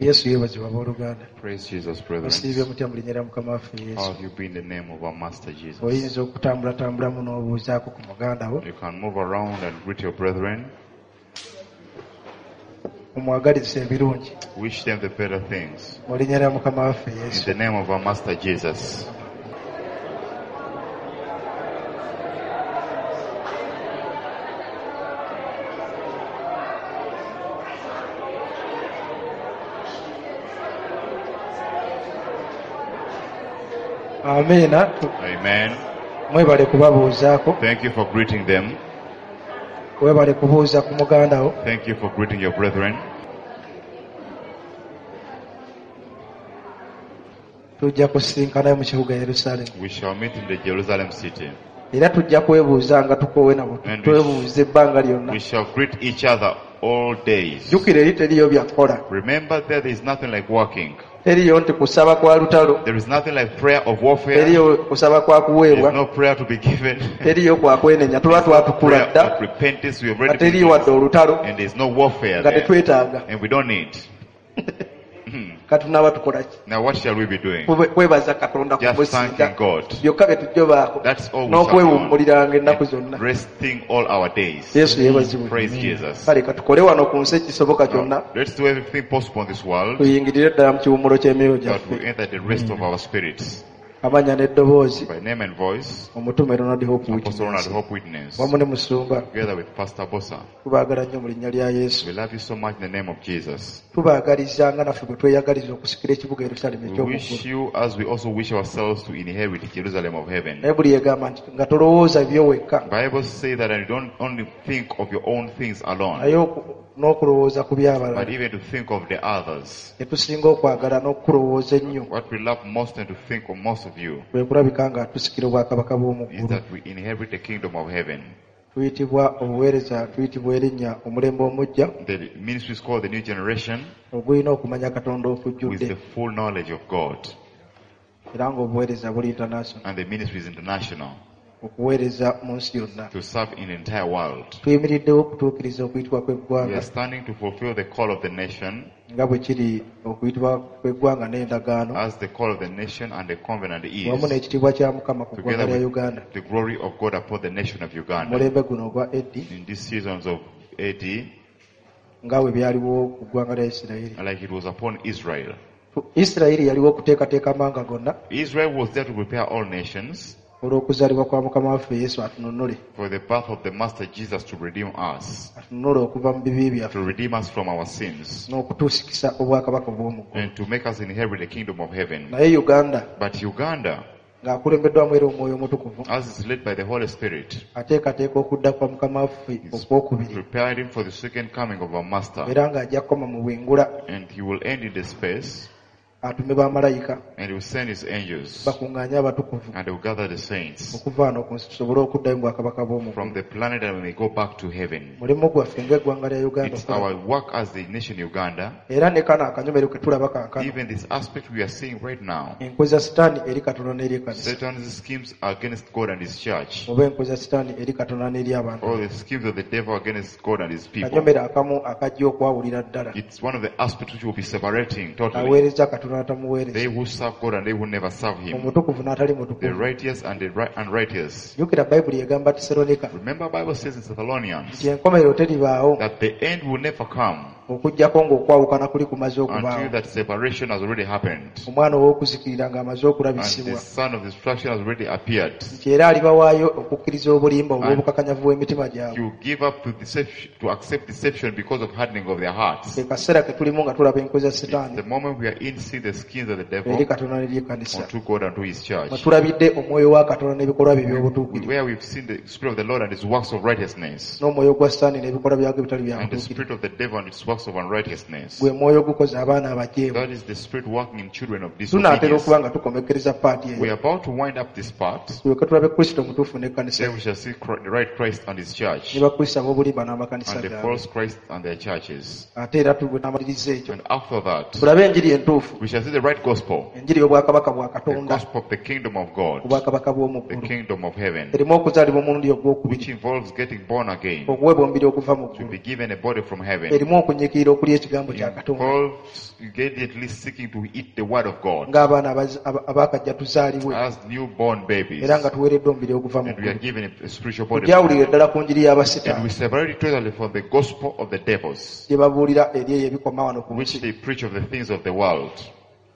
Yesu yeebazibwa abooluganda. Praise Jesus, brethren. Musiibye mutya mu linnya lya Mukama waffe How Yesu. have you been in the name of our Master Jesus? Oyinza okutambulatambulamu n'obuuzaako ku muganda wo. You can move around and greet your brethren. Omwagalize ebirungi. Wish them the better things. Mu linnya lya Mukama waffe In Yesu. the name of our Master Jesus. Amiina. Amen. Mwebale kubabuuzaako. Thank you for greeting them. Weebale kubuuza ku muganda wo. Thank you for greeting your brethren. Tujja kusisinkanayo mu kibuga Yerusaalemi. We shall meet in the Jerusalem city. Era tujja kwebuuza nga tukoowe nabo. And Twebuuza ebbanga lyonna. We shall greet each other all days. Jjukira eri teriiyo bya kukola. Remember there is nothing like working. Teriiyo nti kusaba kwa lutalo. There is nothing like prayer of warfare. Teriiyo kusaba kwa There is kuweebwa. no prayer to be given. Teriiyo kwa kwenenya. Tuba twatukula Prayer dda. of repentance. We have Nga already been teriiyo wadde olutalo. And there is no warfare Nga there. tetwetaaga. And we don't need. Kati tunaaba tukola ki? Now what shall we be doing? Kwebaza Katonda Just kumusinga. thanking God. Byokka bye tujja obaako. That's all we shall be N'okwewummuliranga ennaku on. zonna. Resting all our days. Yesu yeebazibwe. Praise Jesus. Kale katukole wano ku nsi ekisoboka kyonna. Now, let's do everything possible in this world Tuyingirire ddala mu kiwummulo ky'emyoyo that we gyaffe. enter the rest of our spirits. Amannya n'eddoboozi. By name and voice, Omutume Ronald Hope Apostle Ronald Witness. Hope Witness, Wamu ne Musumba. together with Pastor Bosa. Tubaagala nnyo mu linnya lya Yesu. We love you so much in the name of Jesus. Tubaagaliza nga naffe bwe tweyagaliza okusikira ekibuga Yerusaalemi We eky'omu wish ggulu. you as we also wish ourselves to inherit Jerusalem of heaven. Naye buli yegamba nti nga tolowooza byo wekka. Bible says that you don't only think of your own things alone, Naye n'okulowooza ku by'abalala. but even to think of the others. Kye tusinga okwagala n'okulowooza ennyo What we love most and to think of most of you kwe kulabika nga tusikira obwakabaka bw'omu is ggulu. that we inherit the kingdom of heaven. Tuyitibwa obuweereza, tuyitibwa erinnya omulembe omuggya The ministry is called the new generation ogulina okumanya Katonda with okujjudde the full knowledge of God. era ng'obuweereza buli international And the ministry is international okuweereza mu nsi yonna. to serve in the entire world. Tuyimiriddewo okutuukiriza okuyitibwa We kw'eggwanga are standing to fulfill the call of the nation nga bwe kiri okuyitibwa kw'eggwanga n'endagaano as the call of the nation and the covenant wamu is, n'ekitiibwa kya Mukama ku ggwanga together lya with Uganda the glory of God upon the nation of Uganda. omulembe guno ogwa AD In these seasons of AD, nga bwe byaliwo ku ggwanga lya Isirayiri. like it was upon Israel. Isirayiri yaliwo okuteekateeka amawanga gonna Israel was there to prepare all nations olw'okuzaalibwa kwa Mukama waffe Yesu atununule for the birth of the Master Jesus to redeem us, atununule okuva mu bibi byaffe to redeem us from our sins, n'okutuusikisa obwakabaka obw'omu ggulu. and to make us inherit the kingdom of heaven. Naye Uganda But Uganda, ng'akulembeddwamu era Omwoyo Omutukuvu as is led by the Holy Spirit, ateekateeka okudda kwa Mukama waffe is okwokubiri preparing for the second coming of our Master, era ng'ajja kukoma mu bwengula and he will end in the space, atume bamalayika and he will send his angels, bakuŋŋaanye abatukuvu and they will gather the saints okuva wano ku nsi tusobole okuddayo mu bwakabaka bw'omu from ggulu. the planet and we may go back to heaven. Mulimu gwaffe ng'eggwanga lya Uganda It's okukola. our work as the nation Uganda, Era ne kano akanyomero ke tulaba kaakano even this aspect we are seeing right now, enkwe za Sitaani eri Katonda n'eri ekkanisa Satan's schemes are against God and his church, oba enkwe za Sitaani eri Katonda n'eri abantu. or the schemes of the devil against God and his people. Kanyomero akamu akajja okwawulira ddala It's one of the aspects which will be separating totally. aweereza Katonda n'atamuweereza They who serve God and they who never serve him. omutukuvu n'atali The mutukuvu. righteous and the unrighteous. Jjukira Bayibuli egamba Tesalonika Remember Bible says in Thessalonians nti enkomerero teribaawo that the end will never come okuggyako ng'okwawukana kuli kumaze until okubaawo. that separation has already happened Omwana ow'okuzikirira ng'amaze and the okulabisibwa son of destruction has already appeared. nti era alibawaayo okukkiriza obulimba olw'obukakanyavu bw'emitima gyabwe. You give up to deception, to accept deception because of hardening of their hearts. Ke kaseera ke tulimu nga tulaba enkwe za It's Sitaani the moment we are in see the schemes of the eri devil Katonda n'eri ekkanisa. unto God and to his Mwe church. tulabidde omwoyo wa Katonda n'ebikolwa bye eby'obutuukirivu Where we've seen the Spirit of the Lord and his works of righteousness n'omwoyo gwa Sitaani n'ebikolwa byagwo ebitali bya and the butuukirivu. spirit of the devil and its works of unrighteousness. Gwe mwoyo ogukoza abaana abajeemu. That is the spirit working in children of Tunaatera disobedience. okuba nga tukomekkereza paati We eyo are about to wind up this part. tulyoke tulabe Kristo omutuufu n'ekkanisa Then ye we shall see the right Christ and his church ne bakristo ab'obulimba n'amakanisa and the gaabwe. false Christ and their churches. Ate era tunamaliriza ekyo And after that, tulabe enjiri entuufu we shall see the right gospel, enjiri y'obwakabaka bwa the Katonda gospel of the kingdom of God, obwakabaka bw'omu the ggulu kingdom of heaven, erimu okuzaalibwa omulundi ogwokubiri which involves getting born again, okuweebwa omubiri okuva mu to ggulu be given a body from heaven, erimu okunyiga eririikirira okulya ekigambo kya Katonda involves immediately seeking to eat the word of God ng'abaana abaakajja tuzaalibwe as newborn babies. Era nga tuweereddwa omubiri oguva mu And we are ggulu. Given a spiritual body. Tugyawulire ddala ku njiri And we y'abasitaani separate it totally from the gospel of the devils, gye babuulira eri eyo ebikoma wano ku which nsi they preach of the things of the world,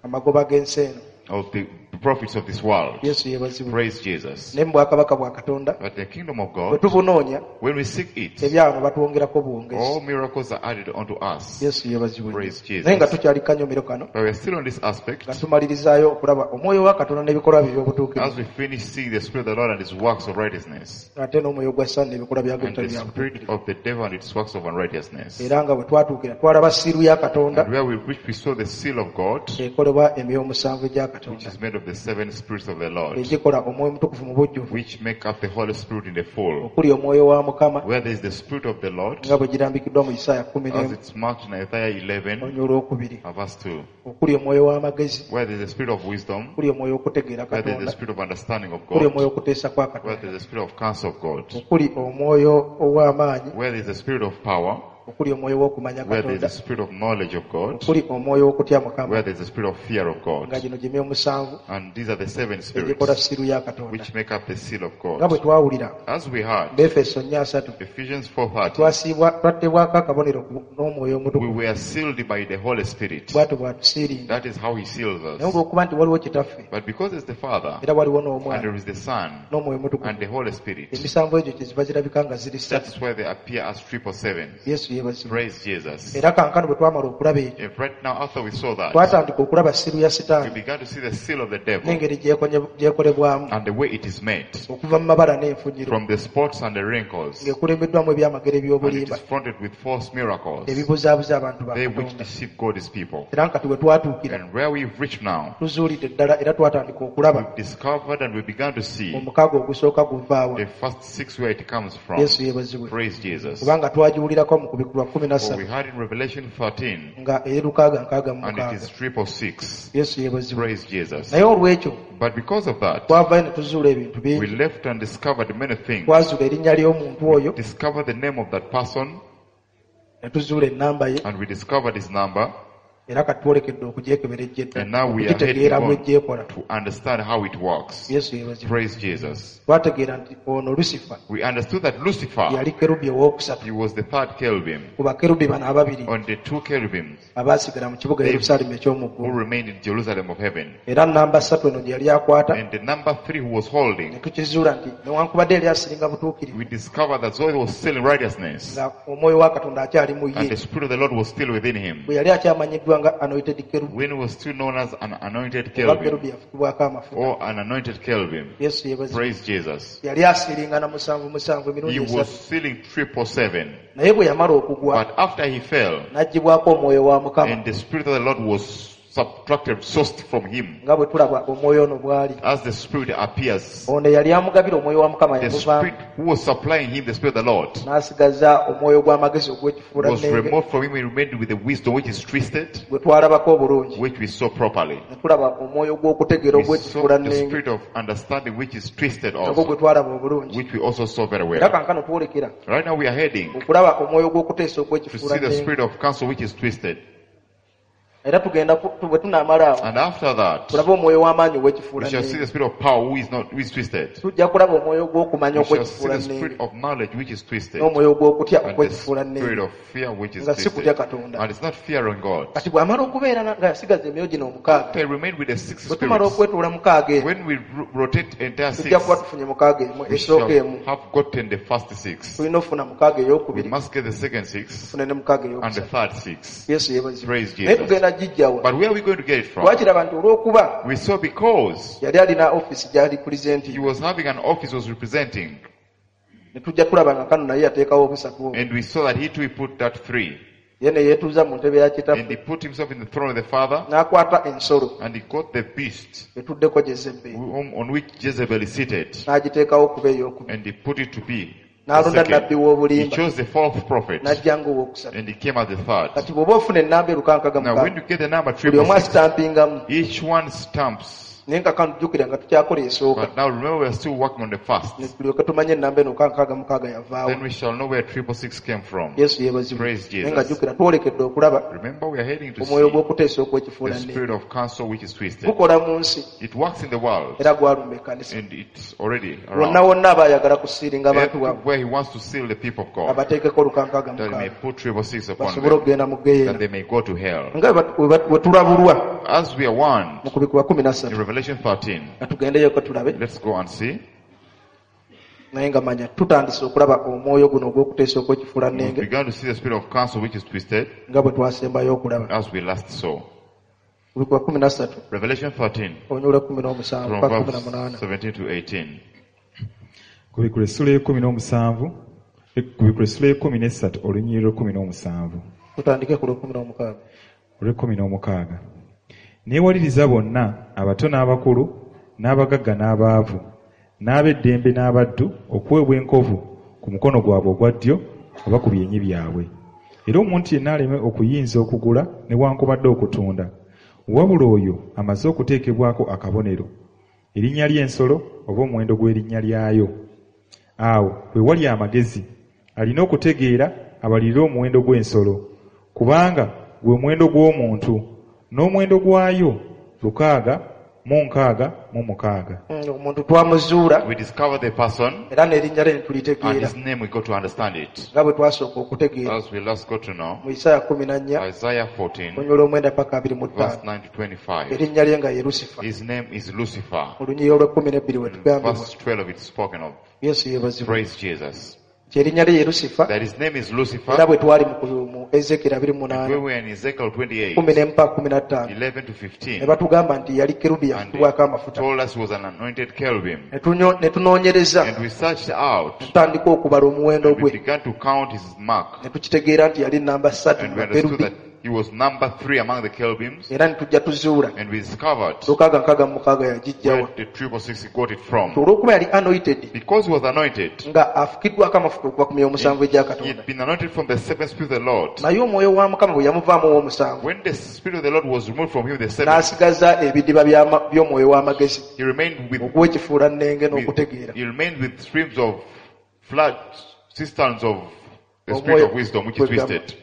amagoba g'ensi eno. Of the prophets of this world. Yesu yeebazibwe. Praise Jesus. Naye mu bwakabaka bwa Katonda But the kingdom of bwe God, tubunoonya when we seek it, ebyawano batwongerako bwongezi. All miracles are added unto us. Yesu yeebazibwe. Praise Jesus. Naye nga tukyali kanyomero kano But we are still on this aspect. Nga tumalirizaayo okulaba omwoyo wa Katonda n'ebikolwa bye eby'obutuukirivu As we finish seeing the Spirit of the Lord and His works of righteousness, ate n'omwoyo gwa Setaani n'ebikolwa byagwo and the ebitali bya spirit butuukirivu. of the devil and its works of unrighteousness. Era nga bwe twatuukira twalaba siiru ya Katonda And where we reached, we saw the seal of God, ekolebwa emyoyo omusanvu egya which Katonda is made of the seven spirits of the Lord, egikola omwoyo omutukuvu mu bujjuvu which make up the Holy Spirit in the full. okuli omwoyo wa Mukama Where there is the Spirit of the Lord, nga bwe girambikiddwa mu Isaaya kumi as n'emu it's marked in Isaiah 11, oluny olwokubiri verse 2, okuli omwoyo w'amagezi where there is the spirit of wisdom, okuli omwoyo okutegeera where there is the Katonda spirit of understanding of okuli God, omwoyo okuteesa kwa where Katonda there is the spirit of counsel of God, okuli omwoyo ow'amaanyi where there is the spirit of power, okuli omwoyo w'okumanya where there is Katonda the spirit of knowledge of God, okuli omwoyo w'okutya Mukama where there is the spirit of fear of nga God. gino gye myoyo musanvu And these are the seven egikola spirits siiru ya Katonda which make up the seal of nga bwe God. twawulira As we heard, Befeso nnya asatu Ephesians 4:30, twasiibwa twattebwako akabonero n'omwoyo we omutukuvu were sealed by the Holy Spirit. bw'atyo bw'atusiiringa That is how He seals naye us. olw'okuba nti waliwo Kitaffe But because there's the Father, era waliwo and n'Omwana there is the Son, n'Omwoyo Omutukuvu and the Holy Spirit, emisanvu egyo kyeziva zirabika nga ziri ssatu. that's why they appear as 777. Yesu yeebazibwe. Praise Jesus. Era kankano bwe twamala okulaba ekyo And right now, after we saw that, twatandika okulaba siru ya we Sitaani began to see the seal of the devil n'engeri gyekolebwamu and the way it is made okuva mu mabala n'enfunyiro from the spots and the wrinkles, ng'ekulembeddwamu ebyamagero and it eby'obulimba is fronted with false miracles, ebibuzaabuza abantu ba they which Katonda. Deceive God's people. Era nkati we twatuukira And where we've reached now, tuzuulidde ddala era twatandika okulaba we've discovered and we began to see omukaaga ogusooka guvaawa. The first six where it comes from. Yesu yeebazibwe. Praise Jesus. Kubanga twagiwulirako mu kubikulwa kumi na For we ssatu heard in Revelation 13, nga eri lukaaga nkaaga mu and it mukaaga. Is 666. Yesu yeebazibwe. Praise Jesus. Naye olw'ekyo But because of that, twavayo ne tuzuula ebintu we bingi. Left and discovered many things. Twazuula erinnya ly'omuntu oyo Discovered the name of that person, ne tuzuula ennamba ye and we discovered his number, era kati twolekedde okugyekeberejja and now we are heading okugitegeera on bw'ejjeekola. To understand how it works. Yesu yeebazibwe. Praise Jesus. Twategeera nti ono Lusifa We understood that Lucifer, yali kerubi owookusatu he was the third cherubim ku bakerubi bano ababiri on the two cherubims abaasigala mu kibuga Yerusaalemi eky'omu who ggulu. Remained in Jerusalem of heaven. Era namba ssatu eno gye yali akwata And the number three who was ne holding, tukizuula nti newankubadde yali asiringa butuukirivu we discovered that though he was still in righteousness, nga omwoyo wa Katonda akyali mu and ye the Spirit of the Lord was still within him, bwe yali akyamanyiddwa nga anointed kerubi when he was still known as an anointed oba cherubim kerubi yafukibwako amafuta. Or an anointed cherubim. Yesu yeebazibwe. Praise Jesus. Yali asiringa na musanvu musanvu emirundi He was esatu sealing 777. naye bwe yamala okugwa But after he fell, n'aggyibwako omwoyo wa Mukama and the Spirit of the Lord was subtracted, sourced from him, nga bwe tulaba omwoyo ono bw'ali as the Spirit appears, ono eyali amugabira omwoyo wa Mukama the yamuvaamu Spirit who was supplying him the Spirit of the Lord n'asigaza omwoyo gw'amagezi ogw'ekifuula was nnenge removed from him and remained with the wisdom which is twisted, gwe twalabako obulungi which we saw properly. ne tulaba omwoyo gw'okutegeera We saw ogw'ekifuula the nnenge spirit of understanding which is twisted nagwo also, gwe twalaba obulungi which we also saw very era well. kankano twolekera Right now we are heading okulaba omwoyo gw'okuteesa to ogw'ekifuula see the nnenge spirit of counsel which is twisted. Era tugenda bwe tunaamala awo And after that, tulabe omwoyo w'amaanyi we ogw'ekifuula shall see nnenge the spirit of power who is not who is twisted. tujja kulaba omwoyo gw'okumanya We shall see ogw'ekifuula the nnenge spirit of knowledge which is twisted. N'omwoyo gw'okutya And the ogw'ekifuula spirit nnenge of fear which is nga si kutya twisted. Katonda. And it's not fearing God. Kati bw'amala okubeera nga yasigaza emyoyo gino omukaaga They remained with the six bwe tumala spirits. okwetoola mukaaga eno When we rotate entire six, tujja kuba tufunye mukaaga emu we esooka shall emu have gotten the first six. Tulina okufuna mukaaga We ey'okubiri must get the second six tufune ne mukaaga and the ey'okusatu. Third six. Yesu yeebazibwe. Praise Naye Jesus. tugenda gijjawa But where are we going to get it from? twakiraba nti olw'okuba We saw because yali alina ofiisi gy'ali pulezidenti he was having an office was representing, ne tujja kulaba nga kano naye yateekawo obusatu obwo and we saw that he too he put that three, ye ne yeetuuza mu ntebe ya and he kitaffe put himself in the throne of the Father, n'akwata ensolo and he got the beast etuddeko Jezeberi on which Jezebel is seated, n'agiteekawo okuba ey'okubiri and he put it to be the n'alonda second. nabbi He w'obulimba chose the fourth prophet, n'ajja ng'owookusatu. And he came as the third. Kati bw'oba ofuna ennamba erukankaga Now, when mukaaga you get the number buli omu 666, asitampingamu each one stamps Naye nga kano jjukira nga tukyakola esooka. But now remember, we are still working on the first. Ne tulyoke tumanye ennamba eno 666 yavaawo. Then we shall know where 666 came from. Yesu yeebazibwe. Praise Naye nga Jesus. jjukira twolekedde okulaba Remember, we are heading to omwoyo see gw'okuteesa the okw'ekifuulannenge. spirit of counsel which is twisted. Gukola mu nsi It works in the world era gwalumba ekkanisa. and it's already Wonna around. wonna aba ayagala kusiiringa abantu baabwe Everywhere he wants to seal the people of God, abateekeko olukankaaga that he may mukaaga put 666 upon basobole them, okugenda mu that ggeyeena. they may go to hell. Nga bwe tulabulwa As we are warned mu kubikkulwa kumi na in ssatu Revelation 13, nga tugendeyoko tulabe let's go and see. naye nga manya tutandise okulaba omwoyo guno ogw'okuteesa We okw'ekifuulannenge began to see the spirit of counsel which is twisted nga bwe twasembayo okulaba. as we last saw. Kubikkulwa 13 Revelation 13, olunyiriri 17 from paka verse 18. 17 to 18. Kubikula essula y'e-17, kubikula essula y'e-13 olunyiriri lw'e-17 Tutandike ku lw'e-16. Olw'e-16. Neewaliriza bonna abato n'abakulu n'abagagga n'abaavu n'ab'eddembe n'abaddu okuweebwa enkovu ku mukono gwabwe ogwa ddyo oba ku byenyi byabwe. Era omuntu yenna aleme okuyinza okugula newankubadde okutunda, wabula oyo amaze okuteekebwako akabonero, erinnya ly'ensolo oba omuwendo gw'erinnya lyayo. Awo we wali amagezi, alina okutegeera abalirire omuwendo gw'ensolo, kubanga gwe muwendo gw'omuntu, n'omuwendo gwayo 666. Omuntu twamuzuula We discover the person era n'erinnya lye ne and tulitegeera his name, we got to understand it. nga bwe twasooka okutegeera As we last got to know, mu Isaaya 14 Isaiah 14, olunyiriri 9 paka 25. verse 9 to 25. Erinnya lye nga ye Lusifa. His name is Lucifer. Mu lunyiriri olw'e-12 we tugambibwa. Verse 12 it's spoken of. Yesu yeebazibwe. Praise Jesus. Nti erinnya lye ye Lusifa That his name is era Lucifer. bwe twali mu Ezekiel 28 When we were in Ezekiel 28, 11 mpaka 15 11 to ne 15, batugamba nti yali kerubi and yafukibwako they amafuta. told us he was an anointed cherubim. Ne tunoonyereza And we searched out, ne tutandika okubala omuwendo and we gwe began to count his mark. ne tukitegeera nti yali namba ssatu And mu we understood bakerubi that he was number 3 among the cherubims. era ne tujja tuzuula And we discovered 666 yagijjawa. where the 666 got it from. Olw'okuba yali anointed Because he was anointed, nga afukiddwako amafuta okuva ku myoyo omusanvu egya he Katonda. had been anointed from the seventh spirit of the Lord. Naye omwoyo wa Mukama bwe yamuvaamu ow'omusanvu When the spirit of the Lord was removed from him, the seventh, n'asigaza ebidiba by'omwoyo w'amagezi he remained with, ogw'ekifuulannenge with n'okutegeera. he remained with streams of flood, cisterns of the spirit Omwoyo of wisdom, which is twisted.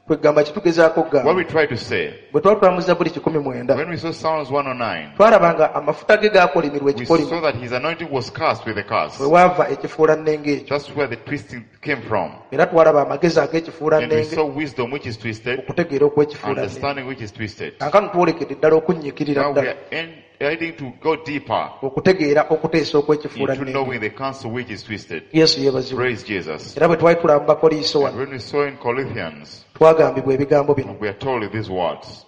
Kwegamba kitugezaako What okugamba we try to say, bwe twali tulamuza buli 19 when we saw Psalms 109, twalaba nga amafuta ge gaakolimirwa we ekikolimo saw that his anointing was cast with a curse. bwe waava ekifuulannenge ekyo. That's where the twisting came from. Era twalaba amagezi And we ag'ekifuulannenge saw wisdom which is twisted, okutegeera okw'ekifuulannenge. understanding which is twisted. Kaakano twolekedde ddala okunnyiikirira Now we ddala are heading to go deeper okutegeera okuteesa into okw'ekifuulannenge. knowing the counsel which is twisted. Yesu yeebazibwe. Praise Jesus. Era bwe twali tulaba mu Bakoliiso And wano when we saw in Corinthians, twagambibwa ebigambo bino. we are told these words.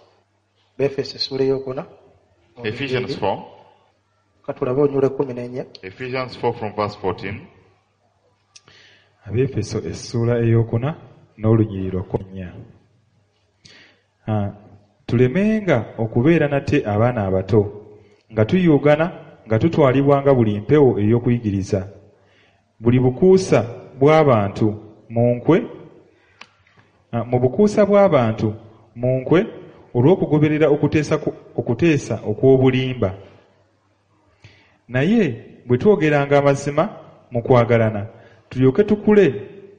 Befeso essuula ey'okuna Ephesians 4. katulabe olunyiriri 14. Ephesians 4 from verse 14. Abeefeso essuula ey'okuna n'olunyiriri lwa 14. Tulemenga okubeera nate abaana abato nga tuyuugana nga tutwalibwanga buli mpewo ey'okuyigiriza, buli bukuusa bw'abantu mu nkwe, mu bukuusa bw'abantu mu nkwe olw'okugoberera okuteesa okw'obulimba. Naye bwe twogeranga amazima mu kwagalana, tulyoke tukule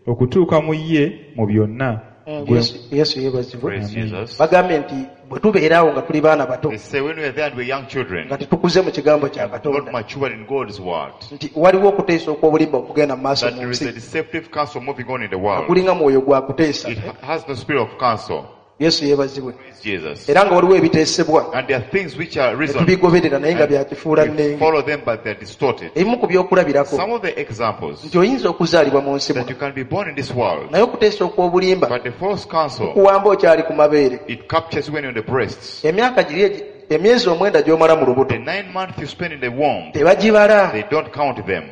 okutuuka mu ye mu byonna. Yesu yeebazibwe. Praise Jesus. Bagambye nti bwe tubeera awo nga tuli baana bato They say when we are there and we are young children, nga tetukuze mu kigambo kya not Katonda matured in God's word, nti waliwo okuteesa okw'obulimba okugenda mu maaso that mu there is nsi a deceptive counsel moving on in the world. gulinga mwoyo gwa kuteesa. It has no spirit of counsel. Yesu yeebazibwe. Praise Jesus. Era nga waliwo ebiteesebwa And there are things which are ne reasoned. tubigoberera naye nga bya kifuulannenge. We follow them, but they are distorted. Ebimu ku byokulabirako Some of the examples nti oyinza okuzaalibwa mu nsi that muno you can be born in this world, naye okuteesa okw'obulimba but the false counsel, kuwamba okyali ku mabeere. it captures you when you're in the breasts. Emyaka giri emyezi 9 gy'omala mu lubuto The 9 months you spend in the womb, tebagibala. they don't count them.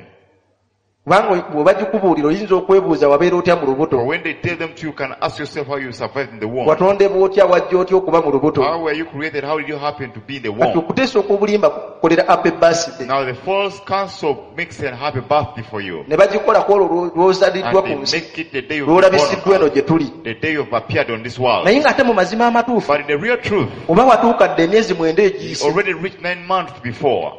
Kubanga bw'obagikubuulira oyinza okwebuuza wabeera otya mu For lubuto. when they tell them to, you can ask yourself how you survived in the womb. Watondebwa otya, wajja otya okuba mu lubuto. How were you created? How did you happen to be in the Kati womb? okuteesa okw'obulimba kukolera happy birthday. Now the false counsel makes a happy birthday for you. Ne bagikola ku olwo lw'ozaliddwa And ku they nsi, make it the day you've been born lw'olabisiddwa on eno earth, gye tuli. the day you've appeared on this world. Naye ng'ate mu mazima amatuufu, But in the real truth, oba watuuka dda emyezi 9 you egiyise. already reached 9 months before.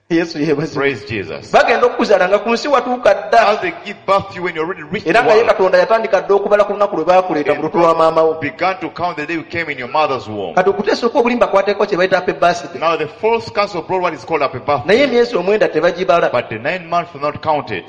Yesu yeebazibwe. Praise Jesus. Bagenda okukuzaala nga ku nsi watuuka dda. As they give birth to you when you already reached Era the nga ye world, Katonda yatandika dda okubala ku lunaku lwe baakuleeta mu lutu lwa maama wo. began to count the day you came in your mother's womb. Kati okuteesa okw'obulimba kwateekwa kye bayita happy birthday. Now the false counsel brought what is called happy birthday. Naye emyezi 9 tebagibala. But the 9 months were not counted.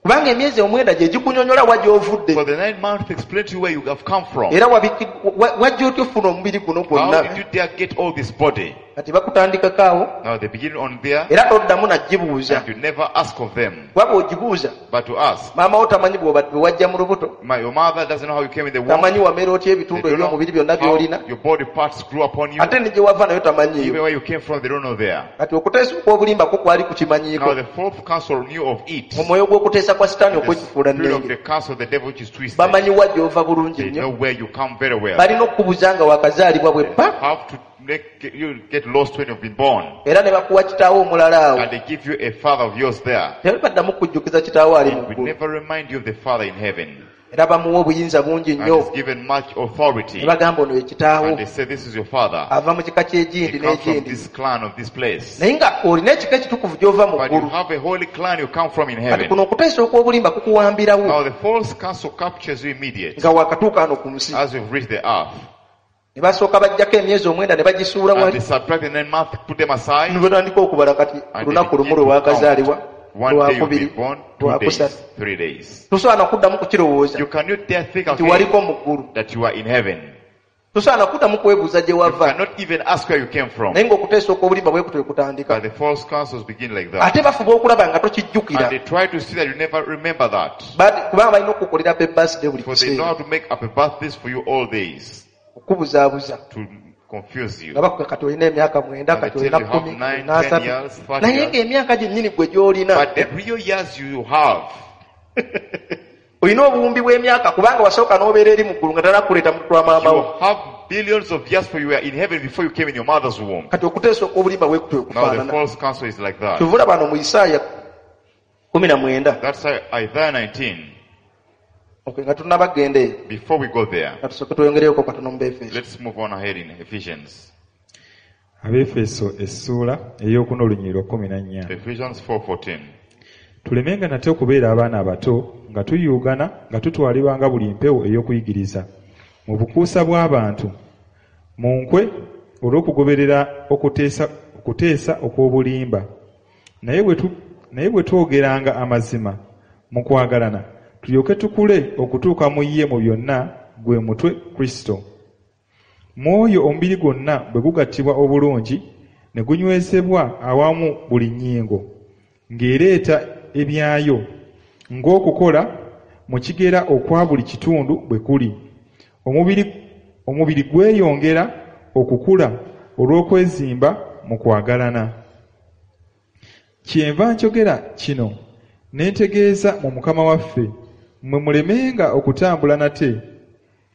Kubanga emyezi 9 gye gikunyonnyola wa gy'ovudde. For the 9 months explain to you where you have come from. Era wajja otya ofuna omubiri guno How did gwonna. you dare get all this body? Kati bakutandikako awo. Now they begin on there Era toddamu nagibuuza. and you never ask of them. Kuba bw'ogibuuza, But to ask, maama wo tamanyi bwe wajja mu lubuto. your mother doesn't know how you came in the womb. Tamanyi wamera otya They ebitundu don't know eby'omubiri byonna by'olina. how your body parts grew upon you. Ate ne gye wava nayo tamanyiiyo. Even where you came from, they don't know there. Kati okuteesa okw'obulimba kwo kwali kukimanyiiko. Now the fourth council knew of it. Mu mwoyo gw'okuteesa kwa Sitaani The okw'ekifuula spirit of nnenge. the council of the devil which is twisted. Bamanyi wa gy'ova bulungi They nnyo. know where you come very well. Balina okukubuza nga wakazaalibwa bwe bba. Have to make you get lost when you've been born. Era ne bakuwa kitaawo omulala awo. And they give you a father of yours there. Tebaddamu kujjukiza kitaawo ali mu It will ggulu. never remind you of the father in heaven. Era bamuwa obuyinza bungi And nnyo. is given much authority. Ne bagamba ono ye kitaawo. And they say, this is your father. Ava mu kika He ky'egindi comes from n'egindi. this clan of this place. Naye nga olina ekika ekitukuvu gy'ova mu But you ggulu. have a holy clan you come from in Kati heaven. kuno okuteesa okw'obulimba kukuwambirawo Now the false counsel captures you immediately nga wakatuuka wano ku nsi. as you've reached the earth. Ne basooka baggyako emyezi 9 ne bagisuula And wali. they subtract the 9 months, put them aside. Ne batandika okubala kati And lunaku they lumu begin lwe to wakazaalibwa, count. One day you've lwakubiri, been born, 2 lwakusatu. days, 3 days. Tosobola na kuddamu kukirowooza You cannot dare think nti again waliko mu ggulu. that you are in heaven. Tosobola na kuddamu kwebuuza gye You wava. cannot even ask where you came from. Naye ng'okuteesa okw'obulimba bwe kutyo kutandika. But the false counsels begin like that. Ate bafuba okulaba nga tokijjukira. And they try to see that you never remember that. Kubanga balina okukukolera happy birthday buli For they know kiseera. how to make up a birthdays for you all days Okubuzaabuza. to confuse you. Nga bakuga kati olina emyaka 9, And they kati tell olina you have 10, 9, olina 10 3. years, 30 Naye years. ng'emyaka gyennyini gwe gy'olina. But the real years you have, Olina obuwumbi bw'emyaka kubanga wasooka n'obeera eri mu ggulu nga tanakuleeta mu lwa maama you wo. have billions of years for you were in heaven before you came in your mother's womb. Kati okuteesa okw'obulimba bwe kutyo Now the kufaanana. false counsel is like that. Kyova olaba wano mu Isaaya 19. That's Isaiah 19. Okay, nga tunnabagenda eyo. Before we go there, Nga tusooke tweyongereyoko katono mu Befeso. let's move on ahead in Ephesians. Abeefeso essuula ey'okuna olunyiriri 14. Ephesians 4:14. Tulemenga nate okubeera abaana abato nga tuyuugana nga tutwalibwa nga buli mpewo ey'okuyigiriza mu bukuusa bw'abantu mu nkwe olw'okugoberera okuteesa okw'obulimba. Naye bwe twogeranga amazima mu kwagalana tulyoke tukule okutuuka mu ye mu byonna gwe mutwe Kristo. Mu oyo omubiri gwonna bwe gugattibwa obulungi ne gunywezebwa awamu buli nnyingo ng'ereeta ebyayo ng'okukola mu kigera okwa buli kitundu bwe kuli. Omubiri gweyongera okukula olw'okwezimba mu kwagalana. Kyenva njogera kino ne ntegeeza mu Mukama waffe, mmwe mulemenga okutambula nate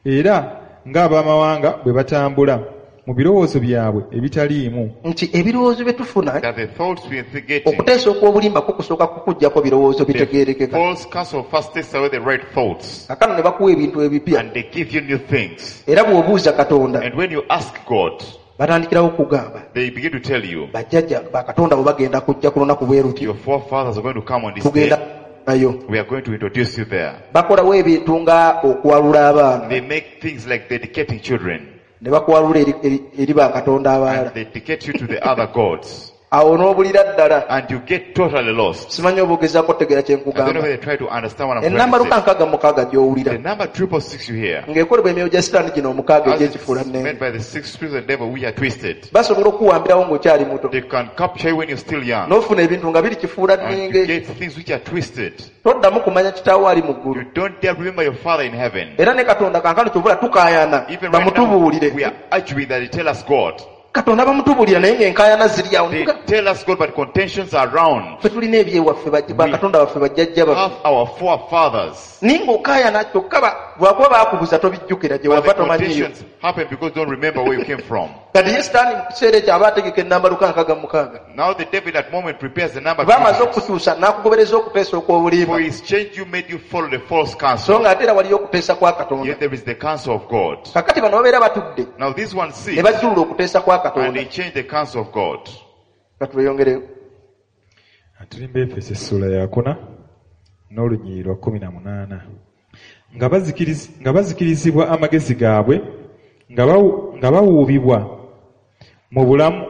era ng'abamawanga bwe batambula mu birowoozo byabwe ebitaliimu. Nti ebirowoozo bye tufuna That the thoughts we are getting, okuteesa okw'obulimba kwo kusooka kukuggyako birowoozo the bitegeerekeka. false counsel first takes away the right thoughts Kaakano ne bakuwa ebintu ebipya. and they give you new things. Era bw'obuuza Katonda And when you ask God, batandikirawo okugamba they begin to tell you, bajjajja bakatonda bwe bagenda kujja ku lunaku bwe luti your forefathers are going to come on this tugenda day. nayo. We are going to introduce you there. Bakolawo ebintu nga okwalula abaana They make things like dedicating children ne bakwalula eri bakatonda abalala. and they dedicate you to the other gods. Awo n'obulira ddala. And you get totally lost. Simanyi oba ogezaako otegeera kye I don't know nkugamba. whether they try to understand what I'm Ennamba trying to say. 666 gy'owulira The number 666 you hear, ng'ekolebwa emyoyo gya Sitaani gino omukaaga as egy'ekifuula it's nnene. made by the six spirits of the devil, we are twisted. Basobola okuwambirawo ng'okyali muto They can capture you when you're still young. n'ofuna ebintu nga biri kifuula And you nnenge. get things which are twisted. Toddamu kumanya kitaawo ali mu ggulu. You don't dare remember your father in heaven. Era ne Katonda kankano kyovula tukaayana Even right now, bamutubuulire. we are arguing that they tell us God. Katonda bamutubulira naye ng'enkaayana ziri awo. They tell us God, but contentions are around. Ffe tulina ebyewaffe bakatonda baffe bajjajja baffe. Have our forefathers. Naye ng'okaayana kyokka lwakuba baakubuza tobijjukira gye But wava the tomanyiiyo. contentions happen because you don't remember where you came from. Kati ye sitaani mu kiseera ekyo aba ategeka ennamba 666. Now the devil at that moment prepares the number. Bamaze 300. okukukyusa n'akugobereza okuteesa okw'obulimba. For his change you made you follow the false So counsel. ng'ate era waliyo okuteesa kwa Katonda. Yet there is the counsel of God. Kakati bano babeera batudde Now this one ne sees bajjulula okuteesa kwa and Katonda. they change the counsel of God. Ka tweyongereyo. Tuli mu Efeso essuula yakuna n'olunyiriri lwa 18. Nga bazikirizibwa amagezi gaabwe, nga bawuubibwa mu bulamu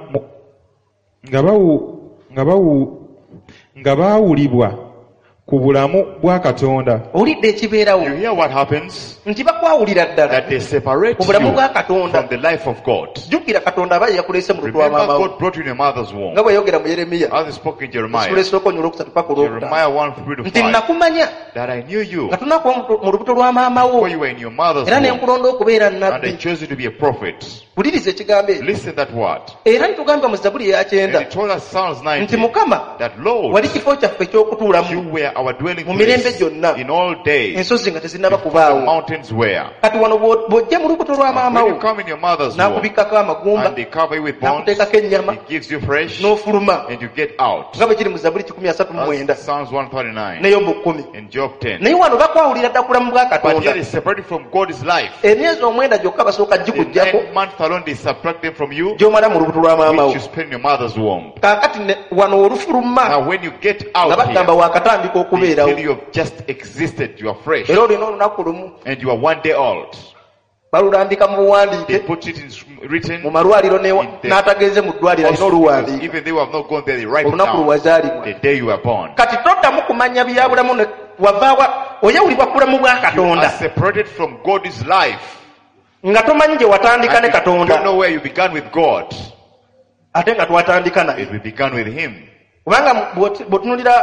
nga baawulibwa ku bulamu bwa Katonda. Owulidde ekibeerawo. You hear what happens? Nti bakwawulira ddala That they separate ku bulamu you bwa Katonda. from the life of God. Jjukira Katonda aba ye yakuleese mu lubuto lwa Remember maama wo. God brought you in your mother's womb. Nga bwe yayogera mu Yeremiya. As he spoke in Essula Jeremiah. esooka olunyiriri olwokusatu paka olwokutaano. Jeremiah 1, 3 to Nti 5. nakumanya That I knew you nga tonakuba mu lubuto lwa maama wo. before you were in your mother's Era ne womb. nkulonda okubeera And I nnabbi. chose you to be a prophet. Wuliriza ekigambo ekyo. Listen that word. Era ntugamba mu Zabbuli eya And 90 he told us Psalms nti 90 Mukama that Lord, wali kifo kyaffe eky'okutuulamu you were our dwelling mu mirembe place gyonna in all days. ensozi nga tezinnaba Before the kubaawo. mountains were. Kati wano bw'ojja mu lubuto lwa maama When wo you come in your mother's womb n'akubikkako amagumba and they cover you with bones, n'akuteekako ennyama he gives you fresh n'ofuluma and you get out. nga bwe kiri mu Zabbuli 139 That's Psalms 139 ne Yobu 10. and Job 10. Naye wano bakwawulira dda ku bulamu bwa But here Katonda. they separated from God's life. Emyezi 9 gyokka basooka The gikuggyako 9 months alone they subtract them from you, gy'omala mu lubuto lwa maama wo. which you spend in your mother's womb. Kaakati wano olufuluma Now when you get nga out bagamba here, waakatandika they okubeerawo. tell you have just existed, you are fresh, Era olina olunaku lumu and you are 1 day old. balulambika mu They buwandiike put it in written. mu malwaliro in the n'atagenze mu ddwaliro alina hospitals. oluwandiika Even they who have not gone there, they write it olunaku lwe down. wazaalibwa. The day you were born. Kati toddamu kumanya bya bulamu wavaawa oyawulibwa ku bulamu bwa You Katonda are separated from God's life. nga tomanyi gye watandika And ne you don't Katonda know where you began with God. ate nga twatandika naye. It we began with Him. Kubanga bw'otunuulira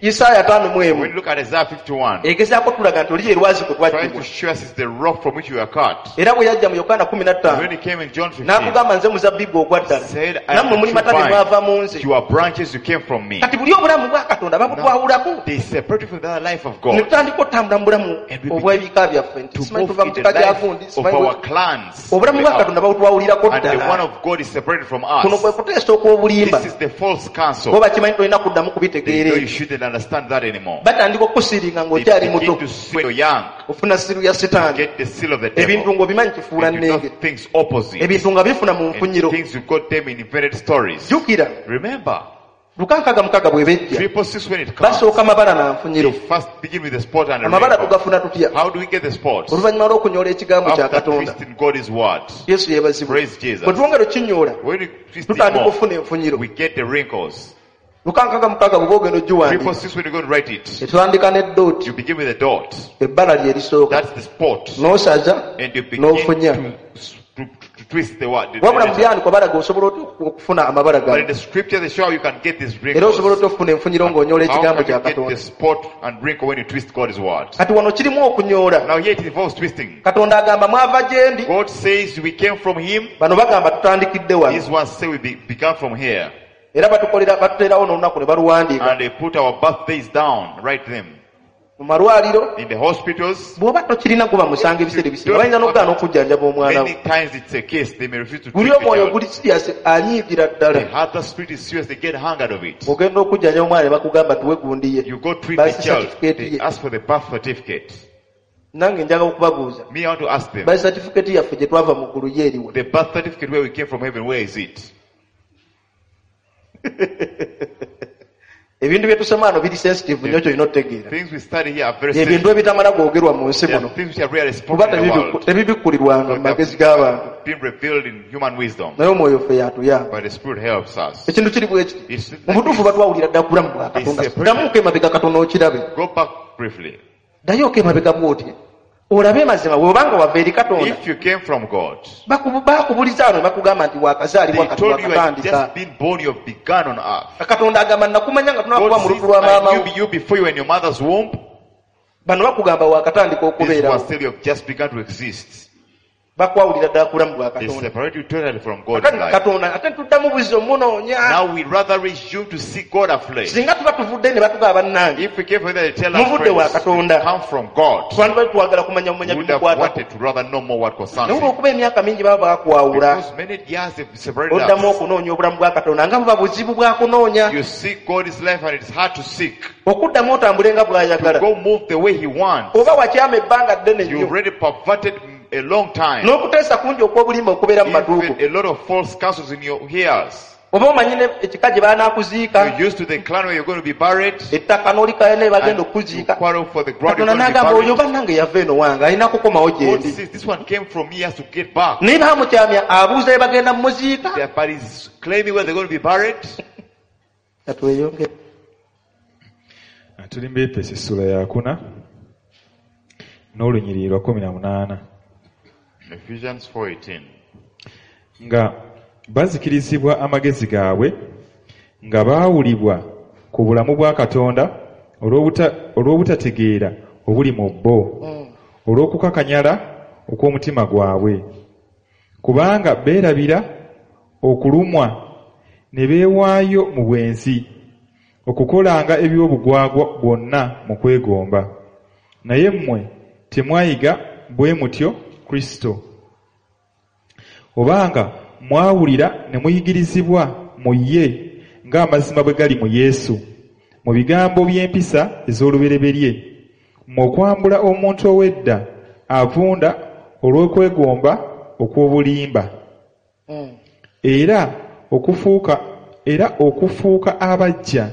Isaaya 51 When you look at Isaiah 51, egezaako tulaga nti oli ye lwazi kwe trying twaggyibwa. to show us is the rock from which you were cut. Era bwe yajja mu Yokaana 15 When he came in John 15, n'akugamba nze muzabbibu ogwa ddala said, I am nammwe the muli true matabi mwava mu nze. vine. You are branches, you came from me. Kati buli obulamu bwa Katonda babutwawulako They separated from the other life of ne God tutandika otambula mu bulamu And we obw'ebika byaffe nti to simanyi move tuva mu in the kika kya life gundi of simanyi our clans. obulamu bwa Katonda babutwawulirako And the one ddala. of God is separated from Kuno kwe us. kuteesa okw'obulimba. This is the false counsel. Bo bakimanyi tolina kuddamu They kubitegeera know you ebyo. shouldn't understand that anymore. Batandika okusiringa They ng'okyali begin muto to see when you're young, ofuna siru ya sitaani. get the seal of the Ebintu devil. ng'obimanyi kifuula And you know nnenge. things opposite. Ebintu nga bifuna mu And nfunyiro. things you got them in invented stories. Jjukira Remember, 666 bwe bejja 666 when it comes, basooka mabala na nfunyiro. they first begin with the spot and the Amabala wrinkle. tugafuna tutya? How do we get the spots? Oluvannyuma lw'okunyoola ekigambo kya After Katonda. twisting God's word. Yesu yeebazibwe. Praise Jesus. Bwe twongera okinyoola When we twist it tutandika more, okufuna enfunyiro. we get the wrinkles. 666 bw'oba ogenda ogiwandiika 666 when you go to write it, etutandika ne ddooti you begin with a dot. ebbala lye lisooka That's the spot. n'osaza And you begin n'ofunya. to twist the word. Wabula mu byandikwa balaga osobola otya okufuna amabala But in gano the scripture, they show how you can get these era osobola wrinkles. otya okufuna enfunyiro ng'onyoola How ekigambo can kya you get Katonda. the spot and wrinkle when you twist God's word? Kati wano kirimu okunyoola. Now here it involves twisting. Katonda agamba mwava gye ndi. God says we came from Him. Bano bagamba tutandikidde wano. These ones say we began from here. Era batukolera batuteerawo n'olunaku ne baluwandiika And they put our birthdays down, write them. mu malwaliro. In the hospitals, Bw'oba tokirina guba musango ebiseera ebisinga bayinza n'okugaana okujjanjaba omwana wo. many times it's a case they may refuse to Guli treat the omwoyo child. guli serious anyiigira ddala. The other spirit is serious, they get hungered of it. Ogenda okujjanjaba omwana ne bakugamba tuwe gundi ye. You go treat Birth the child, certificate they ye. ask for the birth certificate. Nange njagala okubabuuza. Me, I want to ask them, Birth certificate yaffe gye twava mu ggulu ye eriwa? the birth certificate where we came from heaven, where is it? Ebintu bye tusoma wano biri sensitive nnyo ky'olina otutegeera. Things we study here are very Ebintu sensitive. ebitamala googerwa mu nsi There are muno. things which are rarely Kuba spoken in the world. tebibikkulirwanga mu magezi g'abantu. Being revealed in human wisdom. Naye omwoyo ffe y'atuyamba. But the Spirit helps us. Ekintu kiri bwe kiti. It's Mu butuufu batwawulira ddala ku bulamu bwa Katonda. Ddamuko emabega katono okirabe. Go back briefly. Ddayooko emabega bw'oti. Olabe mazima bw'obanga wava eri Katonda. If you came from God, Baakubuliza wano ne bakugamba nti wakazaalibwa they kati told you you had wakatandika. just been born, you have begun on earth. Katonda agamba nakumanya nga tonakuba God mu says, lubuto lwa maama I wo. knew you before you were in your mother's womb. Bano bakugamba wakatandika This okubeerawo. was still you have just begun to exist. Bakwawulira ddala ku bulamu bwa They Katonda. separate you totally from God's Kakati life. Katonda ate tuddamu buzzi omunoonya. Now we rather resume to seek God afresh. Singa tuba tuvudde ne batugaba bannange, If we came from there, they tell us Muvudde wa friends, Katonda. come from God. Twandibadde twagala kumanya bumanya We would have bimukwatako. wanted to rather know more what concerns Naye him. olw'okuba emyaka mingi baba bakwawula, Because many years they've separated oddamu us. okunoonya obulamu bwa Katonda nga buba buzibu bwa kunoonya. You seek God's life and it's hard to seek. Okuddamu otambule nga bw'ayagala. Go move the way he wants. Oba wakyama ebbanga ddene You nnyo. already perverted a long time. N'okuteesa kungi okw'obulimba okubeera mu matuuko. Even a lot of false counsels in your ears. Oba omanyi ne ekika gye banaakuziika, You're used to the clan where you're going to be buried. ettaka n'olikayo ne bagenda And you okukuziika. quarrel for the ground you're Katonda going to be n'agamba oyo buried. bannange yava eno wange alina kukomawo gye God ndi. says this one came from me, he has to get back. Naye baamukyamya abuuza bye bagenda mumuziika. Their bodies claiming where they're going to be buried. Katweyongere. Tuli mu Efeso essula yakuna n'olunyiriri lwa 18. Ephesians 4:18. Nga bazikirizibwa amagezi gaabwe nga baawulibwa ku bulamu bwa Katonda olw'obutategeera obuli mu bo, olw'okukakanyala okw'omutima gwabwe, kubanga beerabira okulumwa ne beewaayo mu bwenzi okukolanga eby'obugwagwa bwonna mu kwegomba. Naye mmwe temwayiga bwe mutyo Kristo, obanga mwawulira ne muyigirizibwa mu ye ng'amazima bwe gali mu Yesu, mu bigambo by'empisa ez'olubereberye, mmwe okwambula omuntu ow'edda avunda olw'okwegomba okw'obulimba, era okufuuka abaggya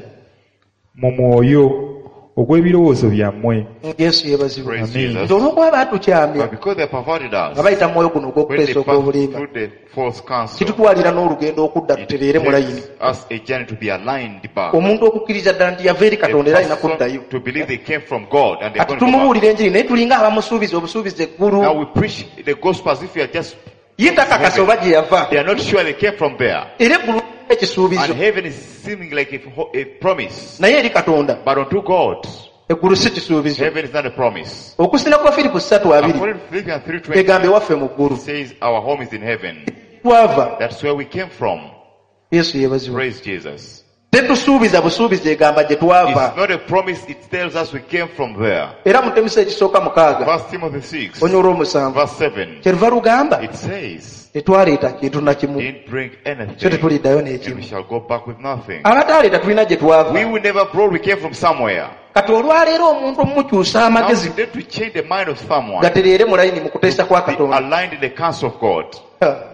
mu mwoyo ogw'ebirowoozo byammwe. Yesu yeebazibwe. Praise Amen. Jesus. Nti olw'okuba baatukyamya But because they perverted us, nga bayita mu mwoyo guno when they ogw'okuteesa passed okw'obulimba, through the false counsel, kitutwalira n'olugendo okudda it tutereere mu layini. takes us a journey to be aligned back. Omuntu okukkiriza ddala nti yava eri A Katonda era alina person kuddayo. to believe they came from God and they're Kati going to go back. tumubuulira enjiri naye tulinga abamusuubiza obusuubiza eggulu. Now we preach the gospel as if we are just, Ye takakasa oba gye yava. they are not sure they came from there. Era eggulu ekisuubizo. And heaven is seeming like a promise. Naye eri Katonda But unto God, eggulu si kisuubizo. heaven is not a promise. Okusinga kwa Firipo 3:20 According to Philippians 3:20, egamba ewaffe mu ggulu. it says our home is in heaven. Twava. That's where we came from. Yesu yeebazibwe. Praise Jesus. Tetusuubiza busuubizo egamba gye twava. It's not a promise, it tells us we came from there. Era mu Timoseewo ekisooka 6 Verse Timothy 6, onyoola 7 verse 7, kyeruva lugamba it says, tetwaleeta kintu na kimu, didn't bring so anything, tetuliddayo and we n'ekimu. shall go back with nothing. Abataaleeta tulina gye We twava. were never brought, we came from somewhere. Kati olwaleero omuntu omumukyusa Now amagezi we need to change the mind of someone, gatereere mu layini mu kuteesa kwa be Katonda. aligned in the counsel of God. Ha,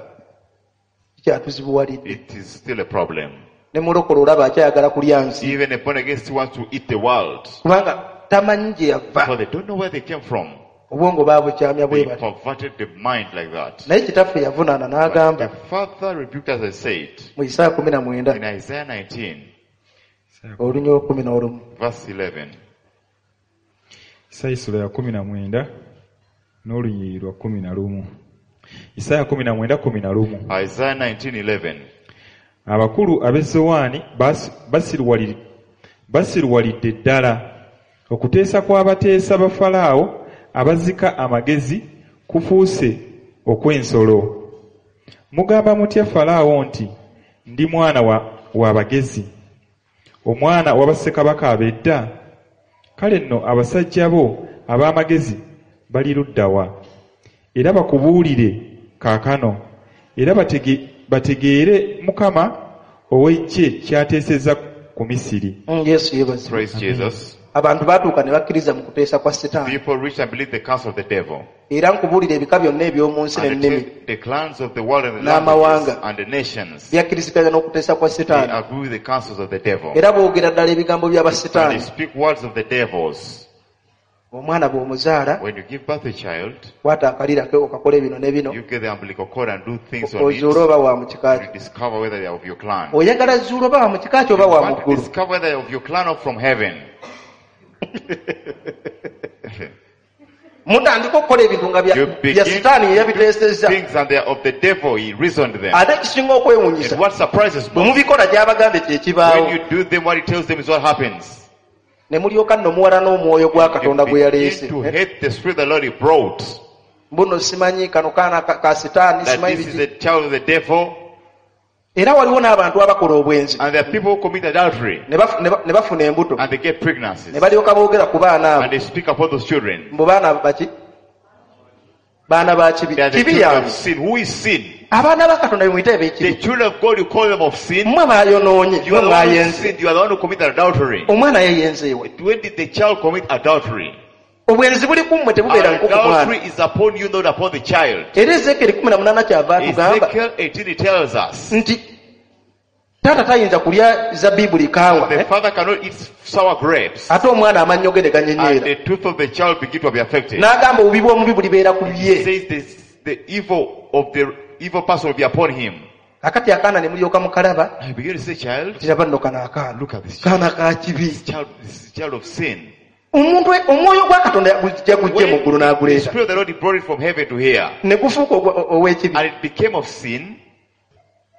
Kyatuzibuwalidde. It is still a problem. Ne mulokole olaba akyayagala kulya nsi Even a born again still wants to eat the world. kubanga tamanyi gye yava. Because they don't know where they came from. Obwongo baabukyamya bwe They bati. perverted the mind like that. Naye kitaffe yavunaana But n'agamba the father rebuked us, I said, mu Isaaya 19 in Isaiah 19, olunya 11. verse 11. Isaaya essula ya 19 n'olunyiriri lwa 11. Isaaya 19:11. Isaiah 19, 11. Abakulu ab'e Zowaani basiruwalidde ddala. Okuteesa kw'abateesa ba Falaawo abazika amagezi kufuuse okw'ensolo. Mugamba mutya Falaawo nti, ndi mwana wa bagezi, omwana wa bassekabaka ab'edda? Kale nno abasajja bo ab'amagezi bali ludda wa? Era bakubuulire kaakano, era bategeere Mukama ow'eggye ky'ateesezza ku Misiri. Yesu yeebazibwe. Praise Jesus. Abantu baatuuka ne bakkiriza mu kuteesa kwa Setaani. People reach and believe the counsel of the devil. Era nkubuulira ebika byonna eby'omu nsi And n'ennimi the clans of the world and the N'amawanga. languages and the nations, byakkiriziganya n'okuteesa kwa they Setaani. agree with the counsels of the devil. Era boogera ddala ebigambo And they by'abasetaani. speak words of the devils. Omwana bw'omuzaala When you give birth to a child, kwata akalira ke okakola bino ne bino you get the umbilical cord and do things on ozuule it. oba wa mu kika You kyo. discover whether they are of your clan. Oyagala zuula oba wa mu kika kyo You oba wa mu want to ggulu. discover whether they are of your clan or from heaven. Mutandika okukola ebintu nga You bya begin Sitaani ye to do yabiteesezza. things and they are of the devil. He reasoned them. Ate ekisinga okwewuunyisa And what surprises bwe most, mubikola gy'abagambye kye kibaawo. when you do them, what he tells them is what happens. Ne mulyoka nno muwala n'omwoyo gwa You Katonda gwe yaleese. begin to hate the spirit the Lord he brought. Mbuno simanyi kano kaana ka ka sitaani That simanyi this is biki. the child of the devil. Era waliwo n'abantu abakola obwenzi And there are people who commit adultery ne bafu- ne ba- ne bafuna embuto and they get pregnancies. ne balyoka boogera ku baana And abo they speak upon those children. mbu baana baki baana ba kibi They are the kibi children yange of sin. Who is sin? Abaana ba Katonda bemuyita The eb'ekibi children of God, you call them of sin. mmwe bayonoonye You mmwe are the one who mwayenze sinned. You are the one who committed adultery. Omwana yeyenzeewe When did the child commit adultery? Obwenzi buli ku mmwe tebubeera nko ku mwana Adultery is upon you, not upon the child. Era Ezekeri 18 kyava atugamba Ezekiel 18 it tells us nti taata tayinza kulya zabibu likaawa the eh? father cannot eat sour grapes Ate omwana amannyo ge ne and ganyenyeera the tooth of the child begin to be affected. N'agamba obubi bw'omubi bulibeera ku He bye says this, the evil of the evil person will be upon him. Kakati akaana ne mulyoka mukalaba I begin to say, child, tiraba nno kano akaana look at this child. Kaana ka kibi Child, this is child of sin. Omuntu omwoyo gwa Katonda gujja gujje mu ggulu When the n'aguleeta Spirit of the Lord he brought it from heaven to here, ne gufuuka ogwa- ow'ekibi and it became of sin.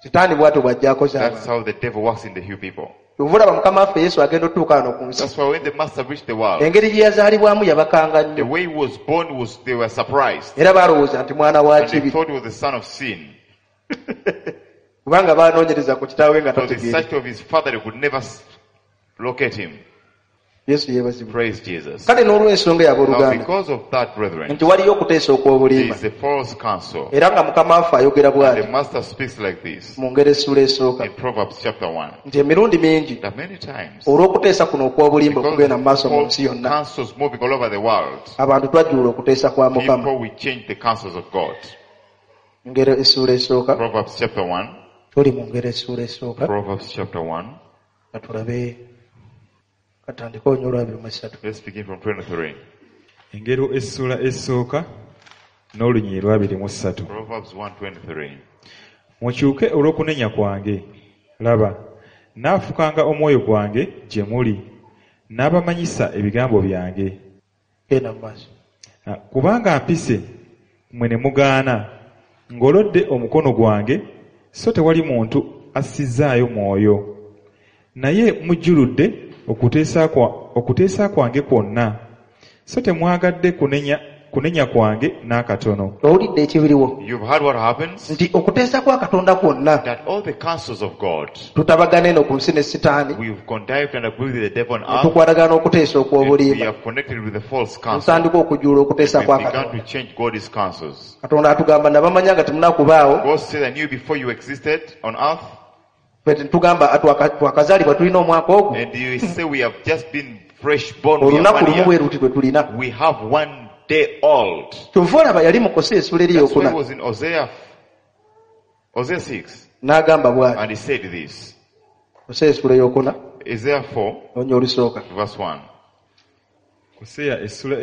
Sitaani bw'atyo bw'ajja akoze That's abantu how the devil works in the few people. Kyova olaba mukama waffe Yesu agenda otuuka wano ku nsi That's why when the master reached the world, engeri gye yazaalibwamu yabakanga the nnyo way he was born was they were surprised. era baalowooza nti mwana wa And they kibi thought he was the son of sin. Kubanga baanoonyereza ku kitaawe nga Because the tategeere search of his father, they could never locate him. Yesu yeebazibwe Praise Jesus. Kale n'olw'ensonga Now, yabooluganda because of that, brethren, nti waliyo okuteesa there okw'obulimba is a false counsel. era nga mukama waffe ayogera The bw'ati master speaks like this mu ngeri essula esooka in Proverbs chapter 1. Nti emirundi mingi That many times, olw'okuteesa kuno okw'obulimba because okugenda mu maaso mu false nsi yonna counsels moving all over the world, abantu twajjulula okuteesa kwa Mukama people will change the counsels of God. Ngero essuula esooka Proverbs chapter 1. Tuli mu ngero essuula esooka Proverbs chapter 1. Nga tulabe katandike olunya olwabiri mu esatu Let's begin from 23. Engero essula esooka n'olunyiriri lwabiri mu ssatu Proverbs 1:23. Mukyuke olw'okunenya kwange laba naafukanga omwoyo gwange gye muli n'abamanyisa ebigambo byange Genda mu maaso Ah, kubanga mpise mmwe ne mugaana ngolodde omukono gwange so tewali muntu assizzaayo mwoyo naye mujjuludde okuteesa kwa- okuteesa kwange kwonna so temwagadde kunenya, kunenya kwange n'akatono Owulidde ekibiriwo You've heard what happens? Nti okuteesa kwa Katonda kwonna That all the counsels of God, tutabagana eno ku nsi ne sitaani we've connived and agreed with the devil on ne earth, tukwatagana n'okuteesa and we okw'obulimba have connected with the false counsel. Ntandika okujjula okuteesa We've kwa begun Katonda to change God's counsels. Katonda atugamba nabamanya nga temunakubaawo God said, I knew before you existed on earth, ffe tetugamba twakazaalibwa tulina omwaka ogwo and you say we have just been fresh born. We have olunaku one lumu year. bwe luti lwe tulina We have one day old. Kyova olaba yali mukosa essula eri That's why eyokuna he was in Hosea 6, n'agamba bw'ati and he said this. Kosa essula eyokuna Isaiah 4, onya olusooka verse 1. Koseya essula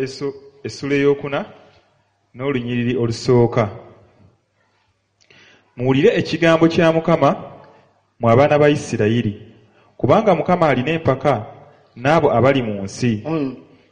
essula eyokuna n'olunyiriri olusooka muwulire ekigambo kya Mukama mwe abaana ba Isirayiri kubanga Mukama alina empaka n'abo abali mu nsi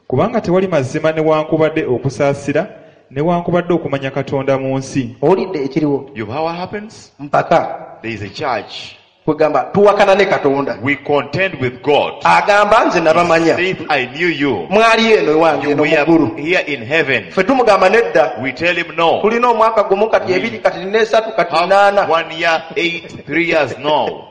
kubanga tewali mazima newankubadde okusaasira newankubadde okumanya Katonda mu nsi Owulidde ekiriwo You know what happens? Mpaka There is a charge. Kwegamba tuwakana ne Katonda We contend with God. agamba nze nabamanya Saith, I knew you. Mwali eno ewange You eno mu were ggulu here in heaven. Ffe tumugamba nedda We tell him no. tulina omwaka gumu kati ebiri kati nina esatu kati Have naana 1 year, 8, 3 years, no.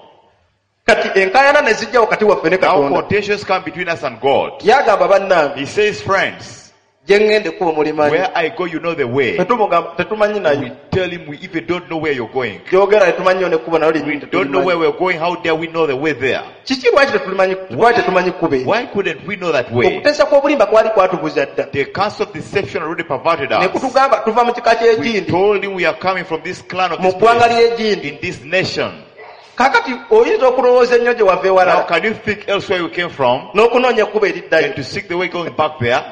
Kati enkaayana ne zijja wakati waffe ne Now Katonda contentions come between us and God. yagamba bannange He says, friends, gye ŋŋenda ekkubo mulimanyi where I go, you know the way. Ffe tumugamba tetumanyi We nayo tell him we even don't know where you're going. gyogera tetumanyiyo nekkubo nalyo We lyennyini don't know where tetulimanyi we're going. How dare we know the way there? Kiki lwaki tetulimanyi lwaki tetumanyi kkubo eryo Why couldn't we know that way? Okuteesa kw'obulimba kwali kwatubuza dda The counsel of deception already perverted ne us. kutugamba tuva mu kika We ky'egindi told him we are coming from this clan of mu this ggwanga place, ly'egindi in this nation. Kaakati oyinza okulowooza ennyo gye wava Now, ewalala can you think elsewhere you came from n'okunoonya ekkubo eriddayo and to seek the way going back there?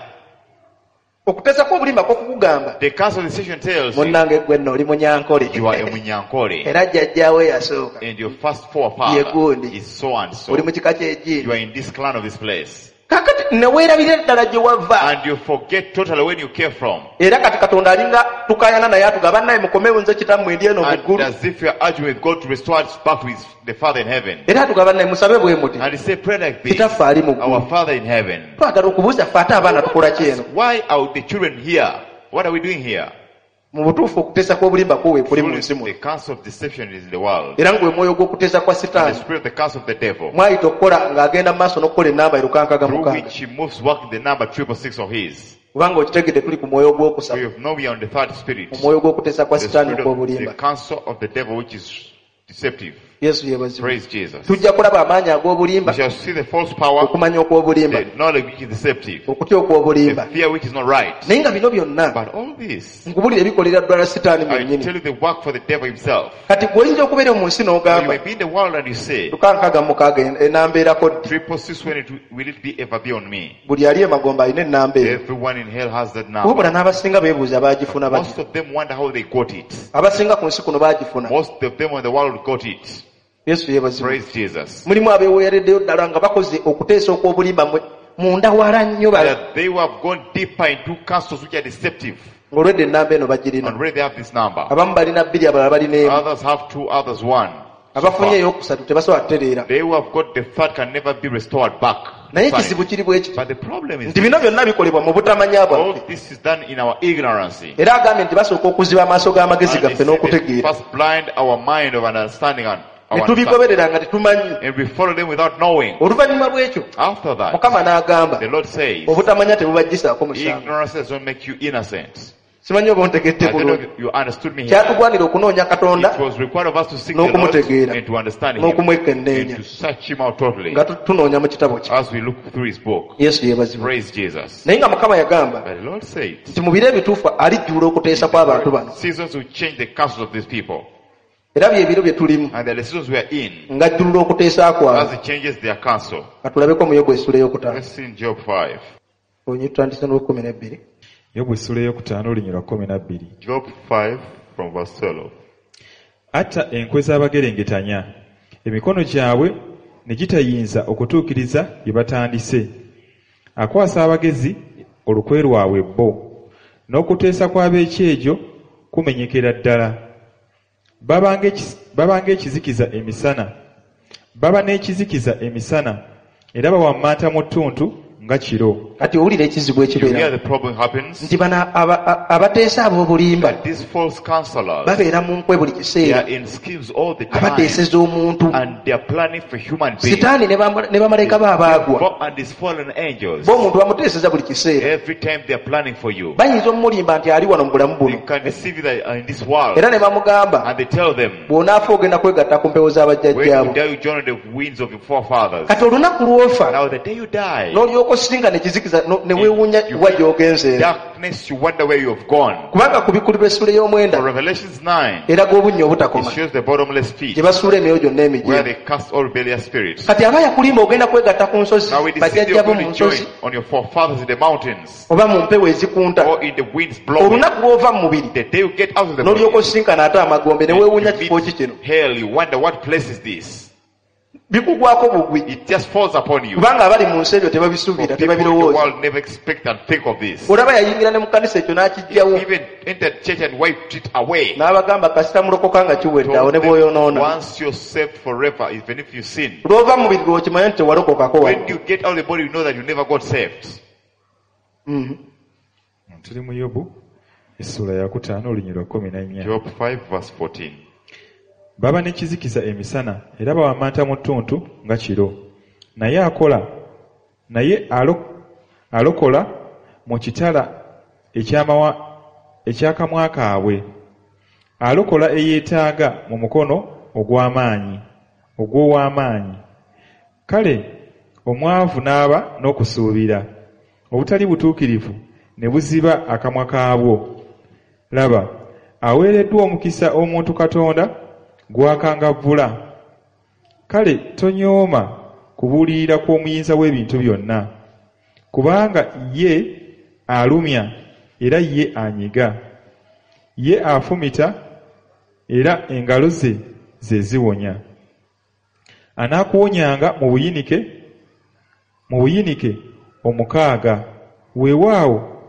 Okuteesa kw'obulimba kw'okukugamba The counsel of deception tells you munnange gwe nno oli munyankole you are a Munyankole era jjajjaawo eyasooka and your first forefather Yegundi. is so and so. Oli mu kika You ky'egindi are in this clan of this place. Kaakati ne weerabira eddala gye wava And you forget totally where you came from. Era kati Katonda alinga tukayana naye atugamba bannaye mukomewo nze kitammwe ndi eno mu And ggulu as if you are arguing with God to restore us back to the Father in heaven. Era atugamba bannaye musabe bwe muti And he said, pray like this. kitaffe ali mu ggulu Our Father in heaven. Twagala okubuuza ffe ate abaana tukola ki eno Why are the children here? What are we doing here? Mu butuufu okuteesa kw'obulimba kwo weekuli mu Truly, nsi muno. the counsel of deception is in the world. Era ng'we mwoyo gw'okuteesa kwa And the sitaani spirit of the counsel of the devil, mwayita okukola ng'agenda mu maaso n'okukola ennamba through 666. which he moves working the number 666 of his. Kubanga okitegedde tuli ku mwoyo ogwokusatu, We know we are on the third spirit. omwoyo gw'okuteesa kwa The sitaani spirit of the okw'obulimba. counsel of the devil, which is deceptive. Yesu yeebazibwe. Praise Jesus. Tujja kulaba amaanyi ag'obulimba, We shall see the false power, okumanya okw'obulimba, the knowledge which is deceptive, okutya okw'obulimba. the fear which is not right. Naye nga bino byonna But all this, nkubulira ebikolera ddala sitaani I mwennyini. tell you the work for the devil himself. Kati gweoyinza okubeera mu nsi You n'ogamba may be in the world and you say, 666 enambeerako ddi? 666, when it will it be ever be on me? Buli ali emagombe alina ennamba eyo. Everyone in hell has that number. Wabula n'abasinga beebuuza baagifuna Most batya. of them wonder how they got it. Abasinga ku nsi kuno baagifuna. Most of them in the world got it. Yesu yeebazibwe. Praise Jesus. Mulimu abeeweereddeyo ddala nga bakoze okuteesa okw'obulimba munda wala nnyo That they who have gone deeper into counsels which are deceptive. ng'olwedde ennamba eno bagirina. And already they have this number. Abamu balina bbiri, abalala balina emu. Others have two, others one. Abafunye ey'okusatu tebasobola kutereera. They who have got the third can never be restored back. Naye ekizibu kiri bwe kiti But the problem is nti bino byonna bikolebwa mu butamanya all bwaffe. this is done in our ignorance. Era agambye nti basooka okuziba amaaso g'amagezi And they gaffe say they n'okutegeera first blind our mind of understanding and ne our understanding. tubigoberera nga tetumanyi. And we follow them without knowing. Oluvannyuma lw'ekyo After that, Mukama n'agamba the Lord says, obutamanya tebubaggyisaako musango. ignorance does not make you innocent. Simanyi oba ontegedde I don't know bulungi. if you understood me here. Kyatugwanira okunoonya Katonda It was required of us to seek the Lord n'okumutegeera and to understand Him n'okumwekenneenya and to search Him out totally nga tunoonya mu kitabo kye. as we look through His book. Yesu yeebazibwe. Praise Jesus. Naye nga Mukama yagamba But the Lord said, nti mu biro ebituufu alijjula okuteesa kw'abantu bano. seasons will change the counsels of these people. Era bye biro bye tulimu And the seasons we are in, ng'ajjulula okuteesa kwabwe. as it changes their counsel. Katulabeko mu Yobu essula ey'okutaano. Let's see in Job 5. Onyi tutandise n'olwekumi n'ebbiri. Yobu essula ey'okutaano olunyiriri lwa 12. Job 5 from verse 12. Atta enkwe z'abagerengetanya, emikono gyabwe ne gitayinza okutuukiriza bye batandise. Akwasa abagezi olukwe lwabwe bo, n'okuteesa kw'ab'ekyejo kumenyekera ddala. Baba ng'ekizikiza emisana, baba n'ekizikiza emisana, era bawammanta mu ttuntu nga kiro. Kati owulira ekizibu You hear ekibeera the problem happens. nti bano abateesa ab'obulimba These false counselors, babeera mu nkwe buli they kiseera, are in schemes all the time. abateeseza omuntu. And they are planning for human beings. Sitaani ne bamalayika be abaagwa God and his fallen angels. bo omuntu bamuteeseza buli kiseera. Every time they are planning for you. Bayinza omumulimba nti ali wano mu bulamu They buno, can deceive you that are in this world. era ne bamugamba And they tell them, bw'onaafa ogenda kwegatta ku mpewo when z'abajjajjaabo. you die, you join the winds of your forefathers. Kati olunaku lw'ofa Now the day you die, n'olyoka osisinga nekizikiza ne weewuunya you wa gy'ogenzeera. darkness, you wonder where you have gone. Kubanga kubikkulirwa essula ey'omwenda For Revelations 9, eraga obunnya it obutakoma shows the bottomless pit gye basuula emyoyo gyonna where emijeemu. they cast all rebellious spirits. Kati aba yakulimba ogenda kwegatta ku nsozi, Now we deceive you bajjajjabo going mu to join nsozi on your forefathers in the mountains oba mu mpewo ezikunta. or in the winds blowing. Olunaku lw'ova mu mubiri The day you get out of the body, n'olyoka osisinkana ate amagombe ne weewuunya you kifo ki meet kino. hell, you wonder what place is this? Bikugwako bugwi It just falls upon you. kubanga abali mu nsi ebyo For tebabisuubira, people in the tebabirowooza. world never expect and think of this. Olaba yayingira ne mu kanisa ekyo n'akiggyawo Even entered church and wiped it away. n'abagamba kasita mulokoka nga kiwedde awo Told ne them, bw'oyonoona. Once you're saved forever, even if you sin. Lw'ova mu mubiri lw'okimanya nti tewalokokako When wadde. you get out of the body, you know that you never got saved. Tuli mu Yobu essula yakutaano olunyiriri lwa 14. Job 5 verse 14. Baba n'ekizikiza emisana era bawammanta mu ttuntu nga kiro. Naye akola naye alokola mu kitala eky'akamwa kaabwe. Alokola eyeetaaga mu mukono ogw'amaanyi ogw'ow'amaanyi. Kale omwavu n'aba n'okusuubira, obutali butuukirivu ne buziba akamwa kaabwo. Laba, aweereddwa omukisa omuntu Katonda gw'akangavvula. Kale tonyooma kubuulirira kw'omuyinza w'ebintu byonna, kubanga ye alumya era ye anyiga, ye afumita era engalo ze ze ziwonya. Anaakuwonyanga mu buyinike omukaaga, weewaawo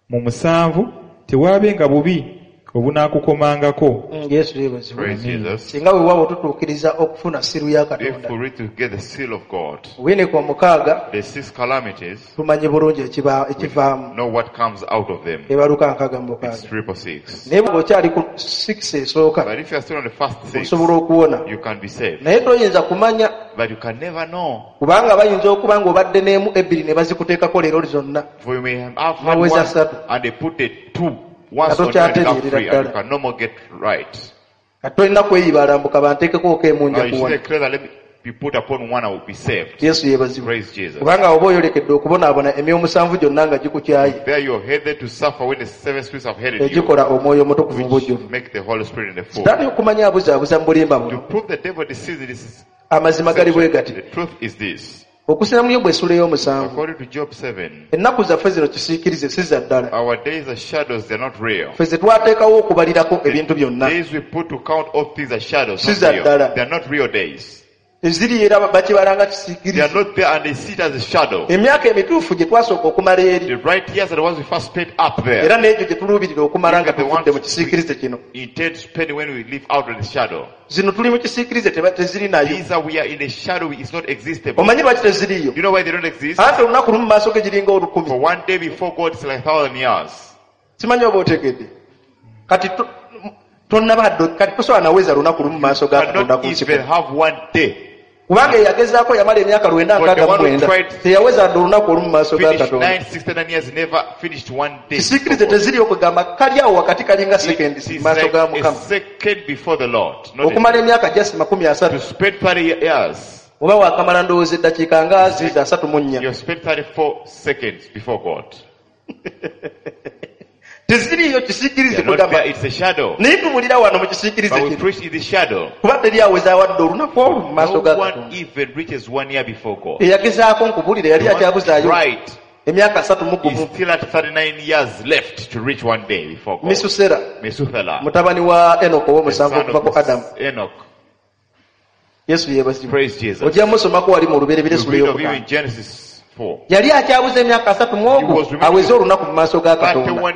mu musanvu tewaabenga bubi Obunaakukomangako. Yesu yeebazibwe. Praise Jesus. Singa weewaawo tutuukiriza okufuna seal ya If Katonda, we read to get the seal of God, obuyinika omukaaga, the six calamities, tumanyi bulungi ekivaamu. know what comes out of them. Ebaluka nkaaga mu It's mukaaga. 666. Naye bw'oba okyali ku six esooka, But if you are still on the first six, osobola okuwona, you can be saved. naye toyinza kumanya, But you can never know. kubanga bayinza okuba ng'obadde n'emu ebbiri ne bazikuteekako leero zonna. For you may have had Naweza one ssatu. and they put the two once on you and you Nga become free and you tokyatereerera can no more get right. Kati tolina kweyibaala banteekeko emu Now nja you should kuwona. declare that let me be put upon one, I will be saved. Yesu yeebazibwe. Praise Jesus. Kubanga oba oyolekedde okubonaabona emyoyo omusanvu gyonna nga gikukyaye, There you're headed to suffer when the seven spirits have headed you, egikola omwoyo omutukuvu mu which bujjuvu. make the Holy Spirit in the full. Sitaani okumanya abuzaabuza mu bulimba To buno, prove the devil deceives, this is amazima gali bwe gati. the truth is this. Okusinziira mu Yobu essula ey'omusanvu, According to Job 7, ennaku zaffe zino kisiikirize si za ddala. our days are shadows, they're not real. Ffe ze twateekawo okubalirako ebintu byonna Days we put to count all things are shadows, Si not za real. ddala. They're not real days. Eziri era bakibala nga They are kisiikirize. not there and they see it as a shadow. Emyaka emituufu gye twasooka okumala eri, The right years are the ones we first spent up there. era n'egyo gye tuluubirira okumala nga Even the tuvudde mu ones kisiikirize kino. we intend to spend when we live out of the shadow. Zino tuli mu kisiikirize teziri nayo. These are we are in a shadow, it's not existable. Omanyi lwaki teziriiyo? You know why they don't exist? Anti olunaku lumu mu maaso ge giringa olukumi. For one day before God is like 1,000 years. Simanyi oba otegedde. Kati tonnaba kati tosobola naweza lunaku lumu mu maaso ga Katonda Cannot ku nsi even kuno. have one day. Kubanga eyagezaako yamala emyaka lwenda But the nkaaga mu one who mwenda tried- teyaweza dde olunaku olumu mu maaso ga Finished Katonda. 969 years, never finished one day. Kisiikirize teziriyo kugamba kali awo wakati kalinga It sekendi mu is maaso like ga a Mukama. second before the Lord. Not a Okumala day. emyaka just makumi To asatu spend 30 years, oba waakamala ndowooza eddakiika nga ziizo asatu mu nnya. you have spent 34 seconds before God. Teziriiyo kisiikirize They are not kugamba there, it's a shadow. naye tubulira wano mu kisiikirize But we kino preach in the shadow. kuba teri aweza awadde olunaku olwo mu maaso No ga one Katonda. even reaches 1 year before God. Eyagezaako nkubulira yali The one akyabuzaayo right emyaka asatu mu is gumu. still at 39 years left to reach one day before God. Misusera Methuselah, mutabani wa Enoko the ow'omusanvu son okuva ku of Adamu. Enoch. Yesu yeebazibwe. Praise Jesus. Ojja musomako wali mu Lubereberye You essula read of him ey'okutaano. in Genesis 4. Yali akyabuza emyaka asatu mu He ogwo was remaining aweze olunaku mu maaso ga Katonda. 31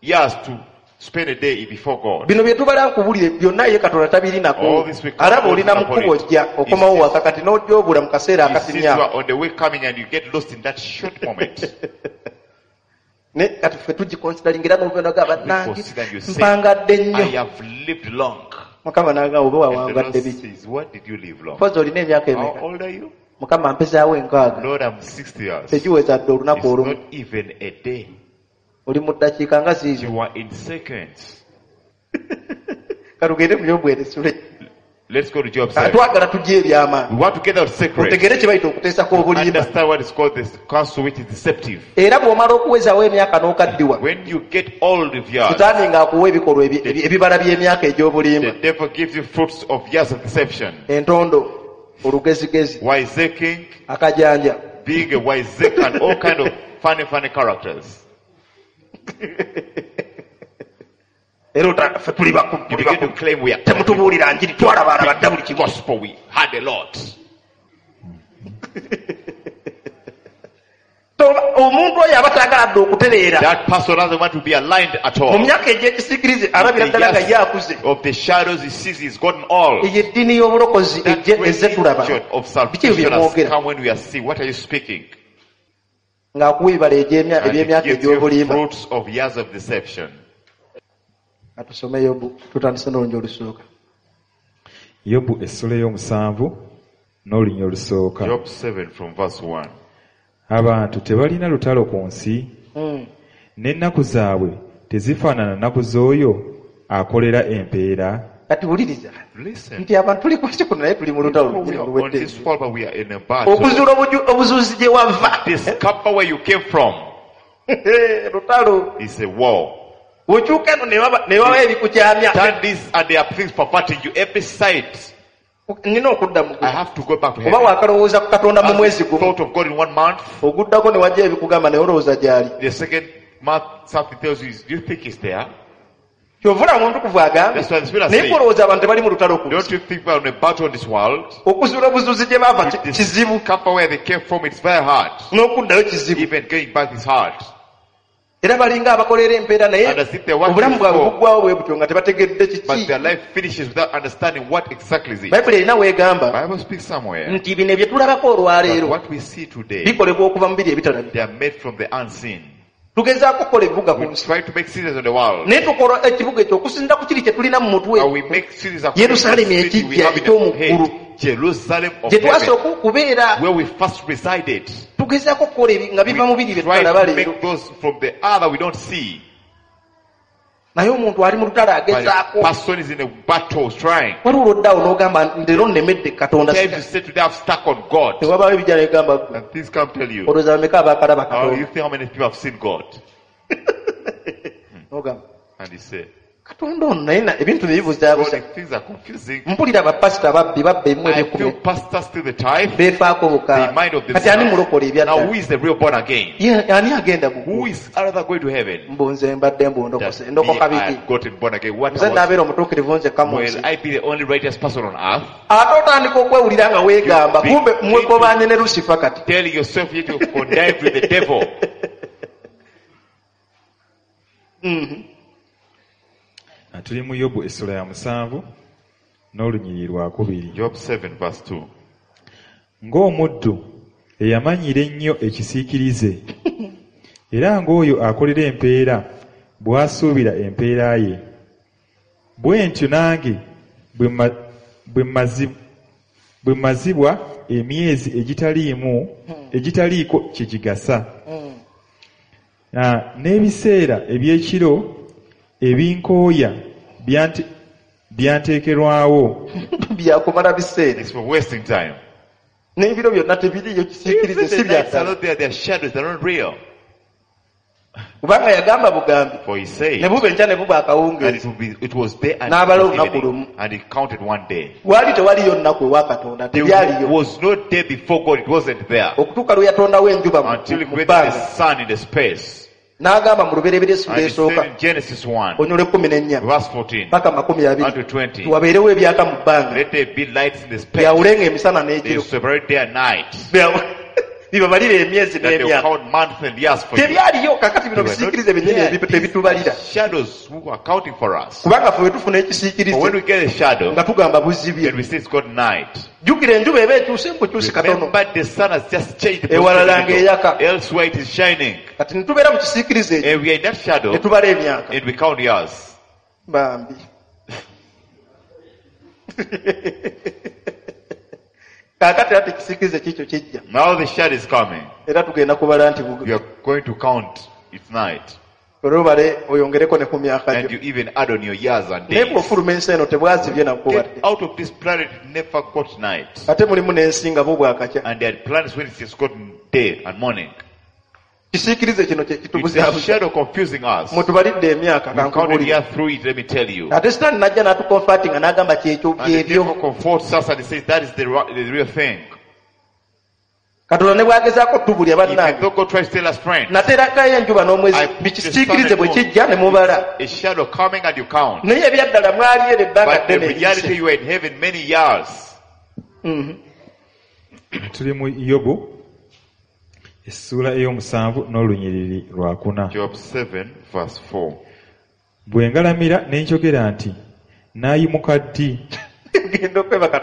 years to spend a day before God. Bino bye tubala nkubulire byonna ye Katonda tabirinako. All this we Alaba olina upon mu kkubo it. ojja okomawo waka kati n'ojja obula mu kaseera He sees you akatimya. are on the way coming and you get lost in that short moment. Ne kati ffe tugikonsidalinga era n'obeera bannange consider you say, mpangadde I nnyo. have lived long. Mukama n'agamba oba And the Lord wawangadde biki? says, what did you live long? Mpozi olina emyaka How emeka? old are you? Mukama mpezaawo enkaaga. Lord, I'm 60 years. Tegiweza dde olunaku It's olumu. not even a day. Oli mu ddakiika nga ziizo. You are in seconds. Katugende mu Yobu essula. Let's go to Job 7. Twagala tujje ebyama. We want to get out secret. Otegere kye bayita okuteesako obulimba. Understand what is called this counsel which is deceptive. Era bw'omala okuwezaawo emyaka n'okaddiwa, When you get old of years, Sitaani ng'akuwa ebikolwa ebibala by'emyaka egy'obulimba. the devil gives you fruits of years of deception. Entondo, olugezigezi, Wiseacring, akajanja. being a wiseacre and all kind of funny, funny characters. Era ffe tuli You tuli begin to claim we are Temutubuulira njiri, twalabaala badda buli kimu. gospel, we had a lot. Omuntu oyo aba taagala dde okutereera. That person doesn't want to be aligned at Mu all. myaka egy'ekisiikirize alabira The ddala nga years ye akuze. of the shadows he sees he's gotten all. Eyo eddiini y'obulokozi That ejje ezze tulaba. religion of Biki ebyo salvation bye has mwogera? come when we are seeing. What are you speaking? Ng'akuwa ebibala And it eby'emyaka gives you egy'obulimba. fruits of years of deception. Katusome Yobu, tutandise n'olunnya olusooka. Yobu essula ey'omusanvu n'olunya olusooka. Job 7 from verse 1. Abantu tebalina lutalo ku nsi, n'ennaku zaabwe tezifaanana nnaku z'oyo akolera empeera. Kati wuliriza Listen. nti abantu tuli ku nsi kuno naye tuli mu lutalo We lunyini are on luwedde. this world, but we are in a battle. Okuzuula obuzuuzi gye wava Discover where you came from. lutalo. It's a war. Okyuka eno ne baba ebikukyamya. Turn this and there are things perverting you every side. Nina okudda mu I ggulu. have to go back to Oba heaven. waakalowooza ku Katonda mu As mwezi the gumu, thought of God in 1 month. oguddako ne wajja ebikugamba naye olowooza gy'ali. The second month, something tells you, do you think it's there? Kyova olaba omutukuvu agambye That's why the Spirit naye says, olowooza abantu tebali mu lutalo ku Don't nsi. you think we're on a battle in this world? Okuzuula obuzuuzi gye baava kizibu, Discover where they came from, it's very hard. n'okuddayo kizibu. Even going back is hard. Era balinga abakolera empeera naye And as if they're working obulamu bwabwe for- buggwawo bwe butyo nga tebategedde But kiki. their life finishes without understanding what exactly is it. Bayibuli erina weegamba Bible speaks somewhere nti bino bye tulabako that olwaleero what we see today, bikolebwa okuva mu biri ebitalabika. they are made from the unseen. Tugezaako okukola ebibuga ku We nsi try to make cities on the world. naye tukola ekibuga ekyo okusinziira ku kiri kye tulina mu mutwe And we make cities according to the Yerusalemu city we ekijja have in the eky'omu head. ggulu Jerusalem of gye heaven, twasooka okubeera. where we first resided. Tugezaako okukola ebi nga We biva mu biri bye try tutalaba to leero. make those from the other we don't see. Naye omuntu ali mu lutalo But a agezaako. person is in a battle trying. Waliwo olwoddaawo n'ogamba leero nnemedde Katonda. Times you say today I've stuck on God. Tewabaawo ebijja negamba ggwe And things come tell you. olowooza bameka abaakalaba How you Katonda. think how many people have seen God? N'ogamba And he say, Katonda ono naye ebintu bye God, bibuzaabuza. if things are confusing. Mpulira abapasita babbi babba emu I feel ebyekumi pastors steal the tithe. beefaako They buka. mind of Kati ani mulokole themselves. Now ebyaddala? who is the real born again? Ye, ani agenda mu Who ggulu? is another going to heaven? Mbu nze mbadde That mbundokose me, ndokoka I biki? have gotten born again. What Nze was, naabeera omutuukirivu nzekka mu will nsi. I be the only righteous person on earth? Ate otandika okwewulira nga weegamba You kumbe begin mwekobanye ne Lusifa kati. Telling yourself yet you connived with the devil. Tuli mu Yobu essula ya 7 n'olunyiriri lwakubiri. Job 7 verse 2. Ng'omuddu eyamanyira ennyo ekisiikirize, era ng'oyo akolera empeera bw'asuubira empeera ye, bwe ntyo nange bwe mmazibwa emyezi egitaliiko kye gigasa. N'ebiseera eby'ekiro ebinkooya byanteekerwawo. Byakumala biseera. It's for wasting time. N'ebiro byonna tebiriiyo kisiikirize Even si the nights are byaddala. not there, they are shadows, they're not real. Kubanga yagamba bugambi For he said, ne buba enkya ne buba and akawungeezi. it was day and N'abala it was olunaku evening, lumu. and he counted one day. Waali tewaliyo nnaku ewa Katonda, There tebyaliyo. was no day before God, it wasn't there. Okutuuka lwe yatondawo enjuba Until he mu created the bbanga. sun in the space. N'agamba mu lubereberye essula And he esooka said in Genesis 1, onyole 14 verse 14 paka 20 unto 20, wabeerewo ebyaka mu bbanga let there be lights in the space. byawulenga emisana They n'ekiro separate day and night. Bibabalire emyezi That they will n'emyaka. count months and years for you. Tebyaliyo kakati bino They were not bisiikirize byennyini there. These ebitubalira. are shadows who are counting for us. Kubanga ffe bwe tufuna But when ekisiikirize we get a shadow, nga tugamba buzibye. then we say it's got night. Jjukira enjuba eba ekyuse mbukyusi katono. Remember the sun has just changed the Ewalala position. ng'eyaka. Elsewhere it is shining. Kati ne tubeera mu kisiikirize ekyo And we are in that shadow ne tubala emyaka. and we count years. Bambi. Kaakati ate ekisiikirize kiikyo kijja. Now the shadow is coming. Era tugenda kubala nti We are going to count its night. olubale oyongereko ne ku myaka And gyo. you even add on your years and Naye days. bw'ofuluma ensi eno tebwazibye nako Get wadde. out of this planet, it never got night. Ate mulimu n'ensi nga bo bwakakya. And there are planets when it's just gotten day and morning. Kisiikirize kino kye It's a kitubuzaabuza. shadow confusing us. Mutubalidde emyaka We counted kankubuulire. years through it, let me tell you. Ate Sitaani n'ajja n'atukonfatinga n'agamba kyekyo And the byebyo. devil comforts us and he says that is the real thing. Katonda ne bw'agezaako tubulya Even bannange. though God tries to tell us, friend, Naterakayo enjuba n'omwezi I put the sun bikisiikirize and bwe moon. kijja ne mubala. A shadow coming and you count. Naye ebyaddala mwali ero ebbanga But the ddene reality, eriyise. you were in heaven many years. Tuli mu Yobu essuula ey'omusanvu n'olunyiriri lwakuna. Job 7, verse 4. Bwe ngalamira ne njogera nti naayimuka ddi? Genda okwebaka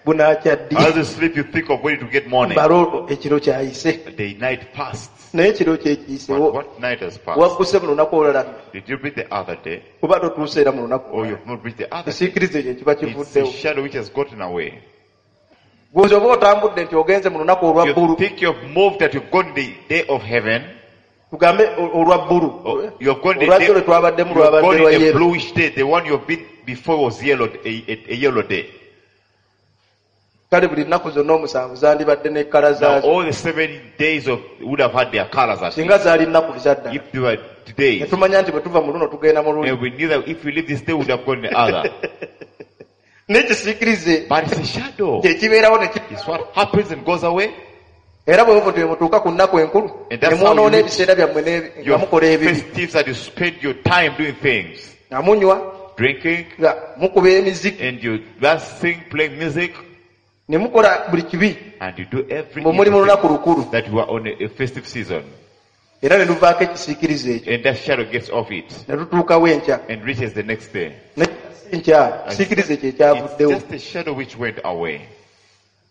bunaakya ddi? As you sleep, you think of when it will get morning. Bala olwo ekiro kyayise. The night passed. Naye ekiro But kyekiyisewo. what night has passed? Wagguse mu lunaku olulala Did you read the other day? oba totuuse era mu lunaku Or olulala. you've not read the other day? Ekisiikirize ekyo kiba It's a kivuddewo. shadow which has gotten away. Gwozi oba otambudde nti ogenze mu lunaku olwa You bbulu. think you've moved that you've gone the day of heaven. Tugambe olwa bbulu. Or you've gone the Olwajjo day, lwe twabaddemu you've lwabadde gone lwa in a yero. bluish day. The one you've been before was yellow, a yellow day. Kale buli nnaku zonna omusanvu zandibadde ne kkala Now zaazo. all the 7 days of would have had their colors at least. Singa zaali nnaku ezaddala. If they were Ne today, tumanya nti bwe tuva mu luno tugenda mu luli. and we knew that if we leave this day, we would have gone the other. N'ekisiikirize But it's a shadow. kye kibeerawo ne ki- It's what happens and goes away. Era bwe muva mutuuka ku nnaku enkulu And ne that's how mwonoona you ebiseera byammwe nga Your mukola ebibi. festives that you spend your time doing things, Nga munywa, drinking, nga mukuba emiziki, and you dancing, playing music, ne mukola buli kibi and you do every mwe muli mu evil lunaku thing lukulu. that you are on a festive season. Era ne luvaako ekisiikirize ekyo And that shadow gets off it ne lutuukawo enkya and reaches the next day. Ne enkya kisiikirize kye It's kyavuddewo just a shadow which went away.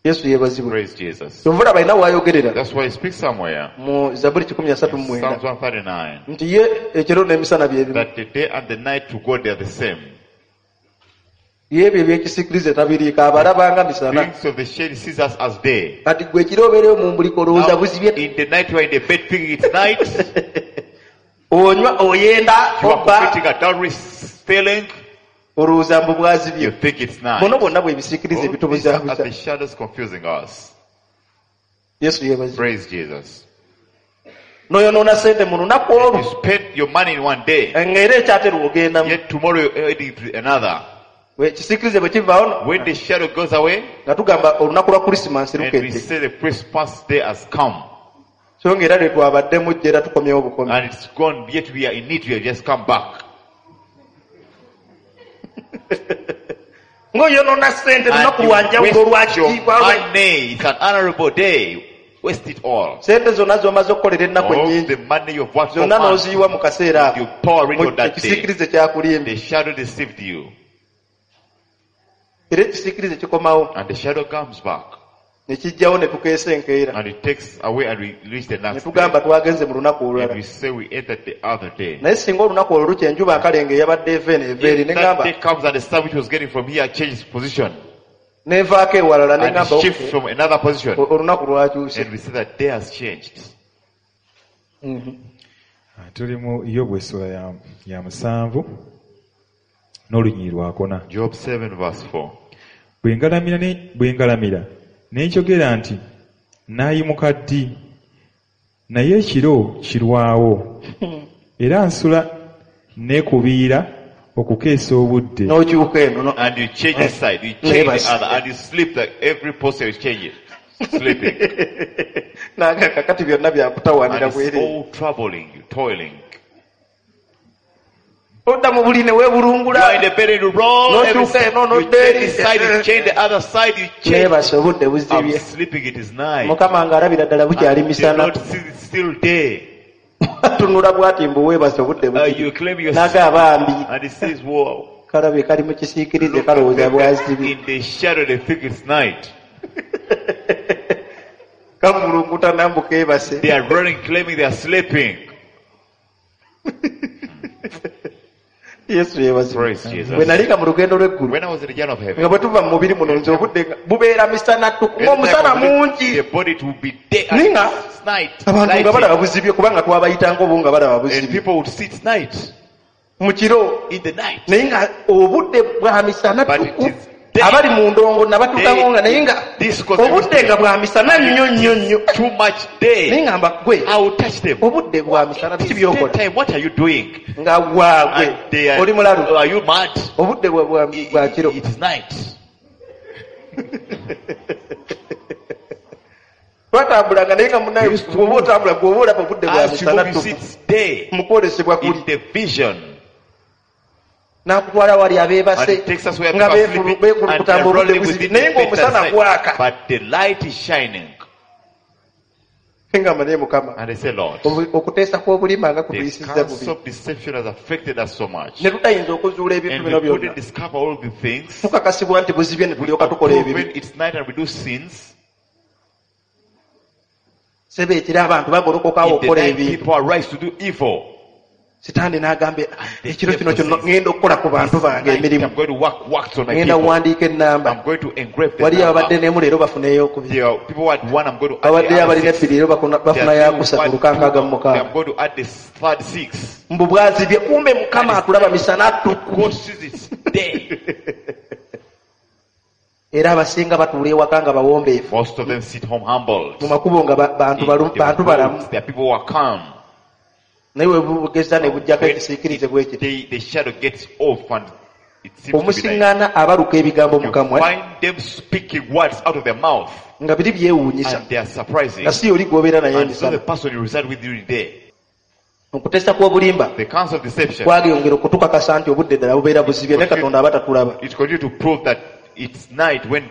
Yesu yeebazibwe. Praise Jesus. Kyova olaba alina waayogerera That's why he speaks somewhere. mu Zabuli Psalms 139 139. nti ye ekiro n'emisana bye bimu. That the day and the night to God they are the same. Ye ebyo ebyekisiikirize tabiriiko abalabanga misana. Things of the shade sees us as day. Kati gwe ekiro obeereyo mu mbuliko olowooza Now, buzibye in the night you are in the bed thinking it's night. Onywa oyenda You are obba committing adultery, stealing. Olowooza mbu You bwazibye. think it's night. Buno bwonna bwe bisiikirize All these are ebitubuzaabuza. the shadows confusing us. Yesu yeebazibwe. Praise Jesus. N'oyonoona sente mu lunaku olwo You spend your money in one day, ng'era ekyatera ogendamu. Yet tomorrow you're heading to another. Ekisiikirize bwe kivaawo no- When the shadow goes away, nga tugamba olunaku lwa Krisimansi and we lukedde. say the Christmas day has come, So ng'era lwe twabaddemu jja era tukomyewo bukomi. And it's gone, yet we are in it, we have just come back. Ng'oyonoona sente And lunaku you lwa njawulo waste your lwakitiibwa lwa- money. It's an honorable day. Waste it all. Sente zonna z'omaze okukolera ennaku All ennyingi the money you've worked for zonna months, n'oziyiwa mu kaseera ako. you pour it Mu- on that day. ekisiikirize kyakulimbye. The shadow deceived you, Era ekisiikirize kikomawo and the shadow comes back, ne kijjawo ne tukeesa enkeera and it takes away, and we reach the ne next day. tugamba twagenze mu lunaku And olulala. we say we entered the other day. Naye singa olunaku olwo lukya enjuba akalenga eyabadde eva eno eva eri If ne that ŋŋamba day comes and the star which was getting from here changes position n'evaako ewalala ne and ŋŋamba shifts "Okay, from another position, olunaku lwakyuse. and we say that day has changed. Ah, tuli mu Yobu essula ya, ya 7 n'olunyiriri lwakuna. Job 7 verse 4. Bwe ngalamira ne- bwe ngalamira ne njogera nti naayimuka ddi naye ekiro kirwawo era nsula neekubiira okukeesa obudde. N'okyuka eno no- And you change the side, you change Neighbors. the other, and you sleep like every posture you change it. Sleeping. Nange kakati byonna And byakutawaanira it's bwereere. all troubling you, toiling. Odda mu buli ne You are weebulungula in the bed and you roll No every chuka, side. no, no You change dairy. this side, you change the other side, you change. Neebase obudde I'm buzibye. sleeping, it is night. Mukama ng'alabira ddala bukyali And the misana. Lord sees it's still day. Tunula bw'ati mbu weebase obudde You buzibye claim your naga abambi and he says, "Whoa." kalabe kali mu kisiikirize Look at kalowooza them bwazibye. in the shadow, they think it's night. Kavulunguta nambu keebase. They are running, claiming they are sleeping. Yesu yeebazibwe. Praise Jesus. Bwe nalinga mu lugendo lw'eggulu When I was in the journey of heaven, nga bwe tuva mu mubiri muno nze obudde nga bubeera misana ttuku ng'omusana mungi the body it will be day and Ninga, it's night. abantu nga balaba lighting. buzibye kubanga twabayitanga obu nga balaba And buzibye people would see it's night mu kiro in the night. naye nga obudde bwa misana But it ttuku is day. abali mu ndongo nabatuukango nga naye nga This cause obudde nga bwa misana nnyo nnyo nnyo too much naye day. nga mba gwe I will touch them. obudde bwa misana It biki is byokola daytime. What are you doing? nga waagwe And they are, oli mulalu Are you mad? obudde bwa- bwa bwa kiro. It is night. Twatambulanga naye nga munaye bw'oba otambula bw'oba olaba obudde bwa As you misana move, you see ttuku it's day mu kwolesebwa kuli in the vision. n'akutwala wali And abeebase it takes us where nga people are sleeping and they beekulukutamba are obudde rolling buzibye within naye the bed ng'omusana side. gwaka. But the light is shining. Ngamba naye Mukama And they say, Lord, obu- okuteesa kw'obulima nga the kutuyisizza counsel bubi of deception has affected us so much. ne tutayinza okuzuula ebintu And bino we byonna. couldn't discover all the things. Tukakasibwa nti buzibye ne We tulyoka tukola approve ebibi. when it's night and we do sins. Sebe ekiro abantu bagolokokawo In the okukola night, ebintu. people arise to do evil. Sitaani n'agamba ekiro The kino devil kyonna says, ŋŋenda okukola ku bantu bange "Tonight, emirimu I'm going to work works on my ŋŋenda people. kuwandiika ennamba I'm going to engrave the waliyo abadde number. n'emu leero bafuneyo okubiri There are people who had one, I'm going to add the babaddeyo other abalina six. ebbiri leero There bafuna are people yakusatu who had lukankaaga mu two, mukaaga. I'm going to add this third six. Mbu bwazibye kumbe Mukama atulaba misana ttuku. God sees it's day. Era abasinga batuula ewaka nga bawombeefu Most of them sit home humbled. mu makubo nga ba- bantu In balu- the bantu balamu roads, there are people who are calm. Naye we bugeza ne bujjako When ekisiikirize bwe kiti the shadow gets off and it seems to be night. omusiŋŋaana abaluka ebigambo mu You kamwa find them speaking words out of their mouth nga biri byewuunyisa and they are surprising. nga si oli gw'obeera naye And so emisana. the person you reside with during the day, Okuteesa kw'obulimba the counsel of deception, kwageyongera okutukakasa nti obudde ddala bubeera buzibye ne Katonda aba tatulaba. it continues to prove that it's night when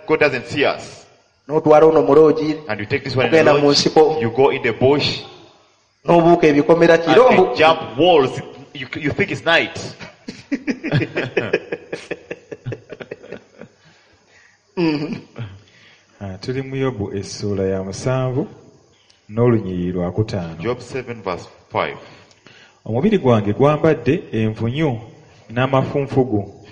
God doesn't see us. N'otwala ono muloogi And you take this one in the ogenda mu lodge, nsiko you go in the bush, N'obuuka ebikomera kiro And mbu they jump walls. You think it's night. Ah, tuli mu Yobu essuula ya 7 n'olunyiriri lwa 5. Job 7 verse 5. Omubiri gwange gwambadde envunyu n'amafunfugu.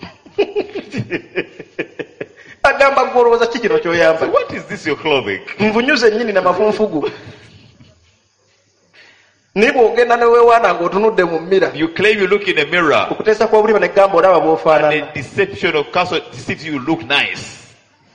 Agamba gwe olowooza ki kino ky'oyamba? So what is this your clothing? Nvunyu zennyini n'amafunfugu. Naye bw'ogenda ne weewaana ng'otunudde mu mmira. You claim you look in a mirror. Okuteesa kw'obulimba ne kugamba olaba And bw'ofaanana. the deception of counsel deceives you, you look nice.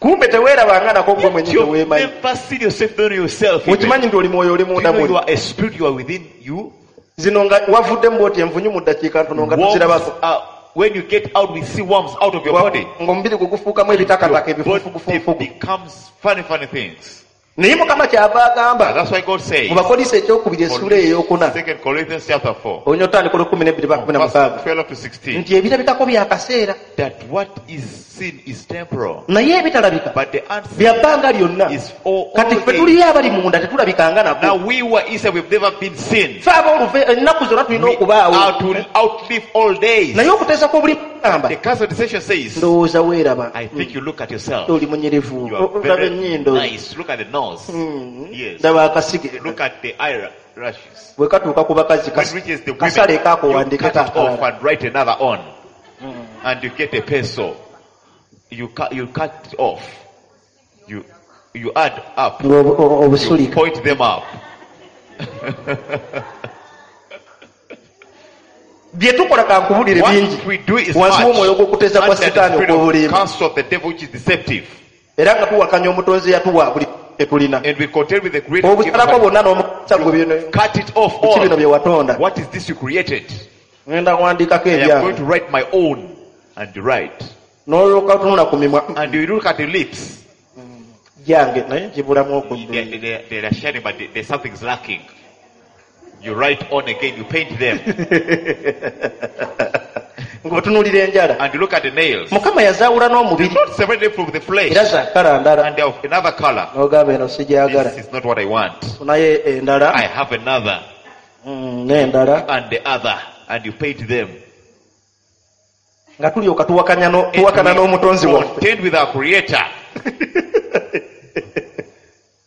Kumbe teweerabanga nako gwe mwennyini You've teweemanyi. never seen yourself, don't know yourself. Even. Okimanyi nti oli mwoyo oli Do you munda know you muli. are a spirit, you are within you? Zino nga wavuddemu bw'oti envunyu mu ddakiika ntono nga Worms tuzirabako. are, when you get out, we see worms out of your body. Ng'omubiri gwe gufuukamu ebitakataka Your body ebifunfugufunfugu. becomes funny, funny things. Naye Mukama kyava agamba And that's why God says, mu Bakolinso ekyokubiri essuula ey'okuna 2 Corinthians chapter 4, onya otandika olw'ekumi n'ebbiri paka kumi na verse mukaaga 12 to 16, nti ebirabikako bya kaseera that what is seen is temporal, naye ebitalabika but the unseen bya bbanga lyonna. is all, Kati all ffe days. tuliyo abali munda tetulabikanga nako. Now we were inside, we've never been seen. Ffe ab'oluve ennaku zonna tulina We are okubaawo. to outlive all days. Naye okuteesa kw'obuli gamba The counsel of deception says, ndowooza weeraba I think you look at yourself. oli munyirivu You are olaba very ennyindo nice. Look at the nose. Yes. ndaba akasige Look at the eyelashes. bwe katuuka ku bakazi When it reaches the women, kasale you kakuwandike cut it off kakalala and write another on. And you get a pencil. You cut it off. You add up. You obusulika point them up. Bye tukola kankubulire bingi What we do is wansi much w'omwoyo gw'okuteesa kwa under the sitaani spirit of okw'obulimba counsel of the devil which is deceptive. era nga tuwakanya omutonzi eyatuwa buli tetulina And we contend with the creator. obusalako bwonna n'omukisa gwe bino Cut it off biki bino bye all. watonda What is this you created? ngenda kuwandiikako I am going ebyange to write my own and write. n'olyoka otunula ku mimwa And you look at the lips. gyange naye gibulamu okuddu They are shining, but there's something's lacking. You write on again, you paint them. Ng'otunuulira enjala And you look at the nails. Mukama yazaawula n'omubiri Not separate them from the flesh. era zaakala ndala And they're of another color. n'ogamba eno sigyagala This is not what I want. naye endala I have another n'endala and the other. And you paint them. Nga tulyoka tuwakanya no- And tuwakana we n'omutonzi waffe contend with our creator.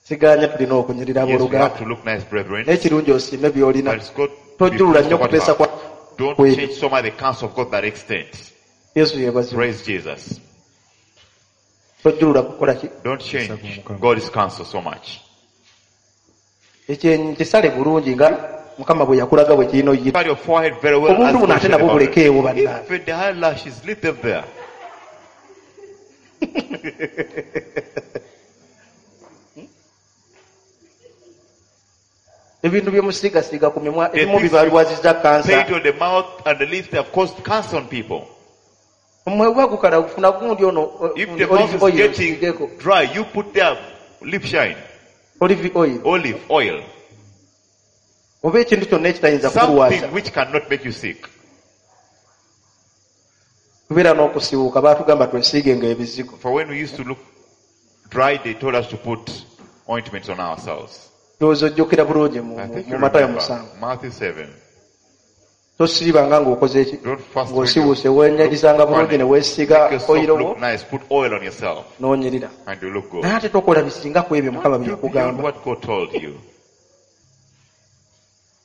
Siganya tulina okunyirira Yes, we have abooluganda to look nice, brethren. naye kirungi osiime by'olina But it's good. Tojjulula nnyo okuteesa kwa Don't kwe. change so much the counsel of God to that extent. Yesu yeebazibwe. Praise Jesus. Tojjulula kukola ki Don't change God's counsel so much. Ekyenyi kisale bulungi nga Mukama bwe yakulaga bwe kirina oyita Cover your forehead very well. Obuntu as buno God ate said nabwo about it. bulekeewo bannange. Even the eyelashes, leave them there. Ebintu bye musiigasiiga ku mimwa The ebimu things bibalwaziza kansa Paint on the mouth and the lips, they have caused cancer on people. Omwe gwa gukala gufuna gundi ono If gundi the mouth olive is oil getting osiigeko dry, you put there lip shine, olive oil olive oil, oba ekintu kyonna ekitayinza kulwaza something which cannot make you sick. Tubeera n'okusiwuuka baatugamba twesiigenga ebizigo For when we used to look dry, they told us to put ointments on ourselves. Ndowooza ojjukira bulungi mu I think mu you Matayo remember 7 Matthew 7. Tosiibanga ng'okoze eki Don't fast when you ng'osiwuuse weenyagizanga look bulungi funny. ne weesiiga Make yourself oyiro wo look nice. Put oil on yourself n'onyirira and you look good. Naye ate tokola bisinga ku ebyo Mukama bye Do beyond yakugamba what God told you.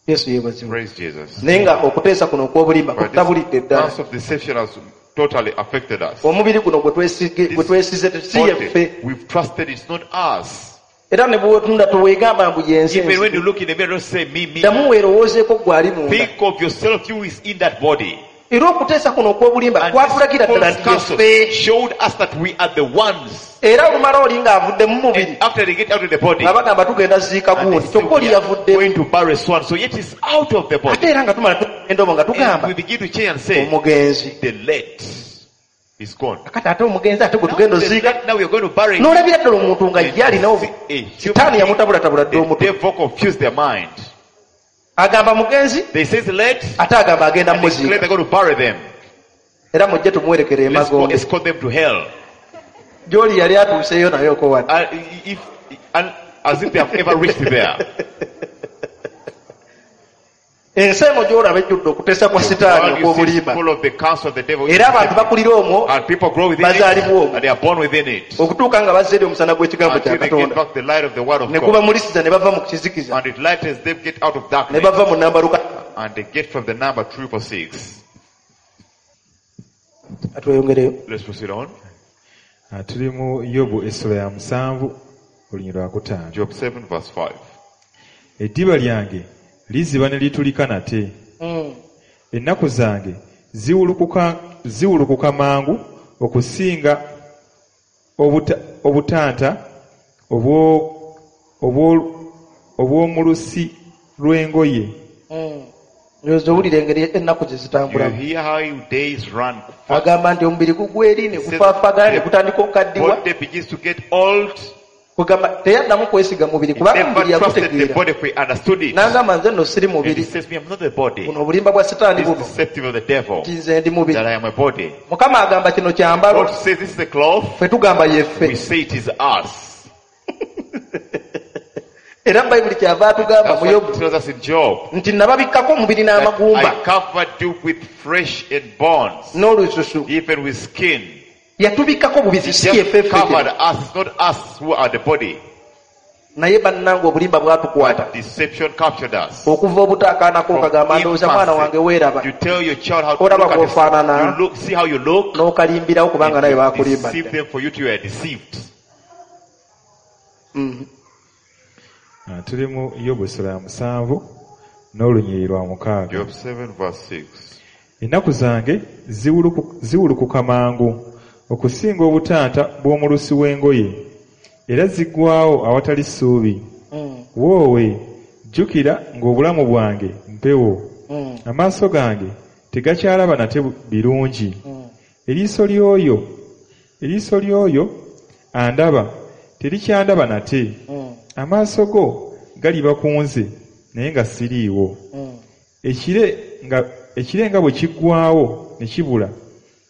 Yesu yeebazibwe Praise Jesus. Naye nga okuteesa kuno okw'obulimba But kutabulidde this ddala counsel of deception has totally affected us. Omubiri guno gwe twesige- gwe twesize si yeffe Body, we've trusted it's not us. Era ne bwotunda teweegamba mbu yenze Even when nze. you look in the mirror, don't say me, me. Ddamu weerowoozeeko gwe ali munda Think of yourself, you is in that body. Era okuteesa kuno okw'obulimba And kwatulagira this ddala false nti counsel yeffe showed us that we are the ones. Era olumala oli ng'avudde mu mubiri And after they get out of the body, nga bagamba tugenda ziika and gundi they say kyokka oli we are yavuddemu going to bury so and so, yet it's out of the Ate body. era nga tumala tugenda omwo nga And we tugamba begin to change and say, omugenzi the late is gone. Kati ate omugenzi ate gwe Now, tugenda the oziika late, now we are going to bury him. N'olabira ddala omuntu nga ye alina A human sitaani yamutabulatabula dda The omutwe devil confused their mind. Agamba mugenzi They say it's late, ate agamba agenda and they claim muziika they're going to bury them. Era mujje tumuwerekere Let's go emagombe escort them to hell. Gy'oli yali atuuseeyo naye okowadde And if, and as if they have ever reached there. Ensi eno gy'olaba ejjudde okuteesa kwa The sitaani world you see is okw'obulimba. full of the counsel of the devil. Era abantu bakulira omwo And people grow within it, bazaalibwa omwo and they are born within it. okutuuka nga bazza eri omusana gw'ekigambo kya Until they get Katonda back the light of the word of ne God. gubamulisiza ne bava mu kizikiza And it lightens them get out of ne darkness. bava mu nambaluka. And they get from the number 666. Atweyongereyo. Let's proceed on. Ah, tuli mu Yobu essula ya 7 olunyiriri lwa 5. Job 7 verse 5. Eddiba lyange liziba ne litulika nate. Ennaku zange ziwulukuka mangu okusinga obutanta obw'omulusi lw'engoye. Ndowooza owulira engeri ennaku gye You zitambulamu. hear how days run fast. Agamba nti omubiri gugwa eri ne gufaafagana ne gutandika okukaddiwa. Body begins to get old. Kugamba teyaddamu kwesiga mubiri He kubanga never omubiri trusted the yagutegeera. body if he understood it. N'agamba nze nno siri And he mubiri. says, me, I'm not the body. Buno obulimba bwa sitaani This buno deceptive of the devil. nti nze ndi mubiri. That I am a body. Mukama agamba kino kyambalo God says this is a cloth. ffe tugamba We yeffe. say it is us. Era Bayibuli kyava atugamba That's mu what Yobu it tells us in Job. nti nababikkako omubiri That n'amagumba I covered you with flesh and bones, n'olususu. even with skin. Yatubikkako bubizi si Just yeffe ffe covered us. It's not us who are the body. Naye bannange obulimba bwatukwata. But deception captured us. Okuva obutaakaanako From okagamba ndowooza mwana wange infancy, weeraba you tell your child how to Olaba look at bw'ofaanana. yourself. You look, see how you look. N'okalimbirawo kubanga naye You baakulimba deceive dda. them for you to are deceived. Ah, tuli mu Yobu essula ya 7 n'olunyiriri lwa 6. Job 7 verse 6. Ennaku zange ziwulukuka mangu okusinga obutanta bw'omulusi w'engoye, era ziggwaawo awatali ssuubi. Woowe, jjukira ng'obulamu bwange mpewo, amaaso gange tegakyalaba nate birungi. Eriiso ly'oyo andaba terikyandaba nate. Amaaso go galiba ku nze naye nga siriiwo. Ekire nga bwe kiggwaawo ne kibula,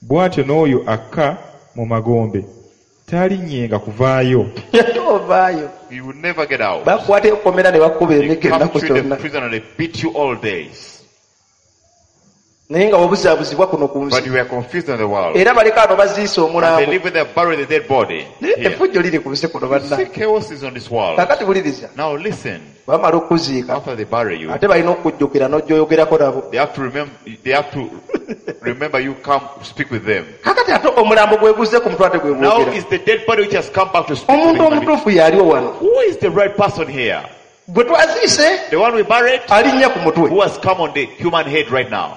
bw'atyo n'oyo akka mu magombe taalinnyenga kuvaayo. Ovaayo. You will never get out. Bakukwata ekkomera ne bakuba They emiggo come ennaku to the zonna. prison and they beat you all days. Naye nga wabuzaabuzibwa kuno ku But nsi. you were confused in the world. Era baleka ano baziise And they omulambo. live with they bury the dead body. Naye Here. effujjo liri ku nsi kuno You see banna. chaos is on this world. Kaakati wuliriza. Now listen. Bamala okuziika After they bury you, ate balina okukujjukira n'ojja oyogerako nabo. they have to remember. They have to remember you. Come speak with them. Kaakati ate omulambo gwe guzze ku mutwe ate gwe Now gwogera. is the dead body which has come back to speak. To Omuntu the human being. omutuufu y'aliwo wano. Who is the right person here? Gwe twaziise The one we buried, alinnya ku mutwe. who has come on the human head right now.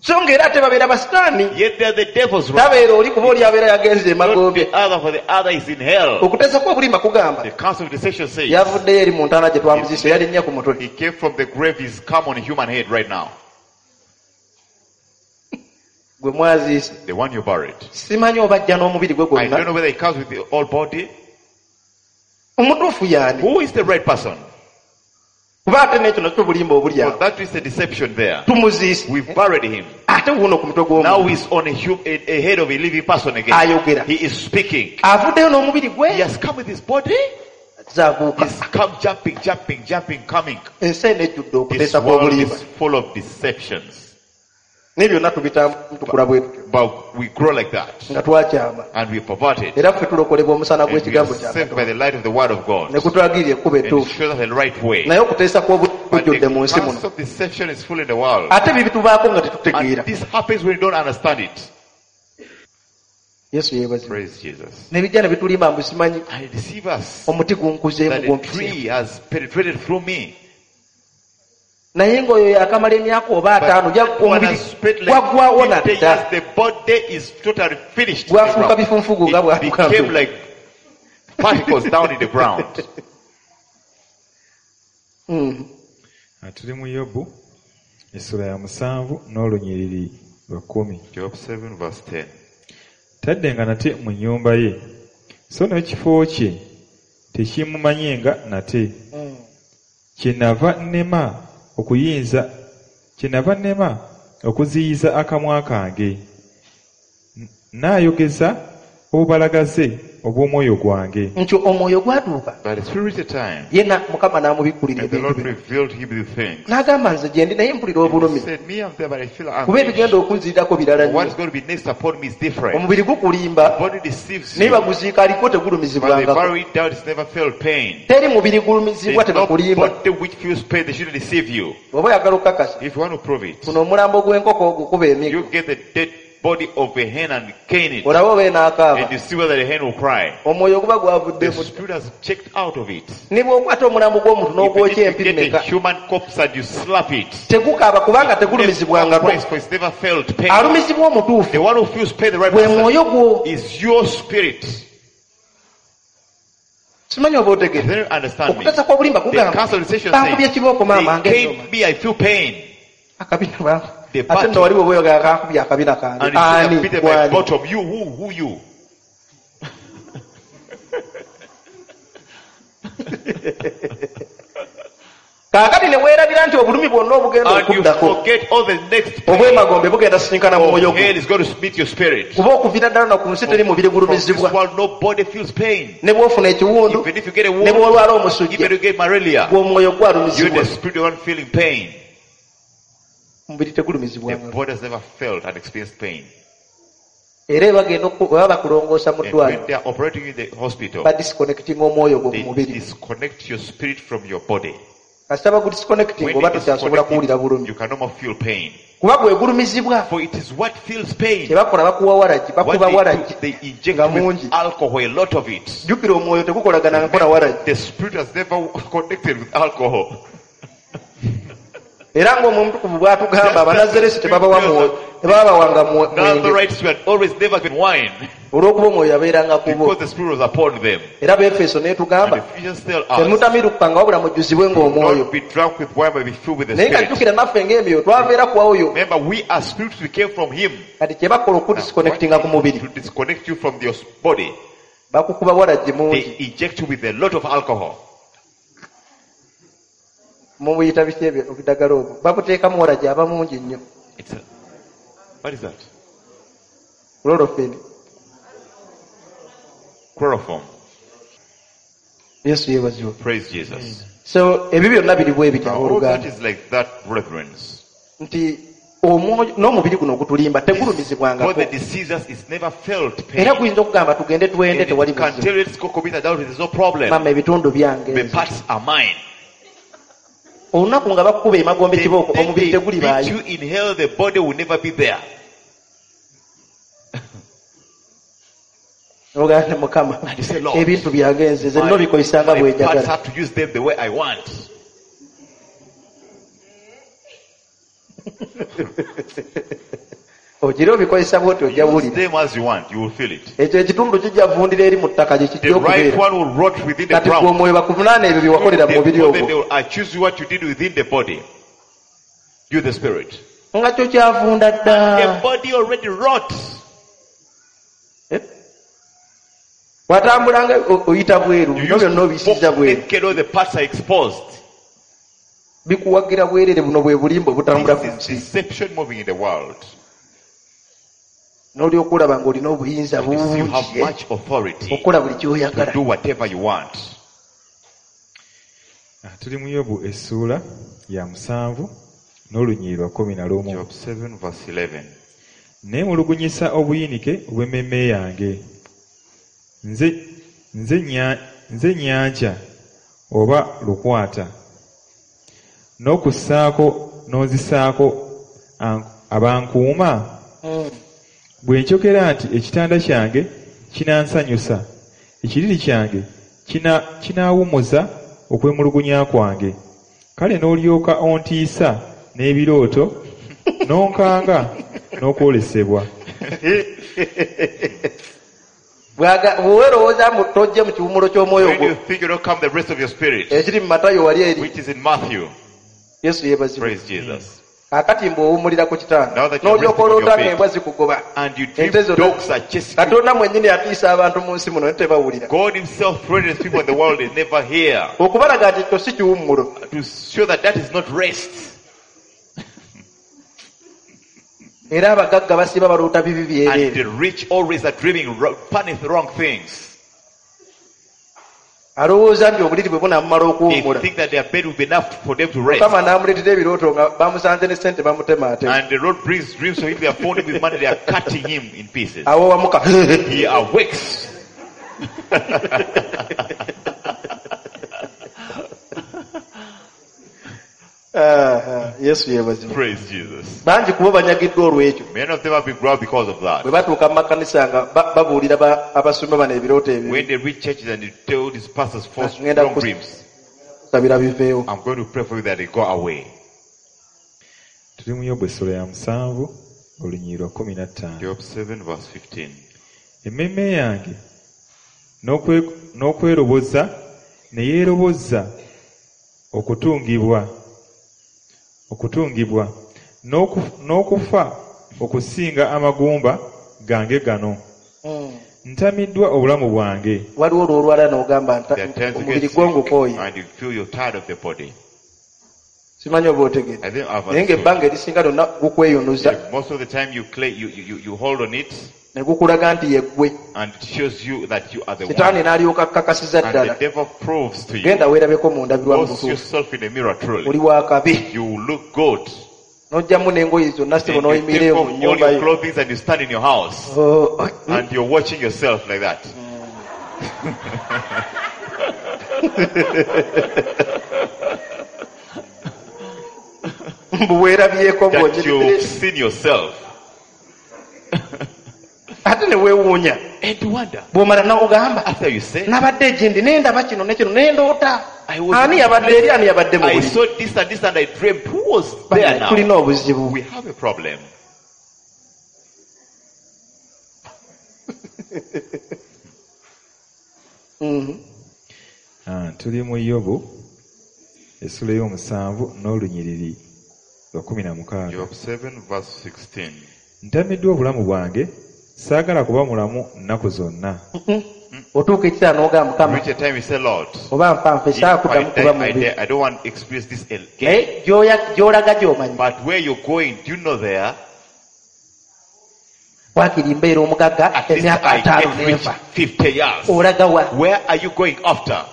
So ng'era ate babeera basitaani. Yet they are the devil's right. Tabeera oli kuba oli abeera yagenze Not emagombe. the other, for the other is in hell. Okuteesa kw'obulimba kugamba The council of deception says yavuddeyo eri mu ntaana gye twamuziise yalinnya ku mutwe. he came from the grave. He's come on a human head right now. Gwe mwaziise. The one you buried. Simanyi oba ajja n'omubiri gwe I don't gwonna. know whether he comes with the whole body. Omutuufu y'ani? Who is the right person? Kuba ate n'ekyo nakyo bulimba obuli So awo. that is the deception there. Tumuziise. We've buried him. Ate wuuno ku mutwe Now gw'omuntu. he's on a head of a living person again. Ayogera. He is speaking. Avuddeyo n'omubiri He gwe. has come with his body. Zaabuuka. He's come jumping, jumping, jumping, coming. Ensi eno ejjudde This okuteesa world kw'obulimba. is full of deceptions. Naye byonna tubitambula tukula bwe tutyo But we grow like that. nga twakyama. And we pervert it. Era ffe tulokolebwa omusana And we are gw'ekigambo kya saved by Katonda. the light of the word of God. Ne kutulagirira ekkubo And it ettuufu. shows us the right way. Naye okuteesa kw'obulimba But kujjudde the mu nsi muno. counsel of deception is full in the world. Ate bibitubaako nga tetutegeera. And this happens when you don't understand it. Yesu yeebazibwe. Praise Jesus. Ne bijja ne bitulimba mbu simanyi And it deceive us omuti gunkuzeemu that the gumpiseemu. tree has penetrated through me. Naye ng'oyo yakamala emyaka oba But ataano one omubiri has spent like gwaggwawo 50 years, nadda. the body is totally finished. in the Gwafuuka ground. bifunfugu nga It bw'atuuka became like particles down in the ground. Ah, tuli mu Yobu essula ya 7 n'olunyiriri lwa 10. Job 7 verse 10. Taddenga nate mu nnyumba ye, so n'ekifo kye tekimumanyenga nate. Kyenava nnema okuziyiza akamwa kange. Nnaayogeza Obubalagaze obw'omwoyo gwange. Nti omwoyo gwatuuka But the spirit reached a time, ye Mukama n'amubikkulira and the ebintu Lord bino. revealed him the things. N'agamba nze gye ndi naye mpulira He obulumi said, me, I'm there, but I feel kuba anguish. ebigenda okunzirirako birala What is nnyo. going to be next upon me is different. Omubiri gukulimba The body deceives naye you, baguziika aliko but they tegulumizibwangako. bury it down, it's never felt pain. Teri mubiri gulumizibwa There's no tebakulimba. body which feels pain, they shouldn't deceive you. Bw'oba oyagala okukakasa If you want to prove it, funa omulambo gw'enkoko ogukuba emiggo you get the dead body of a hen and cane it, olabe oba enaakaaba. and you see whether the hen will cry. Omwoyo guba The gwavuddemu. spirit has checked out of it. Ne bw'okwata omulambo gw'omuntu Even n'ogwokya if you empi get a mmeka human corpse and you slap it, tegukaaba kubanga never tegulumizibwangako. cries, for it's never felt pain. Alumizibwa omutuufu The one who feels pain, the right gwe person, mwoyo gwo. is your spirit. Simanyi oba otegere. They don't understand me. Okutasa kw'obulimba The kugamba counsel of deception bankubye says, kibooko maama they ng'enoma. cane me, I feel pain. Akabina bangu. The Ate battle. nno wali bw'oba oyogera kankubye akabina kange. And you say, Ani I've beaten my gwani? bottom. You, who you? Kaakati ne weerabira nti obulumi bwonna obugenda And you okuddako forget all the next pain obw'emagombe bugenda sisinkana mu mwoyo of gwo. hell is going to meet your spirit. Kuba okuviira ddala na ku nsi teri mubiri From this gulumizibwa. world, nobody feels pain. Ne bw'ofuna ekiwundu Even if you get a ne wound, bw'olwala even omusujja if you get malaria, gwe omwoyo you're gwalumizibwa. the spirit, the one feeling pain. Omubiri The tegulumizibwanga. body has never felt and experienced pain. Era bagenda bwe baba bakulongoosa mu And when ddwaliro they are operating in the hospital, badisconnectinga omwoyo gwo ku they mubiri. disconnect your spirit from your body. Kasita bagudisconnectinga When oba they tokyasobola disconnect kuwulira it, bulumi. you can no more feel pain. Kuba gwe gulumizibwa. For it is what feels pain. Kye bakola bakuwa waragi, What bakuba they do, waragi they inject nga mungi. with alcohol, a lot of it. Jjukira omwoyo tegukolagana nkola waragi. The spirit has never connected with alcohol. Era ng'omutukuvu bw'atugamba abanazeresi tebabawa mwoyo, tebabawanga mwenge Nazarites were always never given wine olw'okuba omwoyo yabeeranga ku bo. because the spirit was upon them. Era Beefeso And n'etugamba Ephesians tell us, temutamirukkanga wabula mujjuzibwe ng'omwoyo. not be drunk with wine, but be filled with the Naye nga spirit. jjukira naffe ng'emyoyo twaveera ku oyo. Remember, we are spirits, we came from him. Kati kye bakola okudisconnectinga ku mubiri To disconnect you from your body, bakukuba waragi mungi. they inject you with a lot of alcohol. Mubuyita biki ebyo obuddagala obwo babuteekamu waragi aba mungi nnyo. What is that? Chlorophene. Chloroform. Yesu yeebazibwe. Praise Jesus. So ebyo byonna biri bwe bityo Now, all that abooluganda is like that, brethren. nti omwoyo n'omubiri guno ogutulimba God tegulumizibwangako. that deceives us is never felt pain. Era guyinza okugamba tugende twende And tewali it can buzibu. tell you, let's go commit adultery, there's no problem. Maama ebitundu byange The nze. parts are mine. Olunaku nga bakukuba emagombe The kibooko day omubiri they beat tegulibaayo. you in hell, the body will never be there. Ogamba Mukama And you say, Lord, ebintu byange nze nze nno bikozesa nga my bwe parts njagala. have to use them the way I want. Ogira obikozesa bw'oti ojja Use wulira. them as you want, you will feel it. Ekyo ekitundu kijja vundira eri mu ttaka gye The kijja right okubeera. one will rot within the Kati gwe ground. omwoyo bakuvunaana ebyo bye wakolera mu They, mubiri then they ogwo. will accuse you what you did within the body. You the spirit. Nga kyo kyavunda dda. The body already rots. Eh? Watambulanga oyita bweru You bino used byonna to obisiza walk bweru. naked, all the parts are exposed. Bikuwagira bwerere buno bwe bulimba obutambula ku This is nsi. deception moving in the world. N'olyoka olaba ng'olina obuyinza You see, you have bungi eh, much authority okukola buli to ky'oyagala. do whatever you want. Tuli mu Yobu essuula ya 7 n'olunyiriri lwa 11. Job 7 verse 11. Neemulugunyisa obuyinike obw'emmeeme yange. Nze nnyanja oba lukwata. N'okussaako n'onzisaako abankuuma. Bwe njogera nti ekitanda kyange kinansanyusa, ekiriri kyange kinaawummuza okwemulugunya kwange. Kale n'olyoka ontiisa n'ebirooto, n'onkanga n'okwolesebwa. Bw'owerowooza mbu tojje mu kiwummulo ky'omwoyo When gwo you think you don't come the rest of your spirit, ekiri mu Matayo wali eri which is in Matthew. Yesu yeebazibwe. Praise Jesus. Kaakati mbu owummulira ku kitanda Now that you're n'olyoka resting on your oloota bed. ng'embwa zikugoba. And you dream Ente zonna dogs are chasing you. Katonda mwennyini atiisa abantu mu nsi muno ne tebawulira. God himself threatens people in the world they never hear. Okubalaga nti ekyo si kiwummulo. To show that that is not rest. Era abagagga basiba baloota bibi And byereere. the rich always are dreaming funny wrong things. Alowooza nti obuliri bwe bunaamumala They okuwummula. think that their bed will be enough for them to rest. Mukama n'amuleetera ebirooto nga bamusanze ne ssente bamutemaatema. And the Lord brings dreams to him. They are found him with money. They are cutting him in pieces. Awo wamuka. He awakes. Ah, Yesu yeebazibwe. Praise Jesus. Bangi kubo banyagiddwa olw'ekyo. Many of them have been grabbed because of that. Bwe batuuka mu makanisa nga babuulira abasumba bano ebirooto ebibi. When they reach churches and they tell these pastors false Ngenda wrong dreams, kusabira biveewo. I'm going to pray for you that they go away. Tuli mu Yobu essula ya 7 olunyiriri lwa 15. Job 7 verse 15. Emmeeme yange n'okweroboza ne yeeroboza okutungibwa n'okufa okusinga amagumba gange gano. Ntamiddwa obulamu bwange. Waliwo lw'olwala n'ogamba nti There are times you omubiri get gwo sick ngukooye. and you feel you're tired of the body. Simanyi oba otegedde. I think I've Naye ng'ebbanga erisinga lyonna gukweyonoza Yeah, most of the time you clay, you hold on it ne gukulaga nti ye ggwe. and it shows you that you are the Sitaani one. n'alyoka akkakasiza And the ddala. devil proves to you. Genda weerabeko mu ndabirwamu Go see butuufu. yourself in the mirror Oli truly. wa kabi. You look good. N'oggyamu n'engoye zonna ssebo And you n'oyimirira take eyo off mu all nnyumba your yo. clothing and you stand in your house. Oh, And you're watching yourself like that. Mbu weerabyeko That bw'onyini. you've seen yourself. Ate ne weewuunya. And you wonder. Bw'omala n'ogamba After you say, nabadde egindi ne ndaba kino ne kino ne ndoota. I was- Ani yabadde eri ani yabadde mu I buliri? saw this and this and I dreamt. Who was there Bannange, tulina now? obuzibu. We have a problem. Tuli mu Yobu essula ey'omusanvu n'olunyiriri lwa 16. Job 7 verse 16. Ntamiddwa obulamu bwange, saagala kuba mulamu nnaku zonna. Otuuka ekiseera n'ogamba Mukama Reach a time you say, Lord, oba nfa nfe if saakuddamu I kuba die, I mubi. die. I don't want to experience this again. Naye gy'olaga gy'omanyi. But where you're going, do you know there? Waakiri mbeera omugagga At least emyaka I ataano get rich n'enfa. 50 years. Olaga wa? Where are you going after?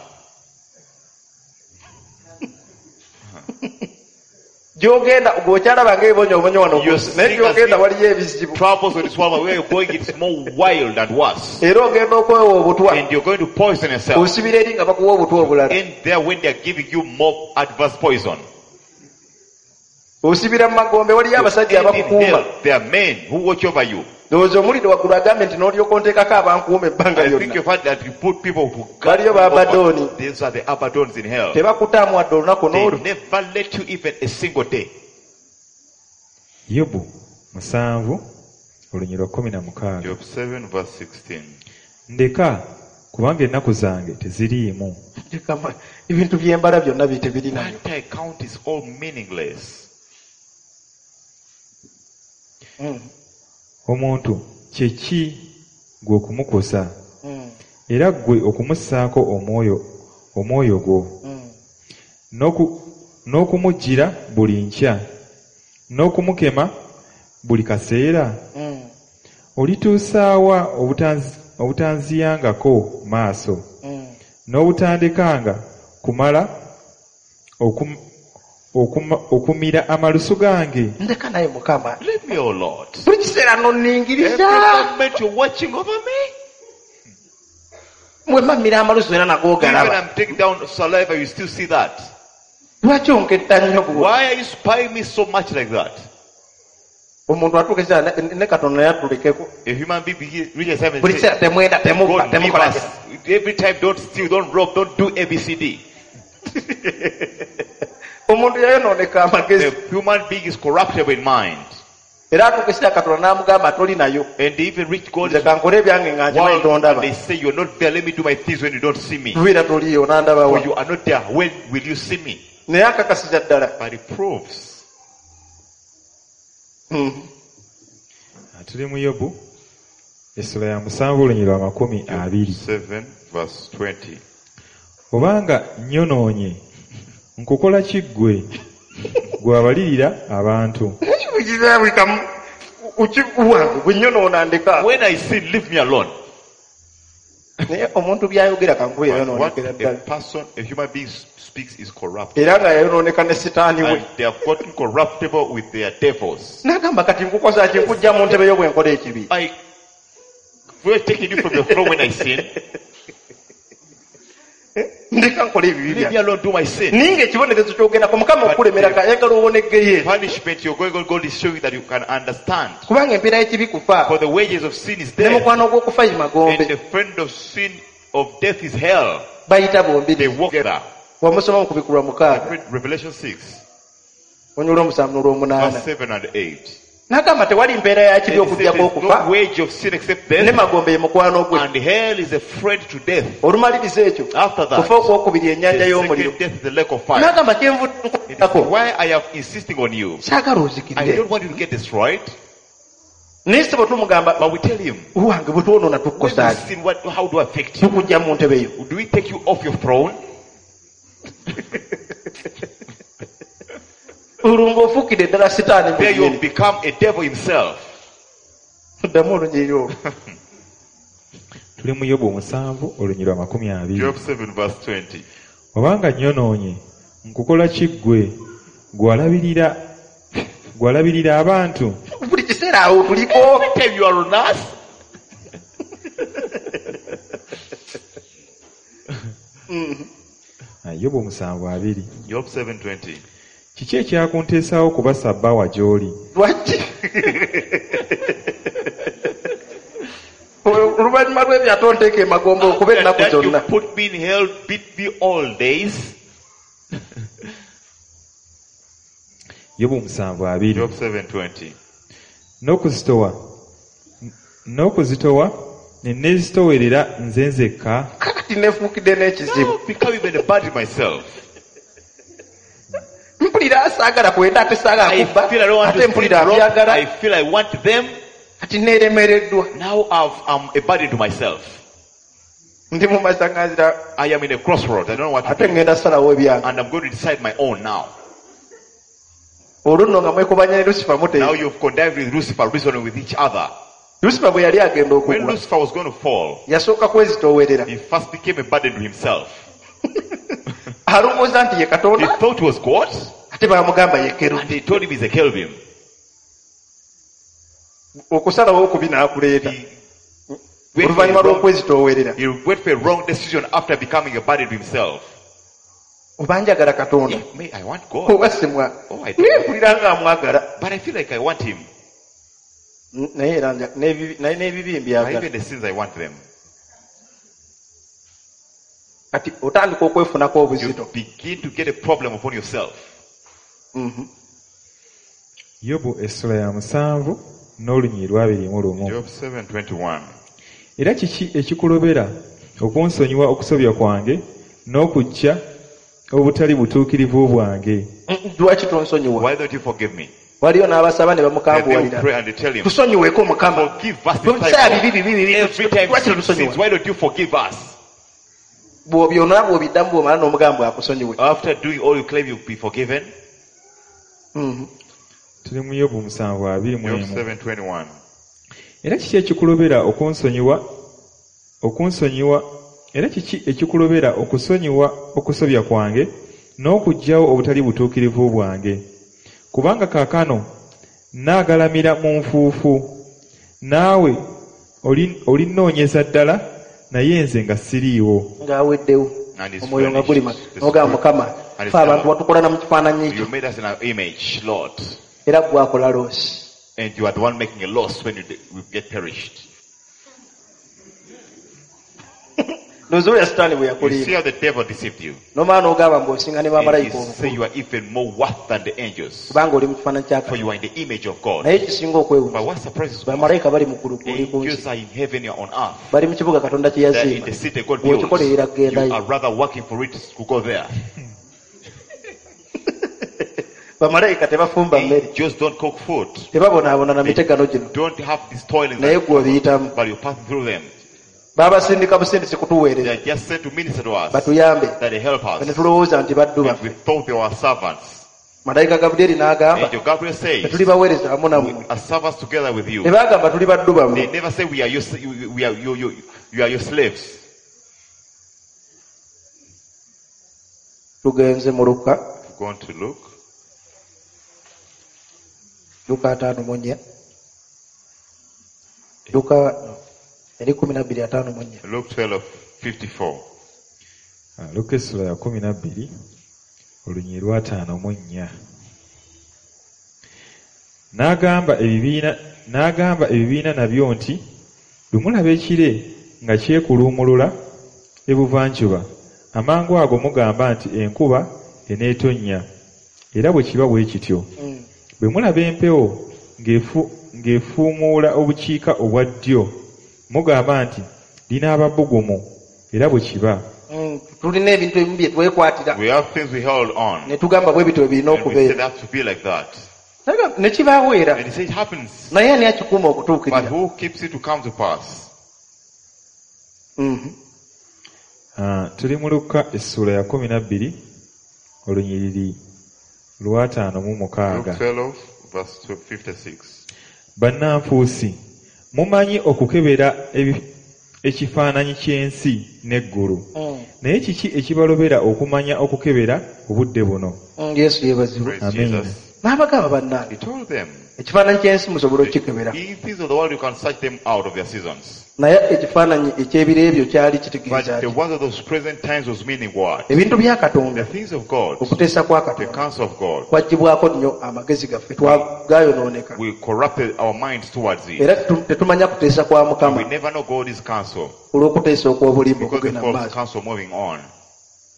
Gy'ogenda gw'okyalaba ng'ebibonyoobonyo wano ku You're nsi, naye seeing as gy'ogenda if waliyo ebizibu. Troubles on this world, but where you're going, it's more wild and worse. Era ogenda okwewa obutwa. And you're going to poison yourself. Osibira eri nga bakuwa obutwa obulala. And there when they're giving you more adverse poison. Osibira mu magombe waliyo abasajja And in abakukuuma. hell, there are men who watch over you. Ndowooza omuliro waggulu agambye nti n'olyoka onteekako abankuuma ebbanga I think lyonna. you've heard that you put people who guard Waliyo you over. ba Abaddoni. These are the Abaddons in hell. Tebakutaamu wadde olunaku They n'olu. never let you even a single day. Yobu 7 olunyiriri lwa 16. Job 7 verse 16. Ndeka kubanga ennaku zange teziriimu. Kama, ebintu by'embala byonna bi tebirinayo. What I count is all meaningless. Omuntu kye ki ggwe okumukosa era ggwe okumussaako omwoyo gwo n'okumuggyira buli nkya n'okumukema buli kaseera? Olituusa wa obutanziyangako maaso n'obutandekanga kumala okumira amalusu gange? Ndeka naye Mukama. Leave me, O Lord. Buli kiseera Every nonningiriza. moment you're watching over me. Mwe mmamira amalusu era nago Even ogalaba. I'm taking down saliva, you still see that. Lwaki onketta nnyo bw'otyo? Why are you spying me so much like that? Omuntu atuuka ekiseera ne Katonda naye atulekeko. A human being reaches heaven Buli and says, kiseera temwenda, temubba, God, leave temukola us. kino. Every time, don't steal, don't rob, don't do ABCD. Omuntu yayonooneka amagezi. The human being is corruptible in mind. Era atuuka ekiseera Katonda n'amugamba toli nayo. And they even reach God's Nze kankole ebyange nga nkimanyi world and tondaba. they say, you're not there, let me do my things when you don't see me. Tubeera toliiyo n'andaba For wa. you are not there, when will you see me? Naye akakasiza ddala. But it proves. Tuli mu Yobu essula ya 7 olunyiriri lwa 20. 7 verse 20. Obanga nnyonoonye nkukola ki ggwe, ggwe abalirira abantu? Buli kamu. Wange bwe nnyonoona ndeka. When I sin, leave me alone. Naye omuntu by'ayogera kankuba But what yayonoonekera a ddala. person, a human being speaks is corrupt. Era nga yayonooneka ne sitaani we. And they have gotten corruptible with their devils. N'agamba kati nkukoza ki nkujja mu ntebe yo bwe nkola ekibi. I we're taking you from the throne when I sin. Ndeka nkola ebibi Leave me byange. alone, do my sin. Naye ng'ekibonerezo ky'ogendako Mukama okukulemerako ayagala owoneggeyo. Punishment you're going on, God is showing that you can understand. Kubanga empeera y'ekibi kufa. For the wages of sin is Ne death. mukwano gw'okufa ye And magombe. the friend of sin of death is hell. Bayita They bombiri. walk together. Wamusoma mu kubikulwa 6. Read Revelation 6, Onyula 7 n'olwomunaana. verse 7 and 8. N'agamba tewali mpeera ya kibi It says okuggyako there's okufa. no wage of sin except Ne death, magombe ye mukwano gwe. and hell is a friend to death. Olumaliriza ekyo. After that, Kufa okwokubiri ennyanja the y'omuliro. second death is the lake of fire. N'agamba kyenvudde It is nkuddako. why I am insisting on you. Saagala I ozikirire. don't want you to get destroyed, Naye ssebo tumugamba but we tell him, wange bwe twonoona when we tukukosa ki? sin, what, how do I affect you? Tukujja mu ntebe yo. Do we take you off your throne? Olwo ng'ofuukidde ddala sitaani There mwennyini. you'll become a devil himself. Ddamu olunyiriri olwo. Tuli mu Yobu 7 olunyiriri lwa 20. Job 7 verse 20. Obanga nnyonoonye, nkukola ki ggwe? Ggwe alabirira abantu? Buli kiseera awo tuliko. Every time you are on us, Yobu 7:20. Job 7:20. Kiki ekyakunteesaawo okuba ssabbaawa gy'oli? Lwaki? Oluvannyuma lw'ebyo ate onteeka emagombe okuba ennaku That you zonna. put me in hell, beat me all days. Yobu 7:20. Job 7:20. N'okuzitowa ne neezitoowerera nze nzekka. Kakati neefuukidde n'ekizibu. Now become even a burden myself. Mpulira saagala kwenda ate saagala I kubba feel I don't want ate to steal mpulira wrong. mbyagala I feel I want them. kati neeremereddwa. Now I'm a burden to myself. Ndi mu masaŋŋanzira I am in a crossroad. I don't know what to ate do. ŋŋenda salawo ebyange. And I'm going to decide my own now. Olwo nno nga mwekubanya ne Lusifa Now muteesa. you've connived with Lucifer, reasoning with each other. Lusifa bwe yali agenda When okugwa Lucifer was going to fall, yasooka kwezitoowerera. he first became a burden to himself. Alowooza nti ye He Katonda thought he was God, ate baamugamba ye kerubi. and they told him he's a Kelvin. Okusalawo okubi n'akuleeta. He went for Oluvannyuma a wrong, lw'okwezitoowerera. he went for a wrong decision after becoming a burden to himself. Oba njagala Katonda If me, I want God, oba simwa. Oh, I don't. Naye mpulira nga amwagala. but I feel like I want him. Naye era naye n'ebibi But mbyagala. even the sins, I want them. Kati otandika okwefunako You obuzito. begin to get a problem upon yourself. Yobu essula ya 7 n'olunyiriri lwa 21. Job 7:21. Era kiki ekikulobera okunsonyiwa okusobya kwange n'okuggya obutali butuukirivu bwange? Lwaki tonsonyiwa? Why don't you forgive me? Waliyo n'abasaba ne And they will bamukambuwalira. pray and they tell him, Tusonyiweko Mukama. Forgive us this Tubiseera time. bibi bibi bibi. Every time Lwaki sin totusonyiwa? sins, why don't you forgive us? Bw'obyonona bw'obiddamu bw'omala n'omugamba akusonyiwe. After doing all you claim you'll be forgiven. Tuli mu Yobu 7:21. Job 7:21. Era kiki ekikulobera okunsonyiwa era kiki ekikulobera okusonyiwa okusobya kwange n'okuggyawo obutali butuukirivu bwange? Kubanga kaakano nnaagalamira mu nfuufu, naawe olinnoonyeza ddala, naye nze nga siriiwo. Ng'aweddewo. And it's Omwoyo nga finished. gulima. The N'ogamba spirit- Mukama, And it's ffe abantu done. watukola na mu kifaananyi kyo You made us in our image, Lord. era ggwe akola loosi. And you are the one making a loss when you get perished. Ndowooza olya sitaani bwe You see yakulimba. how the devil deceived you. N'omala n'ogamba mbu osinga ne And bamalayika he say obukulu you are even more worth than the angels. kubanga oli mu kifaananyi kya For Katonda. you are in the image of God. Naye ekisinga okwewuunya But what surprises me, bamalayika bali mu ggulu ggwe oli ku nsi. angels are in heaven, you are on earth. Bali mu kibuga Katonda kye They are in yazimba. the city God built. Bw'okikolerera You kugendayo. are rather working for it to go there. Bamalayika tebafumba mmere. Angels don't cook food. Tebabonaabona na mitegano gino. Don't have these toilets. Naye ggwe obiyitamu. But you pass through them. Babasindika busindisi They kutuweereza. are just sent to minister to us. Batuyambe. That they help Ne us. tulowooza nti baddu And we baffe. thought they were servants. Malayika Gabulyeri n'agamba, Angel Gabriel says, tetuli baweereza wamu we nammwe. are servants together with you. Ne bagamba tuli baddu They bammwe. never say we are your, we are you, you, you are your slaves. Tugenze mu Luka, We've gone to Luke, Luka 54. Luka no, eri 12:54. Luke 12:54. Ah, Luka essula ya 12 olunyiriri lwa 54. N'agamba ebibiina nabyo nti bwe mulaba ekire nga kyekuluumulula ebuvanjuba amangu ago mugamba nti enkuba eneetonnya era bwe kiba bwe kityo. Bwe mulaba empewo ng'efuumuula obukiika obwa ddyo mugamba nti linaaba bbugumu era bwe kiba. Tulina ebintu ebimu bye twekwatira We have things we hold on. ne tugamba bwe bityo birina And we say okubeera. that to be like that. Ne kibaawo era. And he said it happens. Naye ani akikuuma But okutuukirira? who keeps it to come to pass? Ah, tuli mu Luka essuula ya 12 olunyiriri lwa 56. Luke 12, verse 56. Bannanfuusi mumanyi okukebera ekifaananyi ky'ensi n'eggulu. Naye kiki ekibalobera okumanya okukebera obudde buno? Yesu yeebazibwe. Praise Amen. Jesus. N'abagamba bannange, He told them, ekifaananyi ky'ensi musobola okukikebera. in things of the world you can search them out of their seasons. Naye ekifaananyi eky'ebiro ebyo kyali But kitegeeza the ki? ones of those present times was meaning what? Ebintu bya The Katonda, things of God, okuteesa kwa the Katonda counsel of God. kwaggyibwako nnyo amagezi gaffe gayonooneka. We corrupted our minds towards it. Era tetumanya kuteesa kwa Mukama We never know God's counsel olw'okuteesa okw'obulimba because the okugenda mu false maaso. counsel moving on.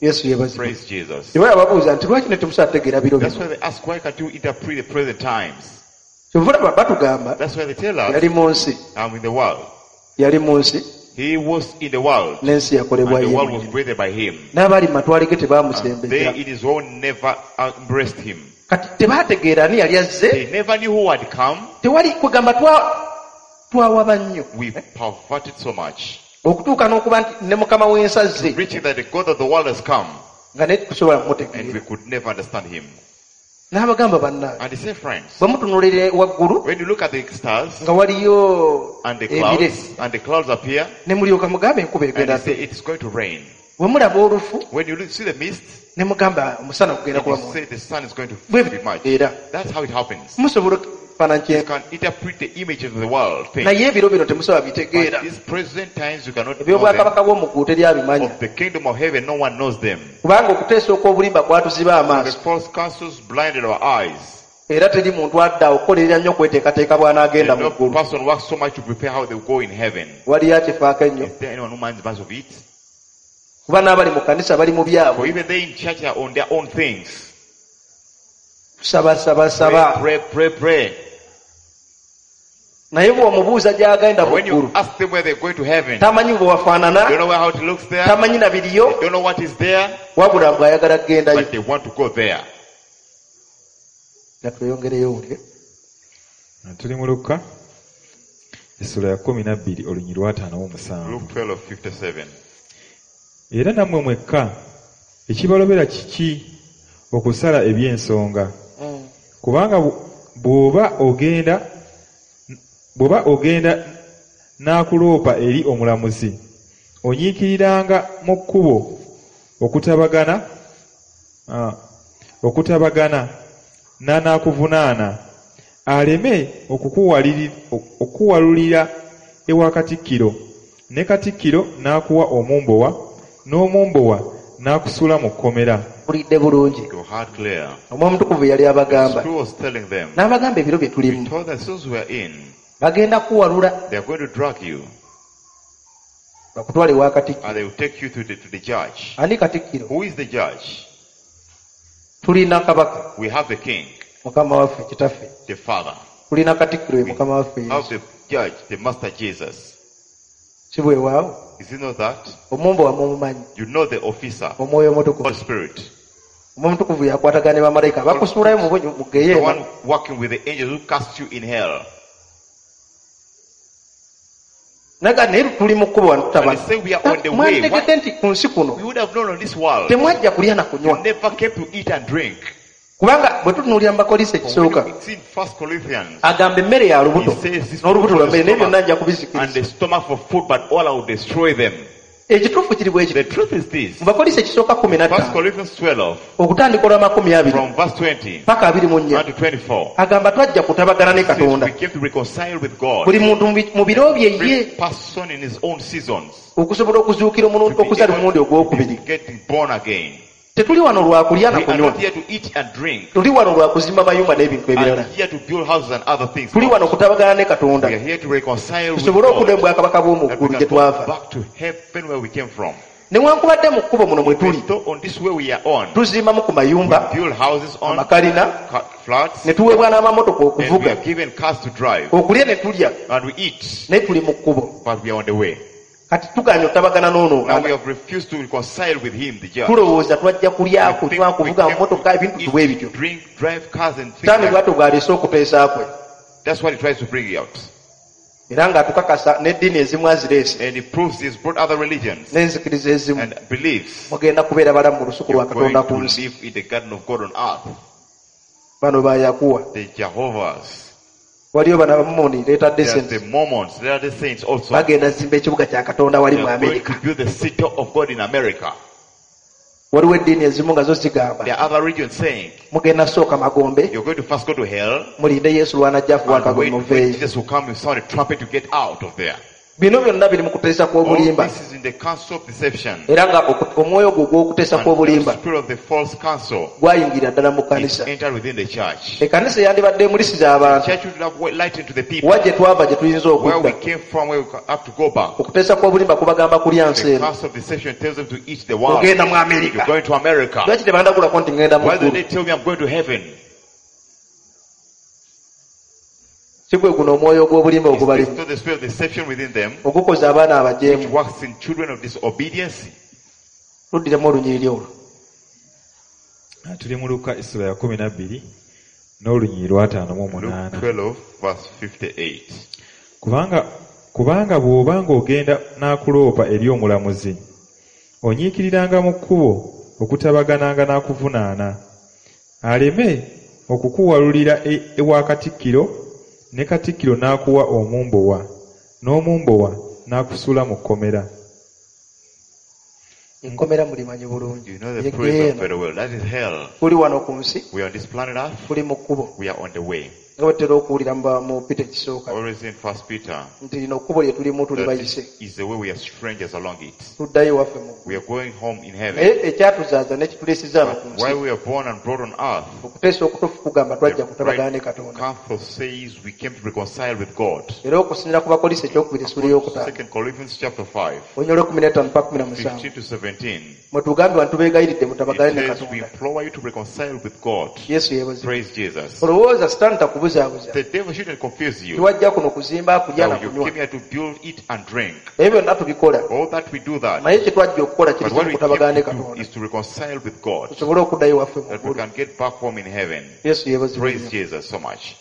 Yesu yeebazibwe. Praise Jesus. Tebala babuuza nti lwaki ne temusobola kutegeera biro That's bino? why they ask, why can't you interpret the present times? Kyova olaba batugamba That's why they tell us, yali mu nsi, I'm in the world. yali mu nsi He was in the world, n'ensi yakolebwa and the ye world was mwennyini. created by him. N'abaali mu matwale ge And tebaamusembeza. they in his own never embraced him. Kati tebaategeera ani yali azze, They never knew who had come. tewali kwegamba twawaba nnyo. We perverted so much. Okutuuka n'okuba nti ne Mukama w'ensi azze Preaching that the God of the world has come, nga naye tusobola and we kumutegeera. could never understand him. N'abagamba bannange, And he said, friends, bwe mutunuulira waggulu when you look at the stars nga waliyo and the ebire clouds, and the clouds appear, ne mulyoka mugambe enkuba and egenda you say it's going to rain. bwe mulaba olufu When you see the mist, ne mugamba omusana gugenda and kuba you mungi. say the sun is going to Bwe be much. era That's how it happens. musobola ekifaananyi You kye can interpret the image of the world things. naye ebiro bino temusobola bitegeera. But these present times you cannot know them. Ebyobwakabaka bw'omu ggulu teri abimanya Of the kingdom of heaven, no one knows them. kubanga okuteesa okw'obulimba kwatuziba The amaaso false counsels blinded our eyes. era teri muntu adda okukolerera nnyo okweteekateeka bw'anaagenda mu No ggulu. person works so much to prepare how they go in heaven. Waliyo akifaako ennyo Is there anyone who minds much of it? kuba n'abali mu kkanisa bali mu For byabwe even they in church are on their own things. kusaba saba Pray, saba pray, pray, pray. naye bw'omubuuza gy'agenda mu When you ggulu ask them where they're going to heaven, tamanyi bwe wafaanana don't know where how it looks there, tamanyi na biriyo don't know what is there, wabula bw'ayagala kugendayo. but they want to go there. Nga tweyongereyo owulire. Ah, tuli mu Luka essula ya 12 olunyiriri lwa 57. Luke 12:57. Era nammwe mwekka ekibalobera kiki okusala eby'ensonga? Kubanga bw'oba ogenda n'akuloopa eri omulamuzi, onyiikiriranga mu kkubo okutabagana n'anaakuvunaana, aleme okukuwalulira ewa katikkiro, ne katikkiro n'akuwa omumbowa, n'omumbowa n'akusuula mu kkomera. Mpulidde bulungi. Your heart clear. Omwoyo Omutukuvu yali The abagamba Spirit was telling them, n'abagamba ebiro bye he tulimu told them, since we are in, bagenda kuwalula they are going to drag you bakutwale ewa katikkiro. and they will take you to the judge. Ani katikkiro? Who is the judge? Tulina kabaka We have the king, Mukama waffe kitaffe. the father. Tulina katikkiro ye Mukama waffe We have Yesu. the judge, the master Jesus. Si bwewaawo? Is it not that? Omumbowa mumumanyi. You know the officer, Omwoyo Omutukuvu. Holy Spirit. Omwoyo Omutukuvu yakwatagana ne bamalayika bakusuulayo mu The geyeena. one working with the angels who cast you in hell. Naga naye tuli mu kkubo wano And they say we are on the way. Mwanditegedde nti ku nsi kuno We would have known on this world. temwajja kulya na You kunywa never came to eat and drink. Kubanga bwe tutunuulira mu Bakolinso For when ekisooka, you see in 1 Corinthians, agamba emmere ya he lubuto says this n'olubuto food lwa for mmere the naye byonna stomach nja and kubizikiriza. the stomach for food, but all I will destroy them. Ekituufu kiri bwe The kiti. truth is this. Mu Bakolinso ekisooka kumi na 1 ttaano Corinthians 12, okutandika olw'amakumi abiri from verse 20 paka abiri mu nnya down to 24. agamba twajja kutabagana ne Since Katonda. we came to reconcile with God, Buli muntu mu bi- mu biro bye ye every person in his own seasons, okusobola okuzuukira to omulundi be okuzaala omulundi able ogwokubiri. to get born again. Tetuli wano lwa kulya na We are kunywa. not here to eat and drink, Tuli wano lwa kuzimba mayumba n'ebintu ebirala. and here to build houses and other things. Tuli wano kutabagana ne Katonda We are here to reconcile with tusobole okudda God, mu bwakabaka bw'omu that we ggulu gye can go twava. back to heaven where we came from. Newankubadde mu kkubo muno mwe tuli Though on this way we are on, tuzimbamu ku mayumba, we build houses on amakalina, flats, ne tuweebwa n'amamotoka and we okuvuga, are given cars to drive, okulya ne tulya, and we eat, naye tuli mu kkubo. but we are on the way. Kati tugaanye otabagana n'ono Now we have refused to reconcile with him, the judge. tulowooza twajja kulya, We think kunywa, we kuvuga came mmotoka, to ebintu eat, bwe bityo. drink, drive cars and things Sitaani like bw'atyo bw'aleese okuteesa kwe That's what he tries to bring out. era ng'atukakasa n'eddiini ezimu azireese And he proves he's brought other religions n'enzikiriza ezimu and beliefs. mugenda kubeera balamu mu lusuku lwa You're going Katonda to ku nsi. live in the garden of God on earth. Bano ba Yakuwa. The Jehovah's. Waliyo bano Abamomoni leeta There are decent the Mormons. There are the saints also. bagenda zimba ekibuga kya Katonda wali They mu are going Amerika. to build the city of God in America. Waliwo eddiini ezimu nga zo zigamba There are other regions saying, mugenda sooka magombe you're going to first go to hell mulinde Yesu lw'anajja afuwa and akagombe wait when muveeyo. Jesus will come and sound a trumpet to get out of there. Bino byonna biri mu kuteesa All kw'obulimba this is in the council of deception. era nga omwoyo gwo ogw'okuteesa And the kw'obulimba spirit of the false counsel gwayingira ddala mu is kkanisa. entered within the church. Ekkanisa eyandibadde emulisiza abantu Church should have light into the people. wa gye twava gye tuyinza Where we okudda. came from, where we have to go back. Okuteesa kw'obulimba kubagamba kulya nsi The eno. council of deception tells them to eat the world. Ogenda mu Amerika. You're going to America. Lwaki tebandagulako nti ngenda mu Why do ggulu? they tell me I'm going to heaven? Si gwe guno omwoyo ogw'obulimba Is ogubalimu this not the spirit of deception within them, ogukoza abaana which abajeemu. works in children of disobedience? Tuddiremu olunyiriri olwo. Tuli mu Luka essula ya kumi na bbiri n'olunyiriri lw'ataano mu Luke munaana. 12, verse 58. Kubanga bw'oba ng'ogenda n'akuloopa eri omulamuzi, onyiikiriranga mu kkubo okutabagananga n'akuvunaana, aleme okukuwalulira ewa katikkiro, ne katikkiro n'akuwa omumbowa, n'omumbowa n'akusuula mu kkomera. Ekkomera mulimanyi bulungi. You know the Ye prison ggeyeena. very well. That is hell. Tuli wano ku nsi, We are on this planet Earth. tuli mu kkubo. We are on the way. Nga bwe tutera okuwulira mu Peter ekisooka Always in First Peter. nti lino kkubo lye tulimu tuli That bayise. this is the way we are strangers along it. Tuddayo ewaffe mu ggulu. We are going home in heaven. Naye ekyatuzaaza n'ekituleesezza wano ku But while nsi we are born and brought on earth, okuteesa okutuufu kugamba twajja the kutabagana ne right Katonda. counsel says we came to reconcile with God. Era okusinziira ku Bakolinso ekyokubiri essula ey'okutaano Second Corinthians chapter 5, olunyiriri lw'ekumi n'ettaano paka kumi na musanvu 15 to 17. mwe tugambibwa nti tubeegayiridde mutabagane It ne says we Katonda. implore you to reconcile with God. Yesu yeebazibwe. Praise Jesus. Olowooza Sitaani takubuzaabuza. The devil shouldn't confuse you. Tiwajja kuno kuzimba, kulya na Now you kunywa. came here to build, eat and drink. Ebyo byonna tubikola. All that we do that. Naye kye twajja okukola kiri But what kimu we kutabagana ne came to do Katonda. is to reconcile with God. Tusobole okuddayo ewaffe mu That we ggulu. can get back home in heaven. Yesu yeebazibwe Praise nnyo. Jesus so much.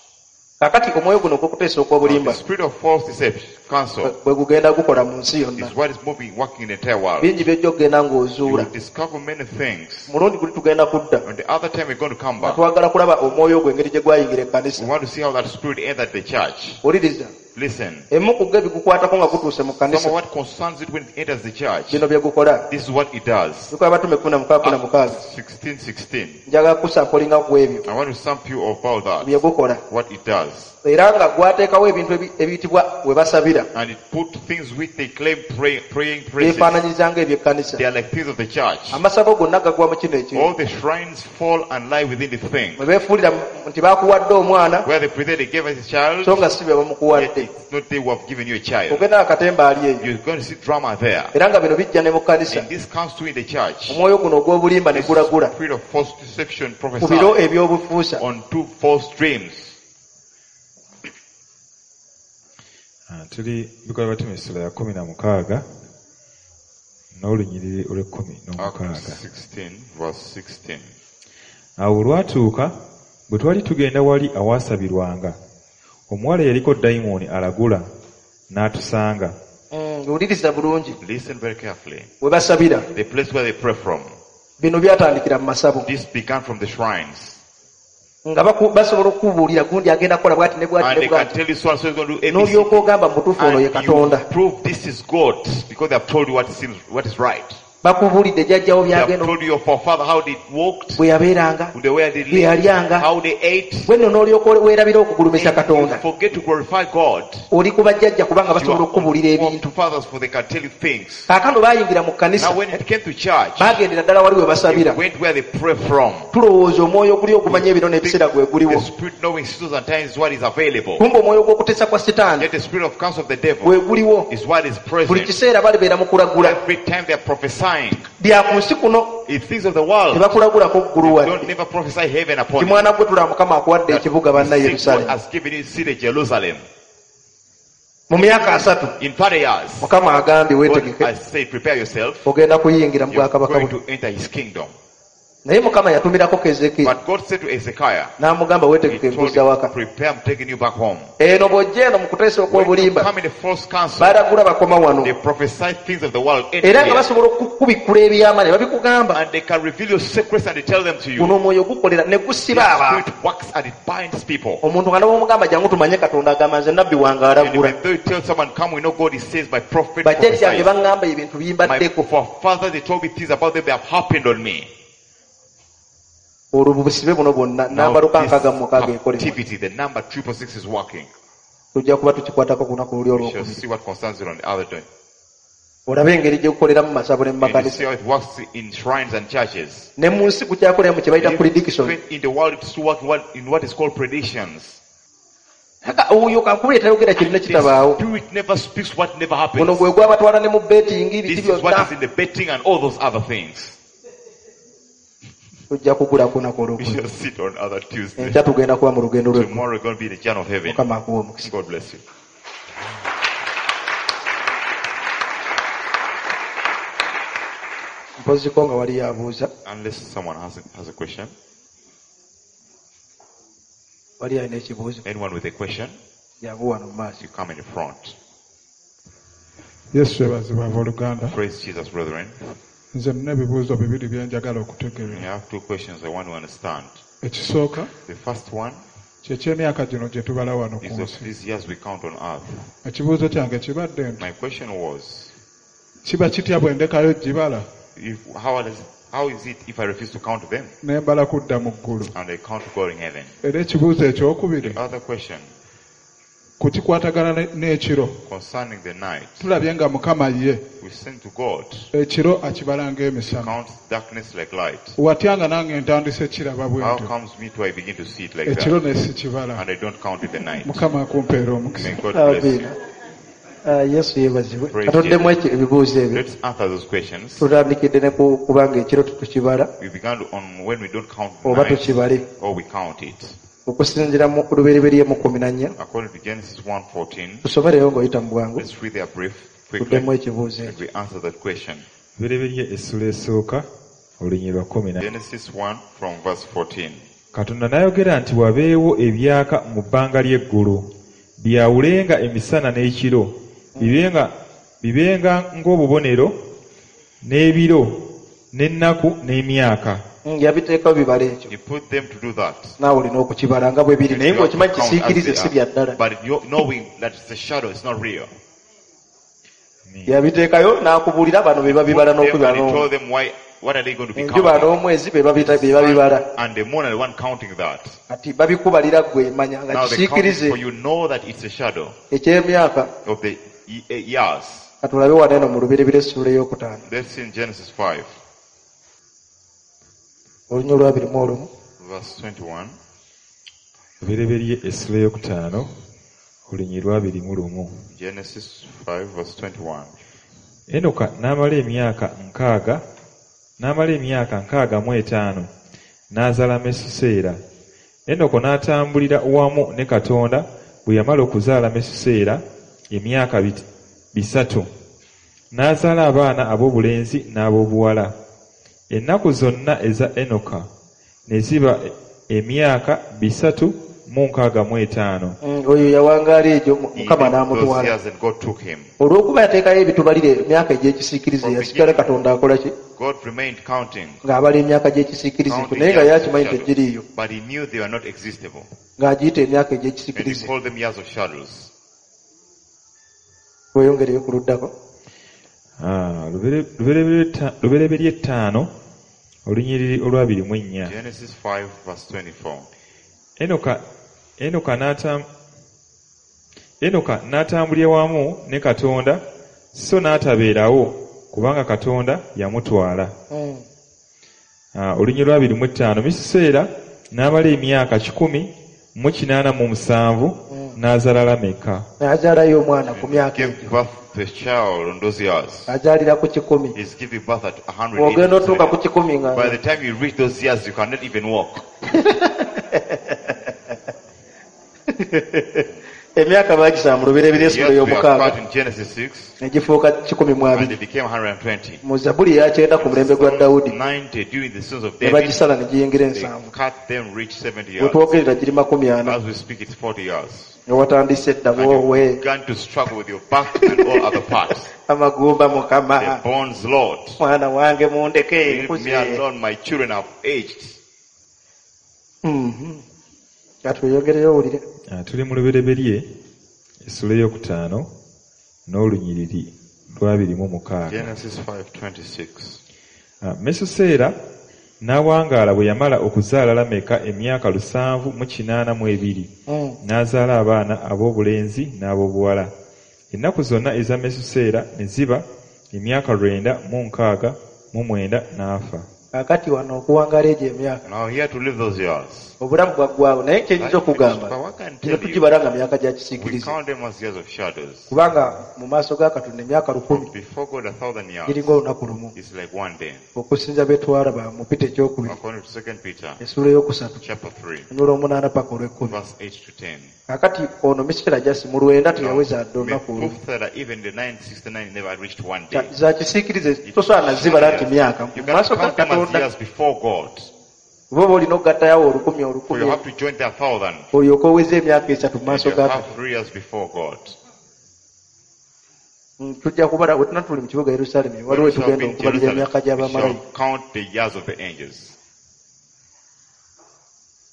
Kaakati omwoyo guno ogw'okuteesa Now, okw'obulimba the spirit of false deception, counsel, bwe gugenda gukola mu nsi yonna. is what is moving, working in the entire world. Bingi by'ojja okugenda You ng'ozuula. will discover many things. Mulundi guli tugenda kudda. And the other time we're going to come Nga back, twagala kulaba omwoyo ogwo engeri gye gwayingira ekkanisa. we want to see how that spirit entered the church. Wuliriza. Listen. Emu ku go ebigukwatako nga gutuuse mu Some kkanisa of what concerns it when it enters the church, bino bye gukola. this is what it does. Bikola Abatume kumi na mukaaga kumi na mukaaga. Acts 16, 16. Njagala kusampolinga ku ebyo I want to sample you about bye that. gukola. What it does. Era nga gwateekawo ebintu ebiyitibwa we basabira And it put things which they claim praying places. byefaananyiriza ng'ebyekkanisa. They are like things of the church. Amasabo gonna gagwa mu kino ekintu. All the shrines fall and lie within the thing. Mwe beefuulira nti baakuwadde omwana Where they pretend they gave us a child, so nga si be yet bamukuwadde. it's not they who have given you a child. Ogenda akatemba ali eyo. You're going to see drama there. Era nga bino bijja ne mu kkanisa. And this comes to in the church. Omwoyo guno ogw'obulimba ne gulagula Spirit of false deception ku biro prophesied ebyobufuusa. on two false dreams. Tuli bikola Abatume essula ya kumi na mukaaga n'olunyiriri olw'ekkumi n'omukaaga. Acts 16, verse 16. Awo olwatuuka bwe twali tugenda wali awaasabirwanga, omuwala eyaliko dayimooni alagula n'atusanga. Wuliriza bulungi. Listen very carefully. We basabira The place where they pray from. bino byatandikira mu masabo. This began from the shrines. Nga basobola okukubuulira gundi agenda kukola bw'ati ne bw'ati And ne they can bw'ati tell you so and so is going to do ABC. N'olyoka ogamba mu butuufu ono ye And you Katonda. prove this is God because they have told you what is right. Bakubuulidde jjajjawo They have byagenda told you your forefather how they walked, bwe yabeeranga the way they bye lived, yalyanga. how they ate. Bwe nno n'olyoka weerabira okugulumiza And you Katonda. forget to glorify God. Oli ku bajjajja kubanga You basobola are okukubuulira ebintu. fathers for they can tell you things. Kaakano baayingira mu kkanisa Now when it came to church, baagendera ddala wali we they basabira. went where they pray from. Tulowooza omwoyo oguli ogumanya ebiro n'ebiseera gwe guliwo. The spirit knowing seasons and times is what is available. Kumbe omwoyo gw'okuteesa kwa Sitaani Yet the spirit of counsel of the devil gwe guliwo. is what is Buli present. kiseera balibeera mu kulagula. Every time they are prophesying, Bya ku nsi kuno it's things of the world. tebakulagulako ggulu Don't wadde. never prophesy heaven upon Ti you. mwana gwe tulaba Mukama akuwadde That ekibuga banna God Yerusaalemi. has given you city Jerusalem. Mu myaka 30 In 30 years, Mukama agambye God weetegeke has said, prepare yourself. ogenda kuyingira mu You're bwakabaka going bwe. to enter his kingdom. Naye Mukama yatumirako Kezekiya But God said to Ezekiah, n'amugamba he weetegeke told nkuzza him, waka. prepare, I'm taking you back home. Eno bw'ojja eno mu kuteesa When you okw'obulimba come in the false counsel, balagula bakoma wano. they prophesy things of the world Era nga anywhere. basobola okukubikkula ebyama ne babikugamba. And they can reveal your secrets and they tell them to you. Guno omwoyo gukolera ne The gusiba abantu. spirit works and it binds people. Omuntu nga n'omugamba jangu tumanye Katonda agamba nze nabbi wange And alagula. even though you tell someone, come, we know God, he says, my prophet Bajjajjange prophesies. baŋŋamba ebintu My bimbaddeko. forefathers, they told me things about them, they have happened on me. Olwo busibe buno bwonna Now namba this 666 ekolebwa. captivity, the number 666 is working. Tujja kuba tukikwatako ku lunaku luli We shall olwokubiri. see what concerns it on the other day. Olabe engeri gye gukolera mu masabo ne mu And you see makanisa. how it works in shrines and churches. Ne mu nsi gukyakolera mu kye bayita prediction. Even in the world, it's still working in what is called predictions. Kaka oyo kankubire tayogera kirina The kitabaawo. spirit never speaks what never Guno happens. gwe gwabatwala ne mu betting biki This is what byonna. is in the betting and all those other things. Tujja kugula ku lunaku We olwokubiri. shall sit on other Tuesday. Enkya tugenda kuba mu lugendo lw'eggulu. Tomorrow we're going to be in the journey of heaven. Mukama akuwe omukisa. God bless you. Mpoziko nga waliyo abuuza. Unless someone has a question. Wali alina ekibuuzo. Anyone with a question, Jangu wano mu maaso. you come in the front. Yesu yeebazibwe abooluganda. Praise Jesus, brethren. Nze nina ebibuuzo bibiri bye njagala I okutegeera. have two questions I want to understand. Ekisooka The first one kye ky'emyaka gino gye tubala wano ku is of nsi. these years we count on earth. Ekibuuzo kyange kibadde nti My question was, kiba kitya bwe ndekayo gibala how is it if I refuse to count them ne mbala kudda mu ggulu? and I count to God in heaven? Era ekibuuzo ekyokubiri The other question ku kikwatagana n'ekiro. concerning the night, Tulabye nga Mukama ye we send to God, ekiro akibala ng'emisana. counts darkness like light. Watya nga nange ntandise kiraba bwe How ntyo comes me to I begin to see it like ekiro that ne sikibala. and I don't count it the night? Mukama akumpeera omukisa. May God bless you. Amiina. Yesu yeebazibwe. Praise Katoddemu Jesus. ekyo ebibuuzo ebyo. Let's answer those questions. Tutandikidde ne ku kubanga ekiro tetukibala We began on when we don't count the oba night tukibale. or we count it. Okusinziira mu Lubereberye mu 14 According to Genesis 1:14, tusomereyo ng'oyita mu bwangu let's read there brief quickly tuddemu ekibuuzo and ekyo. we answer that question. Lubereberye essula esooka olunyiriri lwa 10. Genesis 1 from verse 14. Katonda n'ayogera nti wabeewo ebyaka mu bbanga ly'eggulu byawulenga emisana n'ekiro bibenga ng'obubonero n'ebiro n'ennaku n'emyaka. Yabiteekawo bibala ekyo. He put them to do that. Naawe olina okukibala nga bwe biri naye You have to ng'okimanyi count as kisiikirize they si are. bya ddala. But you knowing that it's a shadow, it's not real. Yabiteekayo n'akubuulira bano be babibala Put them n'okubibala and he n'omwezi. told them why, what are they going to be Enjuba counting? n'omwezi be babibala. And the moon are the one counting that. Kati babikubalira ggwe manya nga Now they count it kisiikirize for you know that it's a shadow eky'emyaka. of the years. Katulabe wano eno mu Lubereberye essuula ey'okutaano. Let's see in Genesis 5, Olunya olwabiri mu olumu. verse 21. Lubereberye essula ey'okutaano olunyiriri lwabiri mu lumu. Genesis 5, verse 21. Enoka n'amala emyaka 65 n'azaala Mesuseera. Enoko n'atambulira wamu ne Katonda bwe yamala okuzaala Mesuseera emyaka 300. N'azaala abaana ab'obulenzi n'ab'obuwala. Ennaku zonna eza Enoka ne ziba emyaka mu nkaaga mu etaano. Oyo yawangaala egyo He Mukama lived those n'amutwala. years and God took him. Olw'okuba yateekayo ebitubalire emyaka egy'ekisiikirize, From yasigala beginning, Katonda akola ki? God remained counting. Ng'abala emyaka gy'ekisiikirize ekyo, Counting naye nga years of yakimanyi shadows. tegiriiyo, But he knew they were not existable. ng'agiyita emyaka And he egy'ekisiikirize. called them years of shadows. Weeyongereyo ku luddako. Ah, Lubereberye 5 olunyiriri olwabiri mu ennya. Genesis 5 verse 24. Enoka n'atambulira wamu ne Katonda so n'atabeerawo kubanga Katonda yamutwala. Ah, olunyiriri lwabiri mu ttaano Misuseera n'amala emyaka 187 n'azaala Lameka. N'azaalayo omwana ku myaka Gave egyo. birth to a child on those years. Azaalira ku 100. He's giving birth at Bw'ogenda otuuka ku 187. 100 nga By the time you reach those years, you cannot even walk. Emyaka baagisaba mu Lubereberye The essula years we are ey'omukaaga cut in Genesis 6, ne gifuuka 120. and they became 120. Mu Zabbuli eyakyenda ku mulembe gwa Dawudi 90 during the sons of ne David, bagisala ne giyingira they 70. cut them, reach 70 We years. twogerera giri 40. As we speak, it's 40 years. Nga watandise edda And you woowe began to struggle with your back and all other parts. Amagumba Mukama. The bones, Lord. Mwana wange mundeke Leave me nkuze. alone, my children have aged. Katweyongereyo owulire. Ah, tuli mu Lubereberye essula ey'okutaano n'olunyiriri lwabiri mu mukaaga. Genesis 5:26. Ah, Mesuseera n'awangaala bwe yamala okuzaala Lameka emyaka 782 n'azaala abaana ab'obulenzi n'ab'obuwala. Ennaku zonna eza Mesuseera ne ziba emyaka 969 n'afa. Kaakati wano okuwangaala egyo emyaka Now here to live those years. obulamu bwaggwawo, naye kyenyinza okugamba But what can kino tell you, tugibala nga myaka gya we kisiikirize, count them as years of shadows. kubanga mu maaso ga Katonda emyaka 1000 Before God, 1,000 years giringa olunaku lumu, is like one day. okusinza betwalaba mu Pita ekyokubiri According to 2 Peter essuula eyokusatu chapter 3, olunyiriri olw'omunaana paka olw'ekkumi. verse 8 to 10. Kaakati ono Misitera Jasi mu 90 teyaweza dde olunaku olumu. Methuselah, even the 969, never reached one day. Za kisiikirize tosobola nazibala nti myaka You mu maaso cannot ga count them as Katonda. years before God. Oba oba olina okugattayawo 1000 For you 1000 have to join the 1,000. olyoke oweze emyaka 3 mu And maaso you ga have Katonda. 3 years before God. Tujja kubala bwe tuna tuli mu kibuga Yerusaalemi, When waliwo we shall tugenda be in okubalira Jerusalem, emyaka we gy'abamalayika. shall count the years of the angels.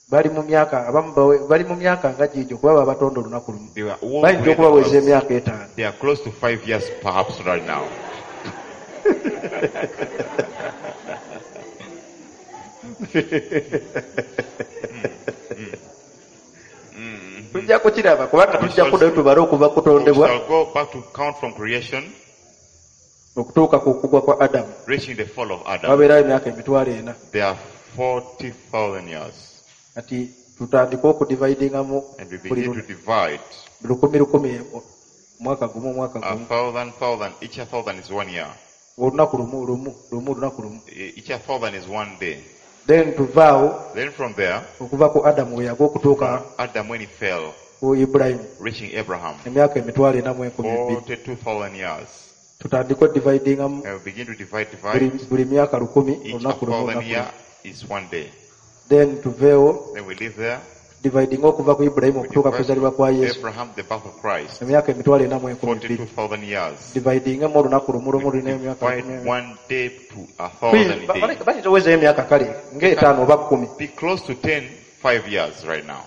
Bali mu myaka abamu bali mu myaka nga giigyo kuba babatonda olunaku lumu. They were all Bayinza great okubaweza us. emyaka 5. They are close to 5 years perhaps right now. Tujja kukiraba kubanga We tujja shall kuddayo tubale okuva We kutondebwa shall go back to count from creation, okutuuka ku kugwa kwa Adamu. reaching the fall of Adam. Wabeerayo emyaka 40,000. There are 40,000 years. Kati tutandike okudividingamu And we buli begin to divide 1000 1000 omwaka gumu omwaka a gumu. thousand, thousand. Each 1,000 is 1 year. Olunaku lumu lumu lumu olunaku lumu. Each 1,000 is 1 day. Then tuvaawo Then from there, okuva ku Adamu we yagwa okutuuka Adam when he fell, ku Ibulayimu reaching Abraham, emyaka 42,000. 42,000 years. Tutandike odividingamu And we begin to divide, buli divide. buli myaka 1000 Each olunaku lumu 1,000 olunaku lumu. year is 1 day. Then tuveewo Then we live there. dividing okuva ku Ibulayimu We okutuuka ku divide kuzaalibwa kwa Yesu Abraham, the birth of Christ, emyaka 42,000. 42,000 years. Dividingemu olunaku lumu lumu We lulina emyaka divide 10,000. 1 day to 1,000 days. Bayinza owezayo emyaka kale ng'etaano oba 10. Be close to 10, 5 years right now.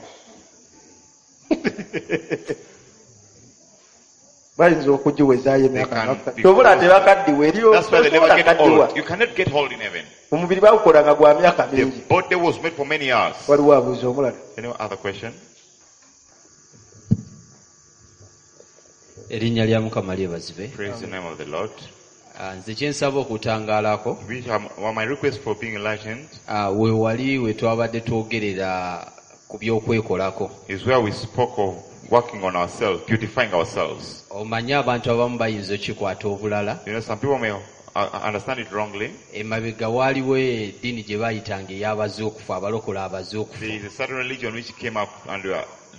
Bayinza okugiwezaayo emyaka They can nga- be Ky'obola close. tebakaddiwa eriyo That's why they tosobola never get kaddiwa. old. You cannot get old in heaven. Omubiri bagukola nga gwa myaka The mingi. body was made for many years. Waliwo abuuza omulala. Any other question? Erinnya lya Mukama lyebazibwe. Praise the name of the Lord. Ah, nze kye nsaba okutangaalako Which well, my request for being enlightened ah, we wali we twabadde twogerera ku by'okwekolako. is where we spoke of working on ourselves, beautifying ourselves. Omanyi abantu abamu bayinza okikwata obulala. You know, some people may understand it wrongly. Emabega waaliwo eddiini gye baayitanga ey'abazuukufu, abalokola abazuukufu, There is a certain religion which came up and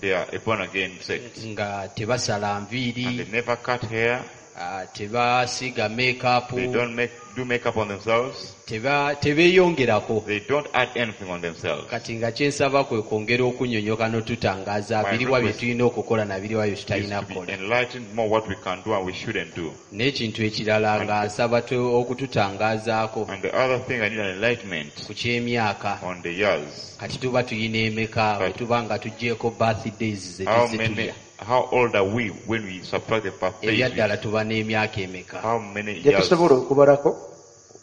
they are a born again sect. nga tebasala And they nviiri, never cut hair, Ah, tebasiiga makeup They don't do makeup on themselves. Tebeeyongerako. They don't add anything on themselves. Kati nga kyensaba kwe kwongera okunnyonnyoka n'otutangaaza My biriwa bye request tulina okukola na biriwa bye is tutalina to be kukola. enlightened more what we can do and we shouldn't do. N'ekintu ekirala nga nsaba okututangaazaako And the other thing, I need an enlightenment ku ky'emyaka. on the years. Kati tuba tuyina emeka bwe tuba nga tuggyeeko birthdays ze How tuzze many, tulya? how old are we when we subtract the birthdays? Ebyaddala tuba n'emyaka emeka? How many Gye years? tusobola okubalako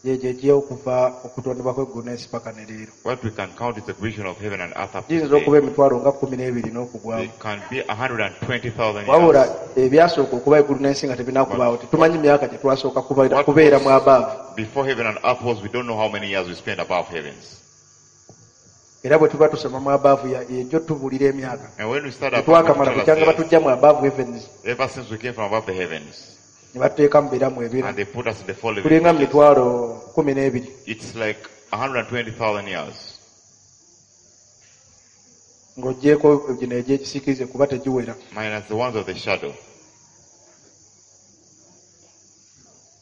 gyegyo egy'okuva okutondebwa kw'eggulu n'ensi paka ne leero. What we can count is the creation of heaven and earth up to Giyinza okuba today. emitwalo nga 12 n'okugwamu. It can be 120,000 Wabula years. ebyasooka okuba eggulu n'ensi nga tebinakubaawo tetumanyi myaka gye twasooka What kubeera was mu abaavu. Before heaven and earth was, we don't know how many years we spent above heavens. Era bwe tuba tusoma mu abaavu ejjo tubuulira emyaka. And when we start above, Tetwakamala we tell us bukyanga years. batujja mu abaavu heavens Ever since we came from above the heavens, ne batuteeka mu biramu ebira. and they put us in the four living Tulinga mu creatures. mitwalo 12. It's like 120,000 years. Ng'oggyeeko gino egy'ekisiikirize kuba tegiwera. Minus the ones of the shadow.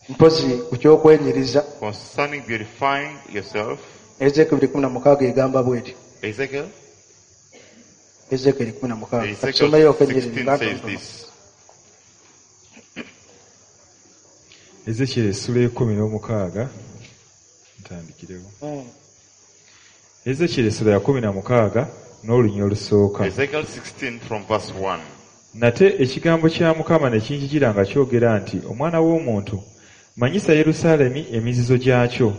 Mpozi ku ky'okwenyiriza Concerning beautifying yourself, Ezeekeri 16 egamba bw'eti. Ezekiel, Ezeekeri 16. Ezekiel Katusomeyo ennyiriri 16 nga says ntonotono. this. Ezekiel essula 16 ntandikirewo. Ezekiel essula ya 16 n'olunya olusooka. Ezekiel 16 from verse 1. Nate ekigambo kya Mukama ne kinjijira nga kyogera nti omwana w'omuntu manyisa Yerusaalemi emizizo gyakyo.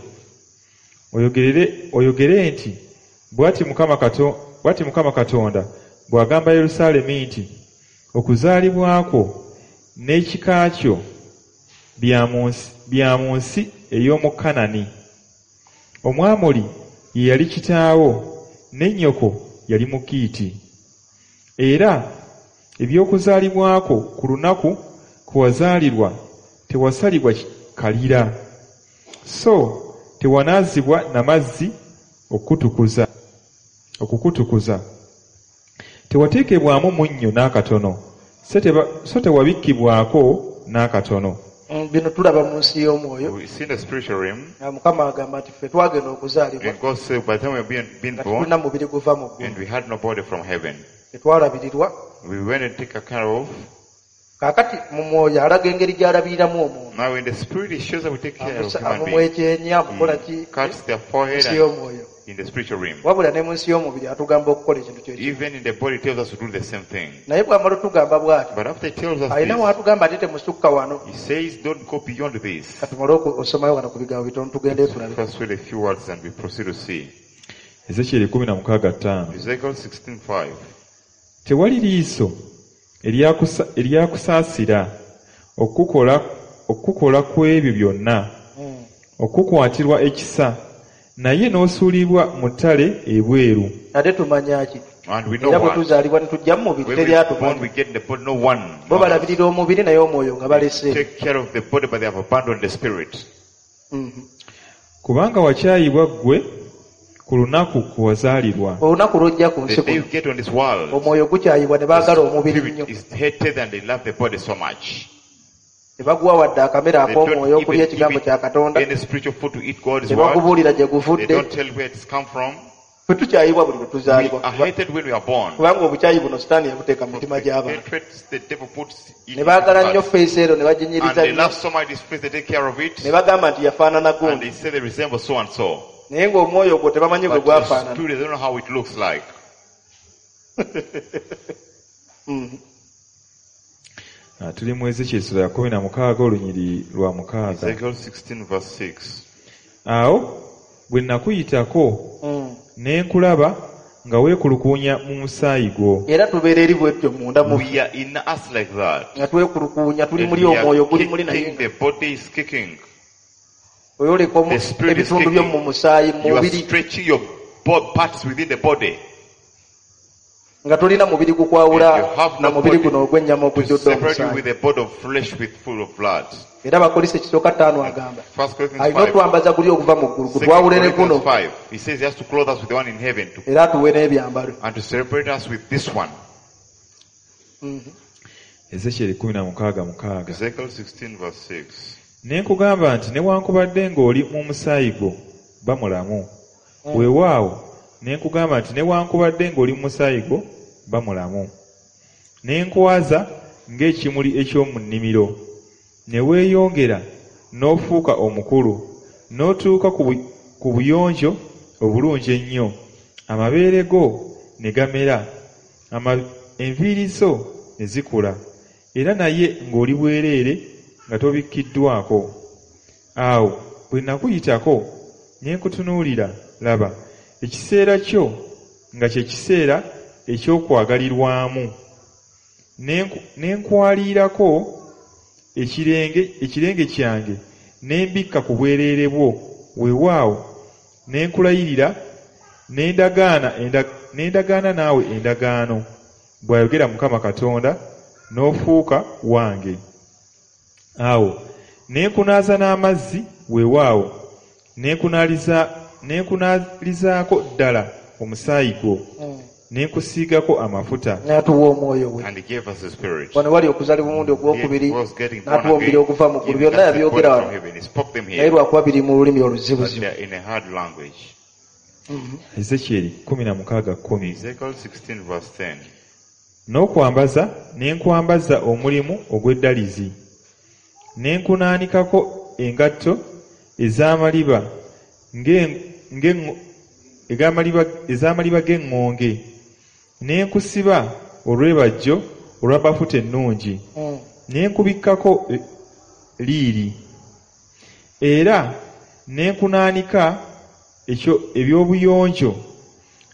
Oyogere nti bw'ati Mukama Katonda bw'agamba Yerusaalemi nti okuzaalibwa kwo n'ekika kyo bya mu nsi ey'omu Kanani. Omwamoli ye yali kitaawo ne nnyoko yali Mukiiti. Era eby'okuzaalibwa kwo ku lunaku kwe wazaalirwa tewasalibwa kalira, so tewanaazibwa na mazzi okukutukuza. Tewateekebwamu munnyo n'akatono, so tewabikkibwako n'akatono. Bino tulaba mu nsi y'omwoyo. We see in the spiritual realm, Nga Mukama agamba nti ffe twagenda okuzaalibwa and God said, by the time we were being nga born, tetulina mubiri guva mu ggulu. and we had no body from heaven. Tetwalabirirwa. We went and take care of. Kaakati mu mwoyo alaga engeri gy'alabiriramu omuntu. Now in the spirit, it shows that we take care of human beings. Amumwekyenya, amukola ki He cuts their forehead nsi and y'omwoyo. in the spiritual realm. Wabula ne mu nsi y'omubiri atugamba okukola ekintu kye kimu. Even in the body, it tells us to do the same thing. Naye bw'amala otugamba bw'ati, But after it tells us alina this, w'atugamba ate temusukka wano. he says, don't go beyond this. Katumale osomayo wano ku bigambo bitono tugende tulabe. First read a few words and we proceed to see. Ezekiel 16:5. Ezekiel 16:5. Tewali liiso eryakusaasira okukukola ku ebyo byonna, okukwatirwa ekisa, naye n'osuulibwa mu ttale ebweru. Ate tumanya ki? And we know Era bwe what? tuzaalibwa ne tujja mu mubiri When teri we born, atumanyi. we get in the body, no one. Bo balabirira omubiri naye omwoyo nga balese. Take care of the body, but they have abandoned the spirit. Kubanga wakyayibwa ggwe ku lunaku kwe wazaalirwa. Olunaku lw'ojja ku The nsi day you kuno get on this world, omwoyo gukyayibwa ne baagala the omubiri nnyo. spirit is hated and they love the body so much. Ne baguwa wadde akamere They don't ak'omwoyo okulya even ekigambo give kya it Katonda. any spiritual food to eat God's Ne word. bakubuulira gye They guvudde. don't tell where it's come from. Ffe tukyayibwa buli lwe We tuzaalibwa. are hated when we are born. Kubanga obukyayi buno Sitaani yabuteeka mu mitima gy'abantu. Hatred the devil puts in Ne baagala nnyo hearts. feesi ero ne And baginyiriza they nnyo. love so much this face, they take care of it. Ne bagamba nti yafaanana And gundi. they say they resemble so and so. Naye ng'omwoyo ogwo tebamanyi bwe But the gwafaanana. spirit, they don't know how it looks like. Tuli mu Ezekiel essula ya 16 olunyiri lwa 6. Ezekiel 16 verse 6. Awo bwe nakuyitako ne nkulaba nga weekulukuunya mu musaayi gwo. Era tubeera eri bwetyo munda mu We are in us like that. nga twekulukuunya tuli And muli we are omwoyo guli muli naye kicking, the body is kicking. oyoleka The spirit is ebitundu byo kicking. mu musaayi mu You are mubiri stretching your parts within the body nga tolina mubiri gukwawula And you have na no mubiri body guno ogw'ennyama to ogujjudde separate you omusaayi. with a body of flesh with full of blood. Era Abakolinso ekisooka 5 agamba First Corinthians alina 5. otwambaza guli okuva mu ggulu Second gutwawule ne guno Corinthians 5. He says he has to clothe us with the one in heaven era atuwe n'ebyambalo. and to separate us with this one. Ezekyeri 16:6. Ezekiel 16 verse 6. Ne nkugamba nti newankubadde ng'oli mu musaayi gwo ba mulamu. Weewaawo ne nkugamba nti newankubadde ng'oli mu musaayi gwo ba mulamu. Ne nkwaza ng'ekimuli eky'omu nnimiro, ne weeyongera n'ofuuka omukulu, n'otuuka ku buyonjo obulungi ennyo, amabeere go ne gamera, enviiri zo ne zikula, era naye ng'oli bwereere nga tobikkiddwako. Awo bwe nakuyitako ne nkutunuulira, laba, ekiseera kyo nga kye kiseera eky'okwagalirwamu. Ne nkwaliirako ekirenge kyange ne mbikka ku bwereere bwo, weewaawo ne nkulayirira ne ndagaana naawe endagaano, bw'ayogera Mukama Katonda, n'ofuuka wange. Awo ne nkunaaza n'amazzi, weewaawo ne nkunaalizaako ddala omusaayi gwo, ne nkusiigako amafuta. N'atuwa omwoyo we. And he gave us the spirit. Wano wali okuzaalibwa omulundi ogwokubiri, He was getting born n'atuwa omubiri again, oguva mu ggulu. giving Byonna us the body yabyogera from wano. heaven. He spoke them Naye here, lwakuba biri mu lulimi but oluzibuzibu. they are in a hard language. Ezekyeri 16:10. Ezekiel 16 verse 10. N'okwambaza ne nkwambaza omulimu ogw'eddalizi, ne nkunaanikako engatto ez'amaliba ez'amaliba g'eŋŋonge, ne nkusiba olwebajjo olwa bafuta ennungi, ne nkubikkako liiri, era ne nkunaanika ebyobuyonjo,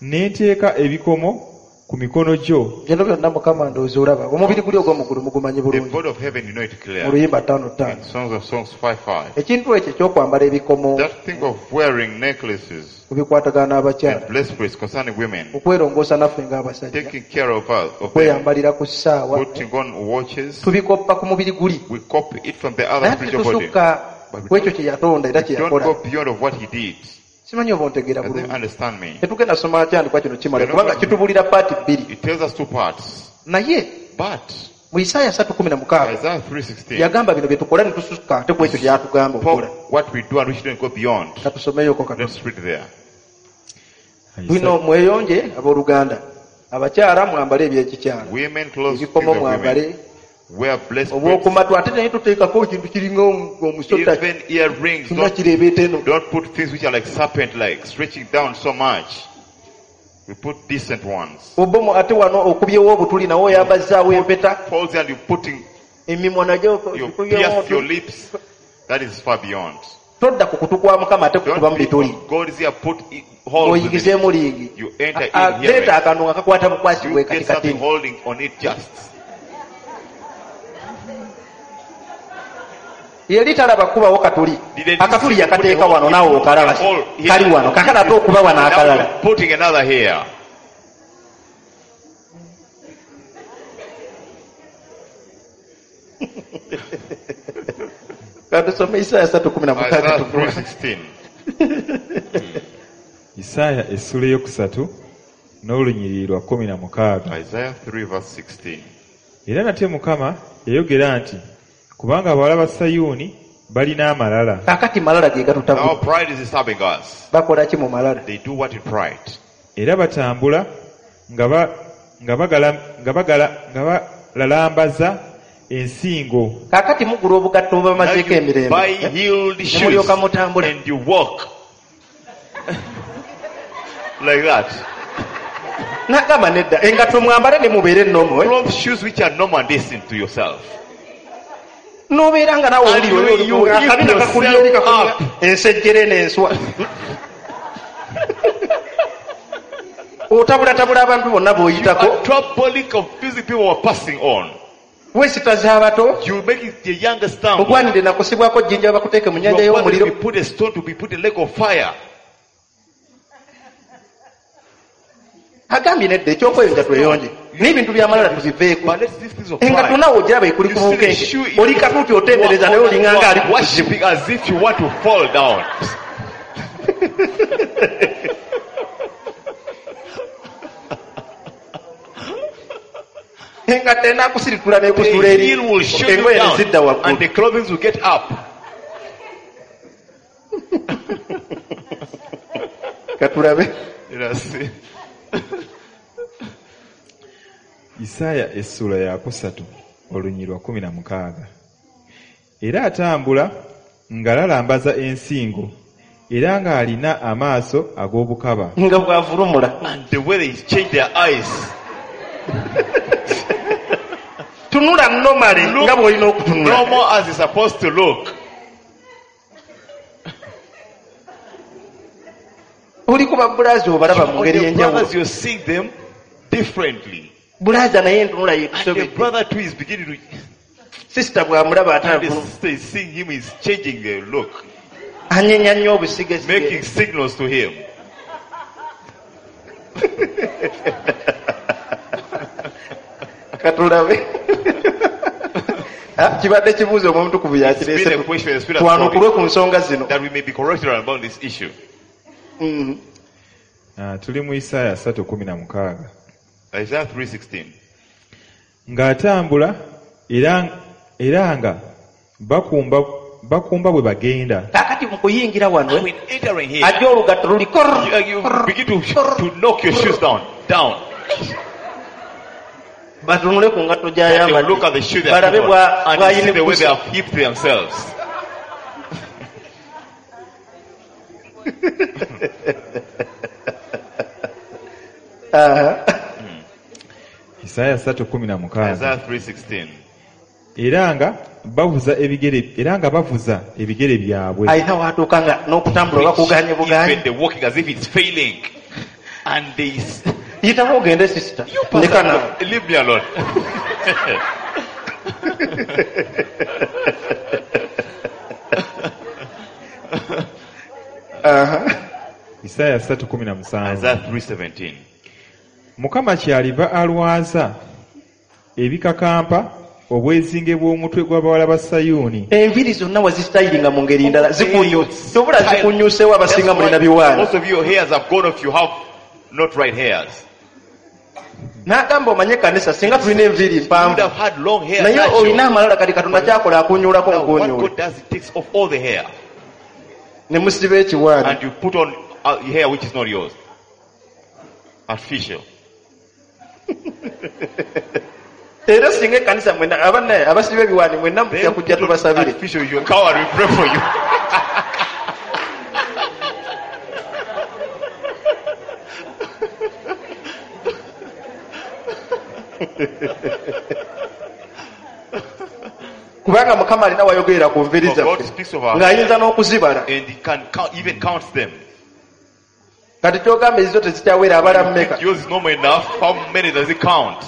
ne nteeka ebikomo ku mikono gyo. Bino byonna Mukama ndowooza olaba. Omubiri guli ogw'omu ggulu mugumanyi The bulungi. body of heaven, you know it Mu clear. luyimba 5:5. In Songs of Songs 5:5. Ekintu ekyo eky'okwambala ebikomo That thing of wearing necklaces ku bikwatagana n'abakyala, and breastplates concerning women, okwerongoosa naffe ng'abasajja, taking care of us, of them, okweyambalira ku ssaawa, putting on watches, tubikoppa ku mubiri guli. we copy it from the other Naye spiritual body. tetusukka But we ku ekyo kye yatonda era kye don't yakola. go beyond of what he did. Simanyi oba ontegeera Does bulungi. you understand me? Tetugenda soma kyandikwa kino kimala kubanga kitubuulira paati bbiri. It tells us two parts. Naye But mu Isaaya 3:16 Isaiah 3:16 yagamba bino bye tukola ne tusukka ate ku ekyo ky'atugamba okukola. spoke what we do and we shouldn't go beyond. Katusomeyoko katono. Let's read there. Bino mweyonje abooluganda. Abakyala mwambale ebyekikyala. Women clothe Ebikomo things of women. mwambale. Wear breastplates. Obwokumatu ate naye tuteekako ekintu kiringa omusota Even earrings. kyonna kireebeeta eno. Don't put things which are like serpent like, stretching down so much. We put decent ones. Obomu ate wano okubyewo obutuli nawe oyambazzaawo empeta. Falls and you're putting, Emimwa nagyo you pierce your lips. That is far beyond. Todda ku kutu kwa Mukama ate kukuba mu Don't be bituli. on God's ear, put holes in it. Oyingizeemu liigi. You enter in here. Leeta akantu nga kakwata bukwasi You bwe get kati something kati. holding on it just. Yali talaba kubawo katuli. Didn't Akatuli you see- put a yakateeka hole- wano naawe okalaba. hole here. Kali wano kakala ate okuba wano Now akalala. you're putting another here. Katusome Isaaya 3:16 Isaiah tuvume. 3:16. Isaaya essula eyokusatu n'olunyiriri lwa 16. Isaiah 3 verse 16. Era nate Mukama yayogera nti kubanga abawala ba Sayuuni balina amalala. Kaakati malala ge gatutabula. Now pride is disturbing us. Bakola ki mu malala? They do what in pride. Era batambula nga balalambaza ensingo. Kaakati mugula obugatto Now obubamazeeko you emirembe. buy heeled Ne shoes mulyoka mutambula. and you walk like that. N'agamba nedda engatto mwambale ne mubeere ennomo. Clothe shoes which are normal and decent to yourself. N'obeera nga naawe And owulira you- you lift akabina kakulya eri yourself kakulya up. ensejjere n'enswa. Otabulatabula abantu bonna You b'oyitako. are troubling, confusing people who are passing on. Weesitaza abato. You make it the younger stumble. Ogwanidde nakusibwako jjinja bakuteeke mu You nnyanja are wanted to y'omuliro. be put a stone to be put a lake of fire. Agambye nedda ekyokweyonja tweyonje. N'ebintu by'amalala tubiveeko. But let's leave things of Engatto pride. naawe ogiraba ekuli You ku see the bunkenke. shoe is- Oli katuuti otendereza naye olinganga You ali are ku kuzibu. worshiping as if you want to fall down. Engatto enaakusiritula The n'ekusuula eri heel will shoot you engoye ne down zidda and waggulu. the clothing will get up. Katulabe. Let us see. Isaaya essuula ya kusatu olunyiriri lwa 16. Era atambula ng'alalambaza ensingo era ng'alina amaaso ag'obukaba. Nga bw'avulumula. And the way they change their eyes. Tunula normally Look nga bw'olina okutunula. Normal as it's supposed to look. Oli ku babulaazi obalaba mu On ngeri the y'enjawulo. brothers, you're seeing them differently. Bulaaza naye entunula And the yeekusobedde. brother too is beginning to. Sisita bw'amulaba ate And the avuluma. sister is seeing him, is changing the look, Anyenya nnyo obusigesige. making signals to him. Katulabe. Ah, kibadde kibuuzo omwoyo omutukuvu It's been yakireese a question the Spirit has brought twanukulwe ku nsonga zino. that we may be corrected about this issue. Ah, tuli mu Isaaya 3:16. Isaiah 3:16. Ng'atambula era nga bakumba bwe bagenda. Kaakati mu kuyingira wano When entering here, ajja olugatto luli you begin to knock your shoes down. Batunule ku ngatto They will look gy'ayambadde at the shoe they have balabe put on and you see the way they bw'ayinikusa. have heaped themselves. Isaaya 3:16. Isaiah 3:16. Era nga bavuza ebigere byabwe. Alina w'atuuka nga n'okutambula bakuganye buganyi. Even the walking as if it's failing. And they Yitawo ogende sisita. you pastor, Ndeka naawe. leave me alone. Isaaya 3:17. Isaiah 3:17. Mukama kyaliva alwaza ebikakampa obwezinge bw'omutwe gw'abawala ba Sayuuni. Enviiri zonna wazisitayiringa mu ngeri ndala tobula zikunyuseewo abasinga mulina biwaani. Most of your hairs have gone off. You have not right hairs. N'agamba omanye ekkanisa singa tulina enviiri You would mpanvu have had long hair. naye natural. olina amalala kati Katonda kyakola akunyuulako Now, what nkunyuule God does, He takes off all the hair ne musiba ekiwaani. and you put on hair which is not yours. Artificial. Era singa ekkanisa mwenna abanna abasiba ebiwaani mwenna mujja Then kujja put on tubasabire. artificial, you come and we pray for you. Kubanga Mukama alina wayogerera ku nviiri For God zaffe speaks of our ng'ayinza n'okuzibala. and He can count, even counts them. Kati kyogamba ezizo tezikyawera abala mmeka. Yours is no more enough. How many does it count?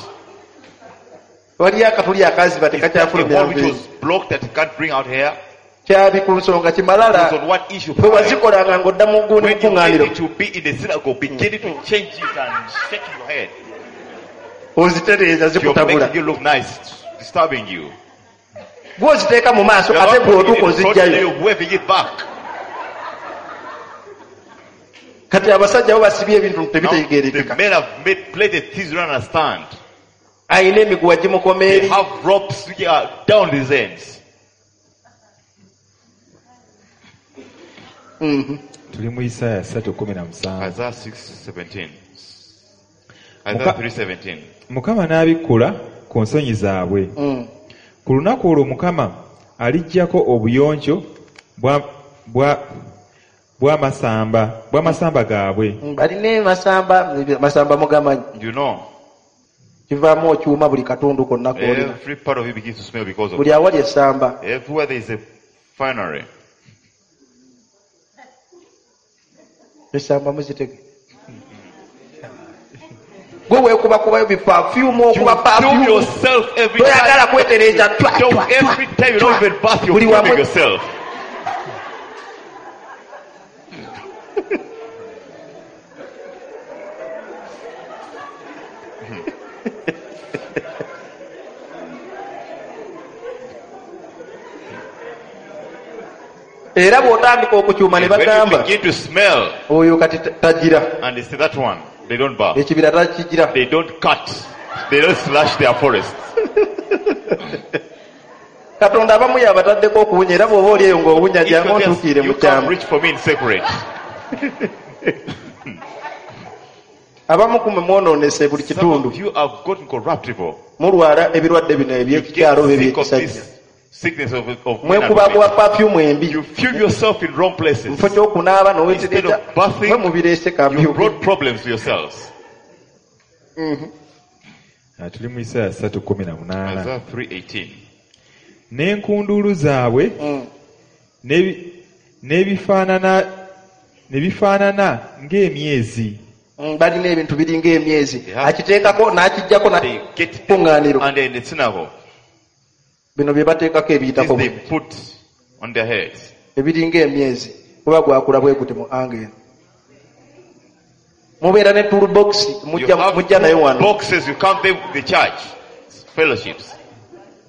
Waliyo akatuli akaziba Is that a tekakyafulumya hole which nviiri. was blocked that can't bring out hair? Kyabi ku nsonga kimalala Depends on what issue. bwe wazikolanga ng'odda mu gundi When you mukuŋŋaaniro get it to be in the synagogue, beginning to change it and shaking your head. ozitereeza You're zikutabula. making you look nice, it's disturbing you. Gw'oziteeka mu maaso You're ate not putting it bw'otuuka in front, ozijjayo. you're waving it back. Kati abasajja bo basibye ebintu Now, the tebitegeerekeka. men have made plaited things you don't understand. Alina emiguwa gimukoma They eri. have ropes which are down these ends. Tuli mu Isaaya 3:17. Isaiah 6:17. Isaiah 3:17. Mukama n'abikkula ku nsonyi zaabwe. Ku lunaku olwo Mukama aliggyako obuyonjo bw'amasamba gaabwe. Balina masamba masamba mugamanyi. You know, Kivaamu okyuma buli katundu konna k'olina. every part of you begins to smell because of Buli awali essamba. Everywhere there is a finery. Essamba muzitege. Gwe weekubakubayo bipafyumu okuba You film pafyumu. yourself every Toyagala time. kwetereeza twa, Don't twa, twa, every time you don't twa. even bath, you're Buli filming wamu yourself. Era bw'otandika okukyuma ne And when you bagamba begin to smell, oyo kati tagira and they say that one, they don't bath. ekibira takigira They don't cut. They don't slash their forests. Katonda abamu yabataddeko okuwunya era bw'oba oli eyo ng'owunya If jangu you're there, ontuukiire mu you can't kyama. reach for me in secret. Abamu ku mwe mwonoonese buli Some kitundu. of you have gotten corruptible. Mulwala ebirwadde bino You ebyekikyalo get oba sick of ebyekisajja. this sickness of men and women. Mwekubakuba pafyumu embi. You fume yourself in wrong places. Mufo ky'okunaaba Instead n'owetereza of bathing, mwe mubireese You kamyuke. brought problems to yourselves. Ah, tuli mu Isaaya 3:18. Isaiah 3:18. N'enkunduulu zaabwe ne bifaanana ng'emyezi. Balina ebintu biringa emyezi. Yeah. Akiteekako n'akiggyako They get kuŋŋaaniro. and in the synagogue. Bino bye bateekako This ebiyitako they bwe. put on their heads. Ebiringa emyezi kuba gwakula bwe guti mu ange eno. Mubeera ne toolbox You mujja have mujja nayo wano. boxes, you come there with the church fellowships.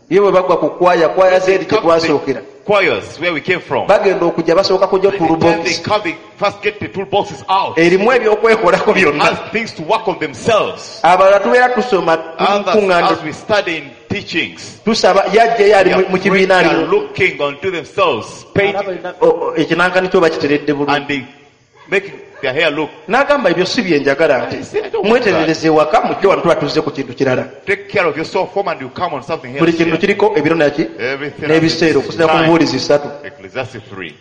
Ye bwe bagwa ku kwaya kwaya zeeri gye Come to the twasookera. choirs where we came from. Bagenda okujja basooka kujja By the time they toolbox come, they first get the toolboxes out. erimu ebyokwekolako byonna. Has things to work on themselves. Abalala tubeera tusoma Others, kuŋŋaaniro as we study in teachings, tusaba yajjayo ali they mu are, kibiina praying, they ali are looking unto themselves, painting, ekinankani kyo bakiteredde bulungi. and they making their hair look. N'agamba ebyo si bye njagala I nti say, I don't want mweterereze ewaka mujje wano tuba tuzze ku kintu kirala. Take care of yourself home and you come on something Buli else. kintu here. kiriko ebiro naki Everything n'ebiseera has its okusinza ku time. mubuulizi ssatu. Ecclesiastes 3.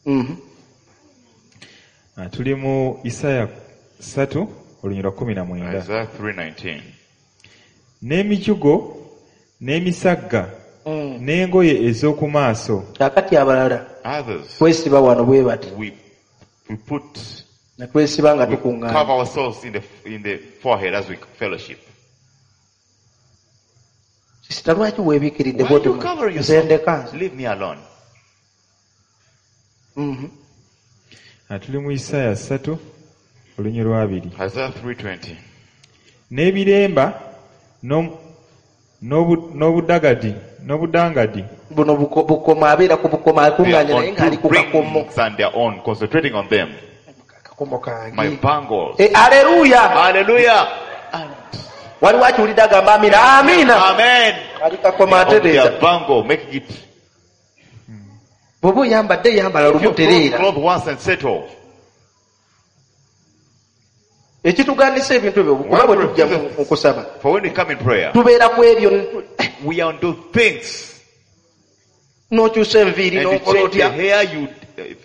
Mhm. Ah, tuli mu Isaaya 3 olunyiriri 19. Isaiah 3:19. N'emijugo n'emisagga n'engoye ez'oku maaso Kaakati abalala Others, twesiba wano bwe bati we put ne twesiba nga we tukuŋŋaana. cover ourselves in the forehead as we fellowship. Sisita lwaki weebikiridde Why bw'oti you covering nze yourself? ndeka nze. Leave me alone. Mhm. Ah, tuli mu Isaaya 3 olunyiriri 20. Isaiah 3:20. N'ebiremba n'obudagadi n'obudangadi Buno bukomo abeera ku bukomo They are akuŋŋaanye naye on ng'ali two ku kakomo. rings and their own, concentrating on them. Akakomo kange. My bangles. Eh, aleluya! Hallelujah. And Waliwo akiwulidde agamba amiina. Amiina! Amen. Ali kakomo On atereeza. their bangle, making it. Bw'oba oyambadde yambala If lumu you clothe tereera. clothe once and settle. Ekitugandisa ebintu ebyo kuba bwe tujja mu kusaba For when we come in prayer, tubeera ku ebyo we are on those things. n'okyusa enviiri And you n'okola change otya the hair, you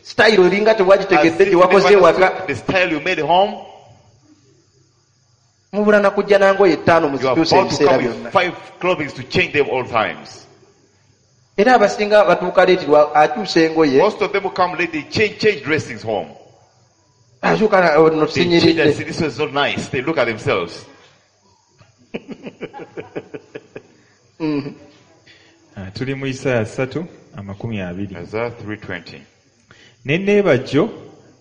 sitayiro eringa as tewagitegedde if gye you wakoze never ewaka understood the style you made home. mubula na kujja nangoye ttaano You are muzikyusa about to ebiseera come byonna with 5 clothing to change them all times. era abasinga batuuka leetirwa akyusa engoye Most of them who come late, they change dressings home. akyuka no They change and sinyiridde say, this was not nice. They look at themselves. Ah, tuli mu Isaaya 3:20. Isaiah 3:20. N'enneebajjo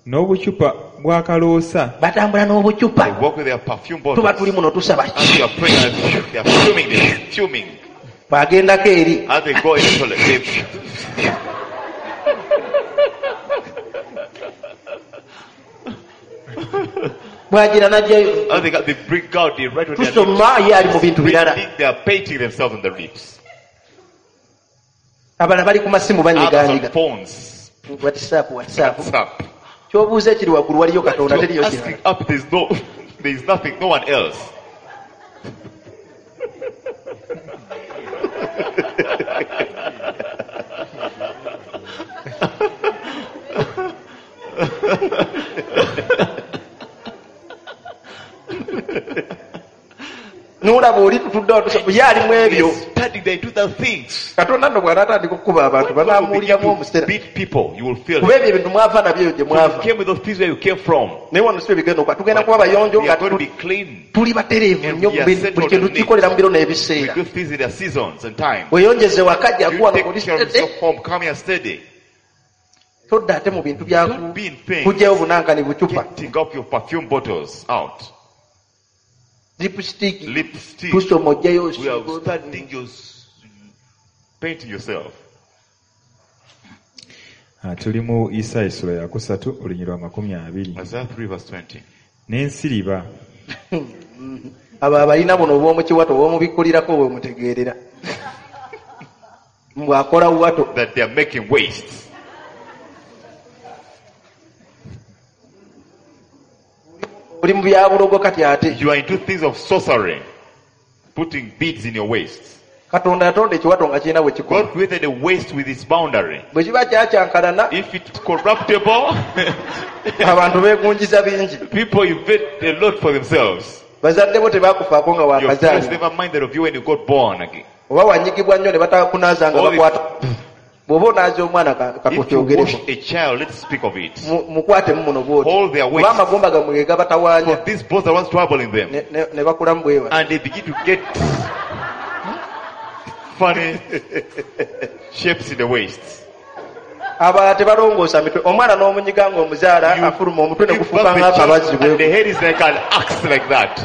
n'obucupa bw'akaloosa batambula n'obucupa They walk with their perfume tuba bottles. tuli muno tusaba As you are praying, they are fuming, they are fuming. bw'agendako eri As they go in the toilet, they bw'agira n'ajjayo as they, got, they bring out, they write on their lips. tusoma ye ali mu bintu birala They are painting themselves on the lips. abalala bali ku masimu Others on banyiganyiga phones. whatsapp whatsapp WhatsApp. kyobuuza ekiri waggulu waliyo katonda You're teriyo asking kirala up, there's no, there's nothing, no one else. n'olaba oli tutudde awo tusaba ye ali mu ebyo They study, they do the things. katonda nno bw'anaatandika okukuba abantu When God will banaamuwuliramu begin to omusera beat people, you will feel kuba it. ebyo ebintu mwava nabyo eyo gye You mwava came with those things where you came from. naye wano si bwe bigenda okuba tugenda kuba bayonjo We nga are going to be clean. tuli batereevu And nnyo we are buli settled kintu and neat. kikolera mu biro We n'ebiseera do things in their seasons and time. weeyongeze waka jangu You wano take oli care of steady yourself home, come here steady. todda ate mu bintu bya Don't be in things. kugyayo bunankani bucupa Getting up your perfume bottles out. lipstick Lipstick. tusoma ojjayo We are studying your painting yourself. Ah, tuli mu Isaaya essula ya kusatu olunyiriri lwa 20. Isaiah 3 verse 20. N'ensiriba Abo abalina buno obw'omukiwato obw'omubikkulirako bwe mutegeerera. Mbw'akola wato. That they are making wastes. Oli mu byabulogo kati ate. You are into things of sorcery, putting beads in your waist. Katonda yatonda ekiwato nga kirina bwe kikola. God created a waist with its boundary. Bwe kiba kyakyankalana If it's corruptible, abantu beegunjiza bingi. people invent a lot for themselves. Bazadde bo tebakufaako nga Your parents wakazaalibwa. never minded of you when you got born again. Oba wanyigibwa nnyo ne batakunaaza nga Or if- bakwata. Bw'oba onaaza omwana If you katwokyogereko. wash a child, let's speak of it. Mukwatemu muno bw'oti. Hold their waist. Oba amagumba gammwe ge gabatawaanya For these bones are ones troubling them. ne bakulamu bwe bati. And they begin to get funny shapes in the waist. Abalala tebalongoosa mitwe. Omwana n'omunyiga ng'omuzaala afuluma omutwe ne Give gufuuka birth the ng'akabazzi child and the bwe. head is like an axe like that.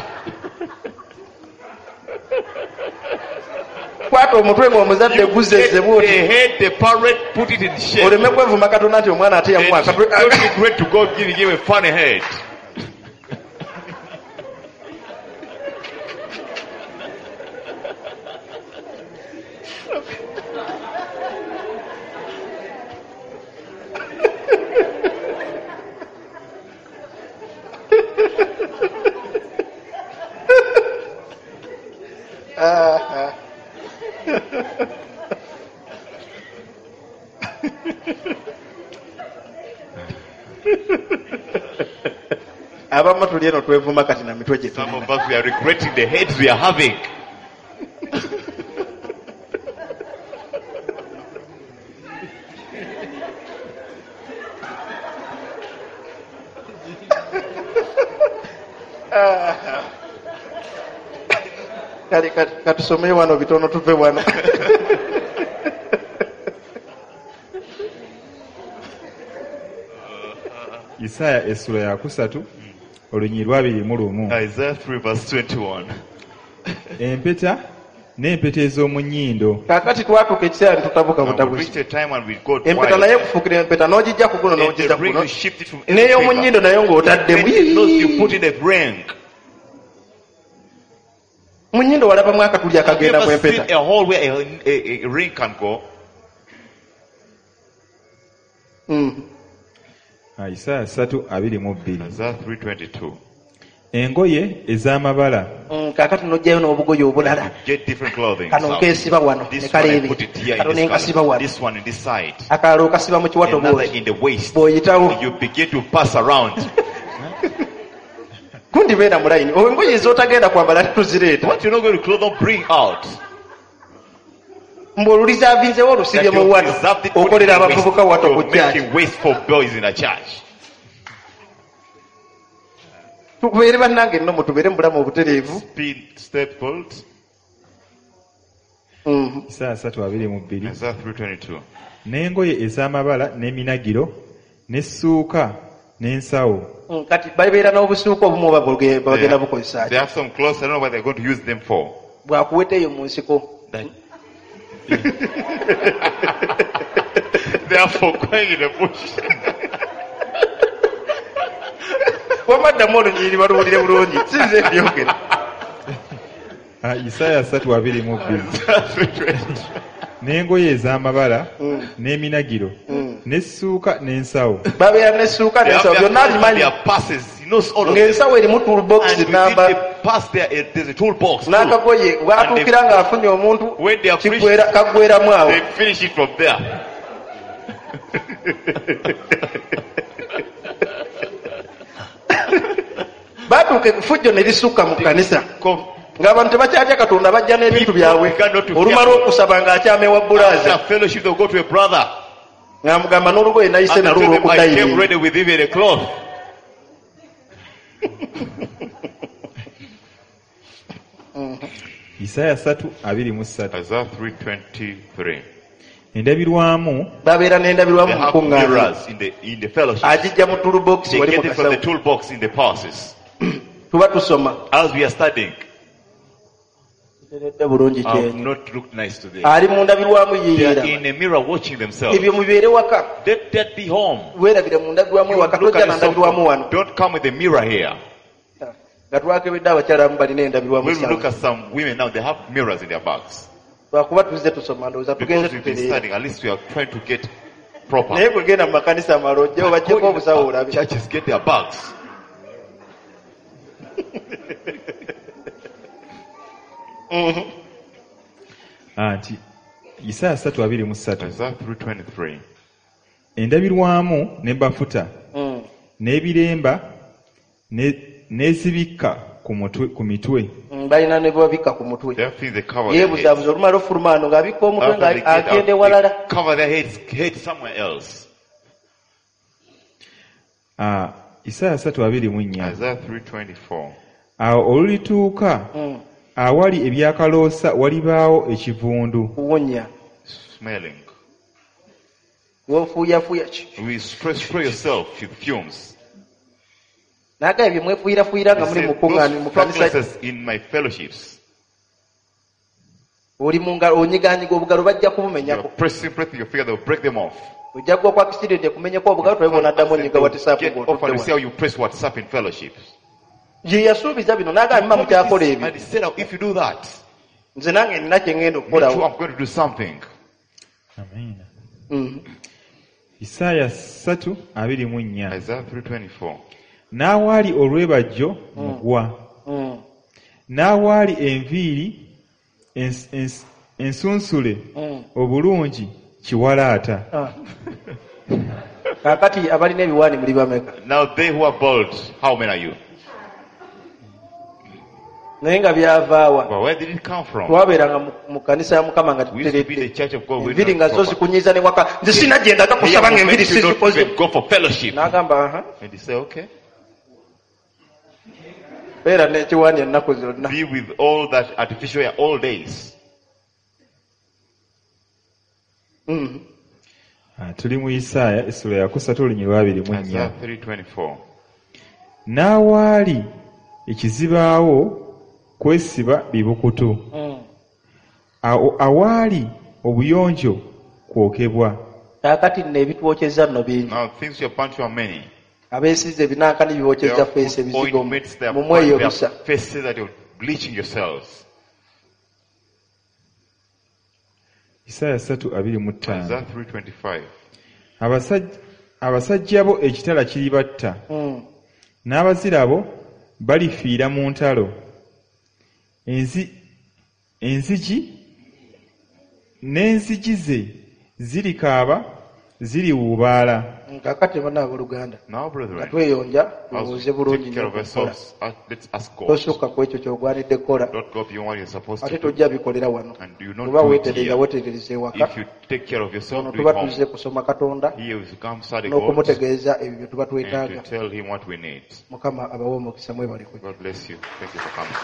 Kwata omutwe ng'omuzadde You guzeze get the bw'oti. head, the parent put it in shape. Oleme kwevuma Katonda nti omwana ate And yamuwa akatwe. don't regret to God giving him a funny head. Abamu tuli eno twevuma kati na mitwe gye Some tulina. of us, we are regretting the heads we are having. Kale katusome wano bitono tuve wano. Isaaya essula ya kusatu olunyiriri lwa 21. Isaiah 3 verse 21. Empeta n'empeta ez'omu nnyindo Kaakati twatuuka ekiseera ne tutabuka And we butabuzi. reached a time when we got Empeta wild. naye kufuukira empeta n'ogijja ku guno And the n'ogijja ku ring guno. you shift it from every N'ey'omu finger. nnyindo nayo ng'otaddemu. Then the nose you put in a ring. Mu nnyindo walabamu akatuli Have you akagenda mu ever seen empeta. a hole where a ring can go? Isaaya 3:22. Isaiah 3:22. Engoye ez'amabala Kaakati n'oggyayo n'obugoye obulala. Get different clothing. Kano Some. nkeesiba wano ne This one I kaleebe. put it here in Kano ne this nkasiba color. wano. This one in this side. Akalala okasiba mu kiwato Another bw'oti. in the waist. Bw'oyitawo. You begin to pass around. Gundi beera mu layini. Engoye z'otagenda kwambala tuzireeta. What you're not going to clothe, don't bring out. Mbu olulisaavinzewo olusibye That mu you wato. preserved it, put it Okolera in the waist. abavubuka wato ku You're church. making waste for boys in a church. Tubeere bannange nno mutubeere mu bulamu obutereevu. Be stapled. Isaaya 3:22. Isaiah 3:22. N'engoye ez'amabala n'eminagiro n'essuuka n'ensawo Kati babeera n'obusuuka obumu oba bagenda bukozesa They ki? have some clothes. I don't know what they're going to use them for. Bwakuweta eyo mu nsiko. They are for going in the bush. Wamma ddamu olunyiriri baluwulire bulungi. Si nze mbyogera. Isaaya 3:22. N'engoye ez'amabala n'eminagiro n'essuuka n'ensawo Babeera n'essuuka They have n'ensawo their byonna clothes and abimanyi. their passes. He knows all of them. Ng'ensawo erimu toolbox And within namba the pass there, there's a toolbox. too. n'akagoye bw'atuukira ng'afunye omuntu When they are finished, kaggweramu awo. they finish it from there. Baatuuka effujjo ne lisukka mu kkanisa. Come Ng'abantu tebakyatya Katonda bajja n'ebintu byabwe. People began not to Olumala fear. okusaba ng'akyama ewa bbulaaza. After fellowship, they'll go to a brother. Ng'amugamba n'olugoye nayise And nalwo tell them, I came olw'okudayini. ready with even a cloth. Isaaya 3:23. Isaiah 3:23. Endabirwamu Babeera n'endabirwamu They mu have kuŋŋaana. mirrors in the fellowship. Agijja mu toolbox They wali mu get it from the kasawo. toolbox in the passes. Tuba tusoma. As we are studying, Kiteredde bulungi I've kyenyi. not looked nice today. Ali mu ndabirwamu They are yeeyeraba. in a mirror watching themselves. Ebyo mubeere waka. Let that be home. Weerabire mu ndabirwamu You ewaka look tojja at na yourself. ndabirwamu wano. Don't come with a mirror here. Nga twakebedde abakyala abamu balina endabirwamu When we look sawa. at some women now, they have mirrors in their bags. Lwakuba tuzze tusoma ndowooza tugenze Because we've been tutereera. studying, at least we are trying to get proper. Naye bwe genda mu makanisa amalala ojjewo Go baggyeko in obusawo the olabe. churches, get their bags. Ah, nti Isaaya 3:23 Isaiah 3:23. Endabirwamu ne bafuta n'ebiremba n'ezibikka ku mutwe ku mitwe. Balina ne bwebabikka ku mutwe. There are things they cover their heads. Yeebuzaabuza olumala ofuluma wano ng'abikka omutwe After they get out, ng'agenda ewalala. they cover their heads, head somewhere else. Ah, Isaaya 3:24 Isaiah 3:24. Awo olulituuka awali ebyakaloosa walibaawo ekivundu. Kuwunya. Smelling. Wofuuyafuuya. We spray yourself with fumes. N'agamba bye mwefuuyirafuuyira nga He muli said, mu kuŋŋaana those mu kanisa practices in my fellowships. oli mu ngalo onyigaanyiga obugalo bajja You are kubumenyako. pressing, pressing your finger, they'll break them off. Ojja kugwa kwa accident ekumenyeko obugalo tulabe bw'onaddamu onyiga WhatsApp Get off and you see ng'otudde how wano. you press WhatsApp in fellowships. Ye yasuubiza bino n'agamba mma mukyakola ebyo. And he said, if you do that, Nze nange nina kye ŋŋenda me too, okukolawo. I'm going to do something. Amiina. Mhm. Isaaya 3:24 Isaiah 3:24. N'awaali olwebajjo mugwa. N'awaali enviiri ensunsule obulungi kiwalaata. Ah. Kaakati abalina ebiwaani muli bameka? Now they who are bold, how many are you? Naye nga byavaawa. But where did it come from? Twabeeranga mu kanisa ya Mukama nga We used to be tuteredde. the church of God. We Enviiri nga zo zikunyiiza ne waka. Nze sirina gye ndaga kusaba nga enviiri sizikoze. go for fellowship. N'agamba aha. And he said, okay. Beera n'ekiwaani ennaku zonna. Be with all that artificial hair all days. Mhm. Ah, tuli mu Isaaya essula ya kusatu olunyiriri lwa 24. Isaiah 3:24. N'awaali ekizibaawo kwesiba bibukutu. Awaali obuyonjo kwokebwa. Kaakati nno ebitwokyeza nno bingi. Now things you are burnt are many. Abeesize ebinankani They bibokyeza are feesi put ebizigo ointments, they are burnt mumweyobisa. their faces that you're bleaching yourselves. Isaaya 3:25. Isaiah 3:25. Abasajja bo ekitala kiribatta. N'abazira bo balifiira mu ntalo. Enzigi n'enzigi ze zirikaaba ziriwuubaala. Kaakati bonna abooluganda Now, nga brethren, tweyonja as tulowooze we bulungi take care nnyo of okukola. ourselves, let's ask God. Tosukka ku ekyo ky'ogwanidde kukola Don't go beyond what you're supposed ate to do. tojja bikolera wano. And do not Oba do it weetereza here. weeterereza ewaka. If you take care of yourself, Ono do it tuba tuzze home. kusoma Katonda Here we come study God n'okumutegeeza ebyo bye tuba and twetaaga. to tell him what we need. Mukama abawe omukisa mwebale kujja. God bless you. Thank you for coming.